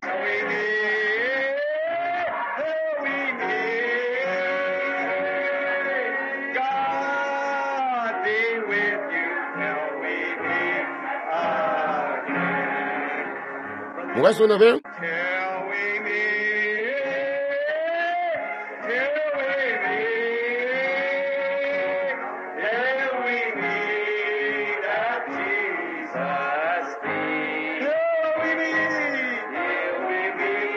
God be with you till we meet again. Mukwesu Neville, Till we meet, till we meet, till we meet at Jesus' feet. Till we meet, till we meet,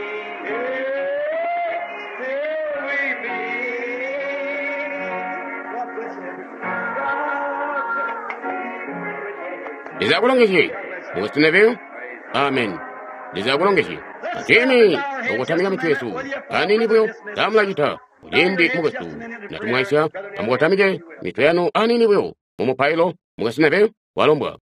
till we meet. God bless everyone. God bless. Leza akulongezye. Mukwesu Neville, amen. Leza akulongezye. Atini okutamika mitwe yesu anini buyo tamulacita kuciindi mukwesu natumwaisya amukotamike mitwe yanu anini buyo mumupailo. Mukwesu Neville walombwa.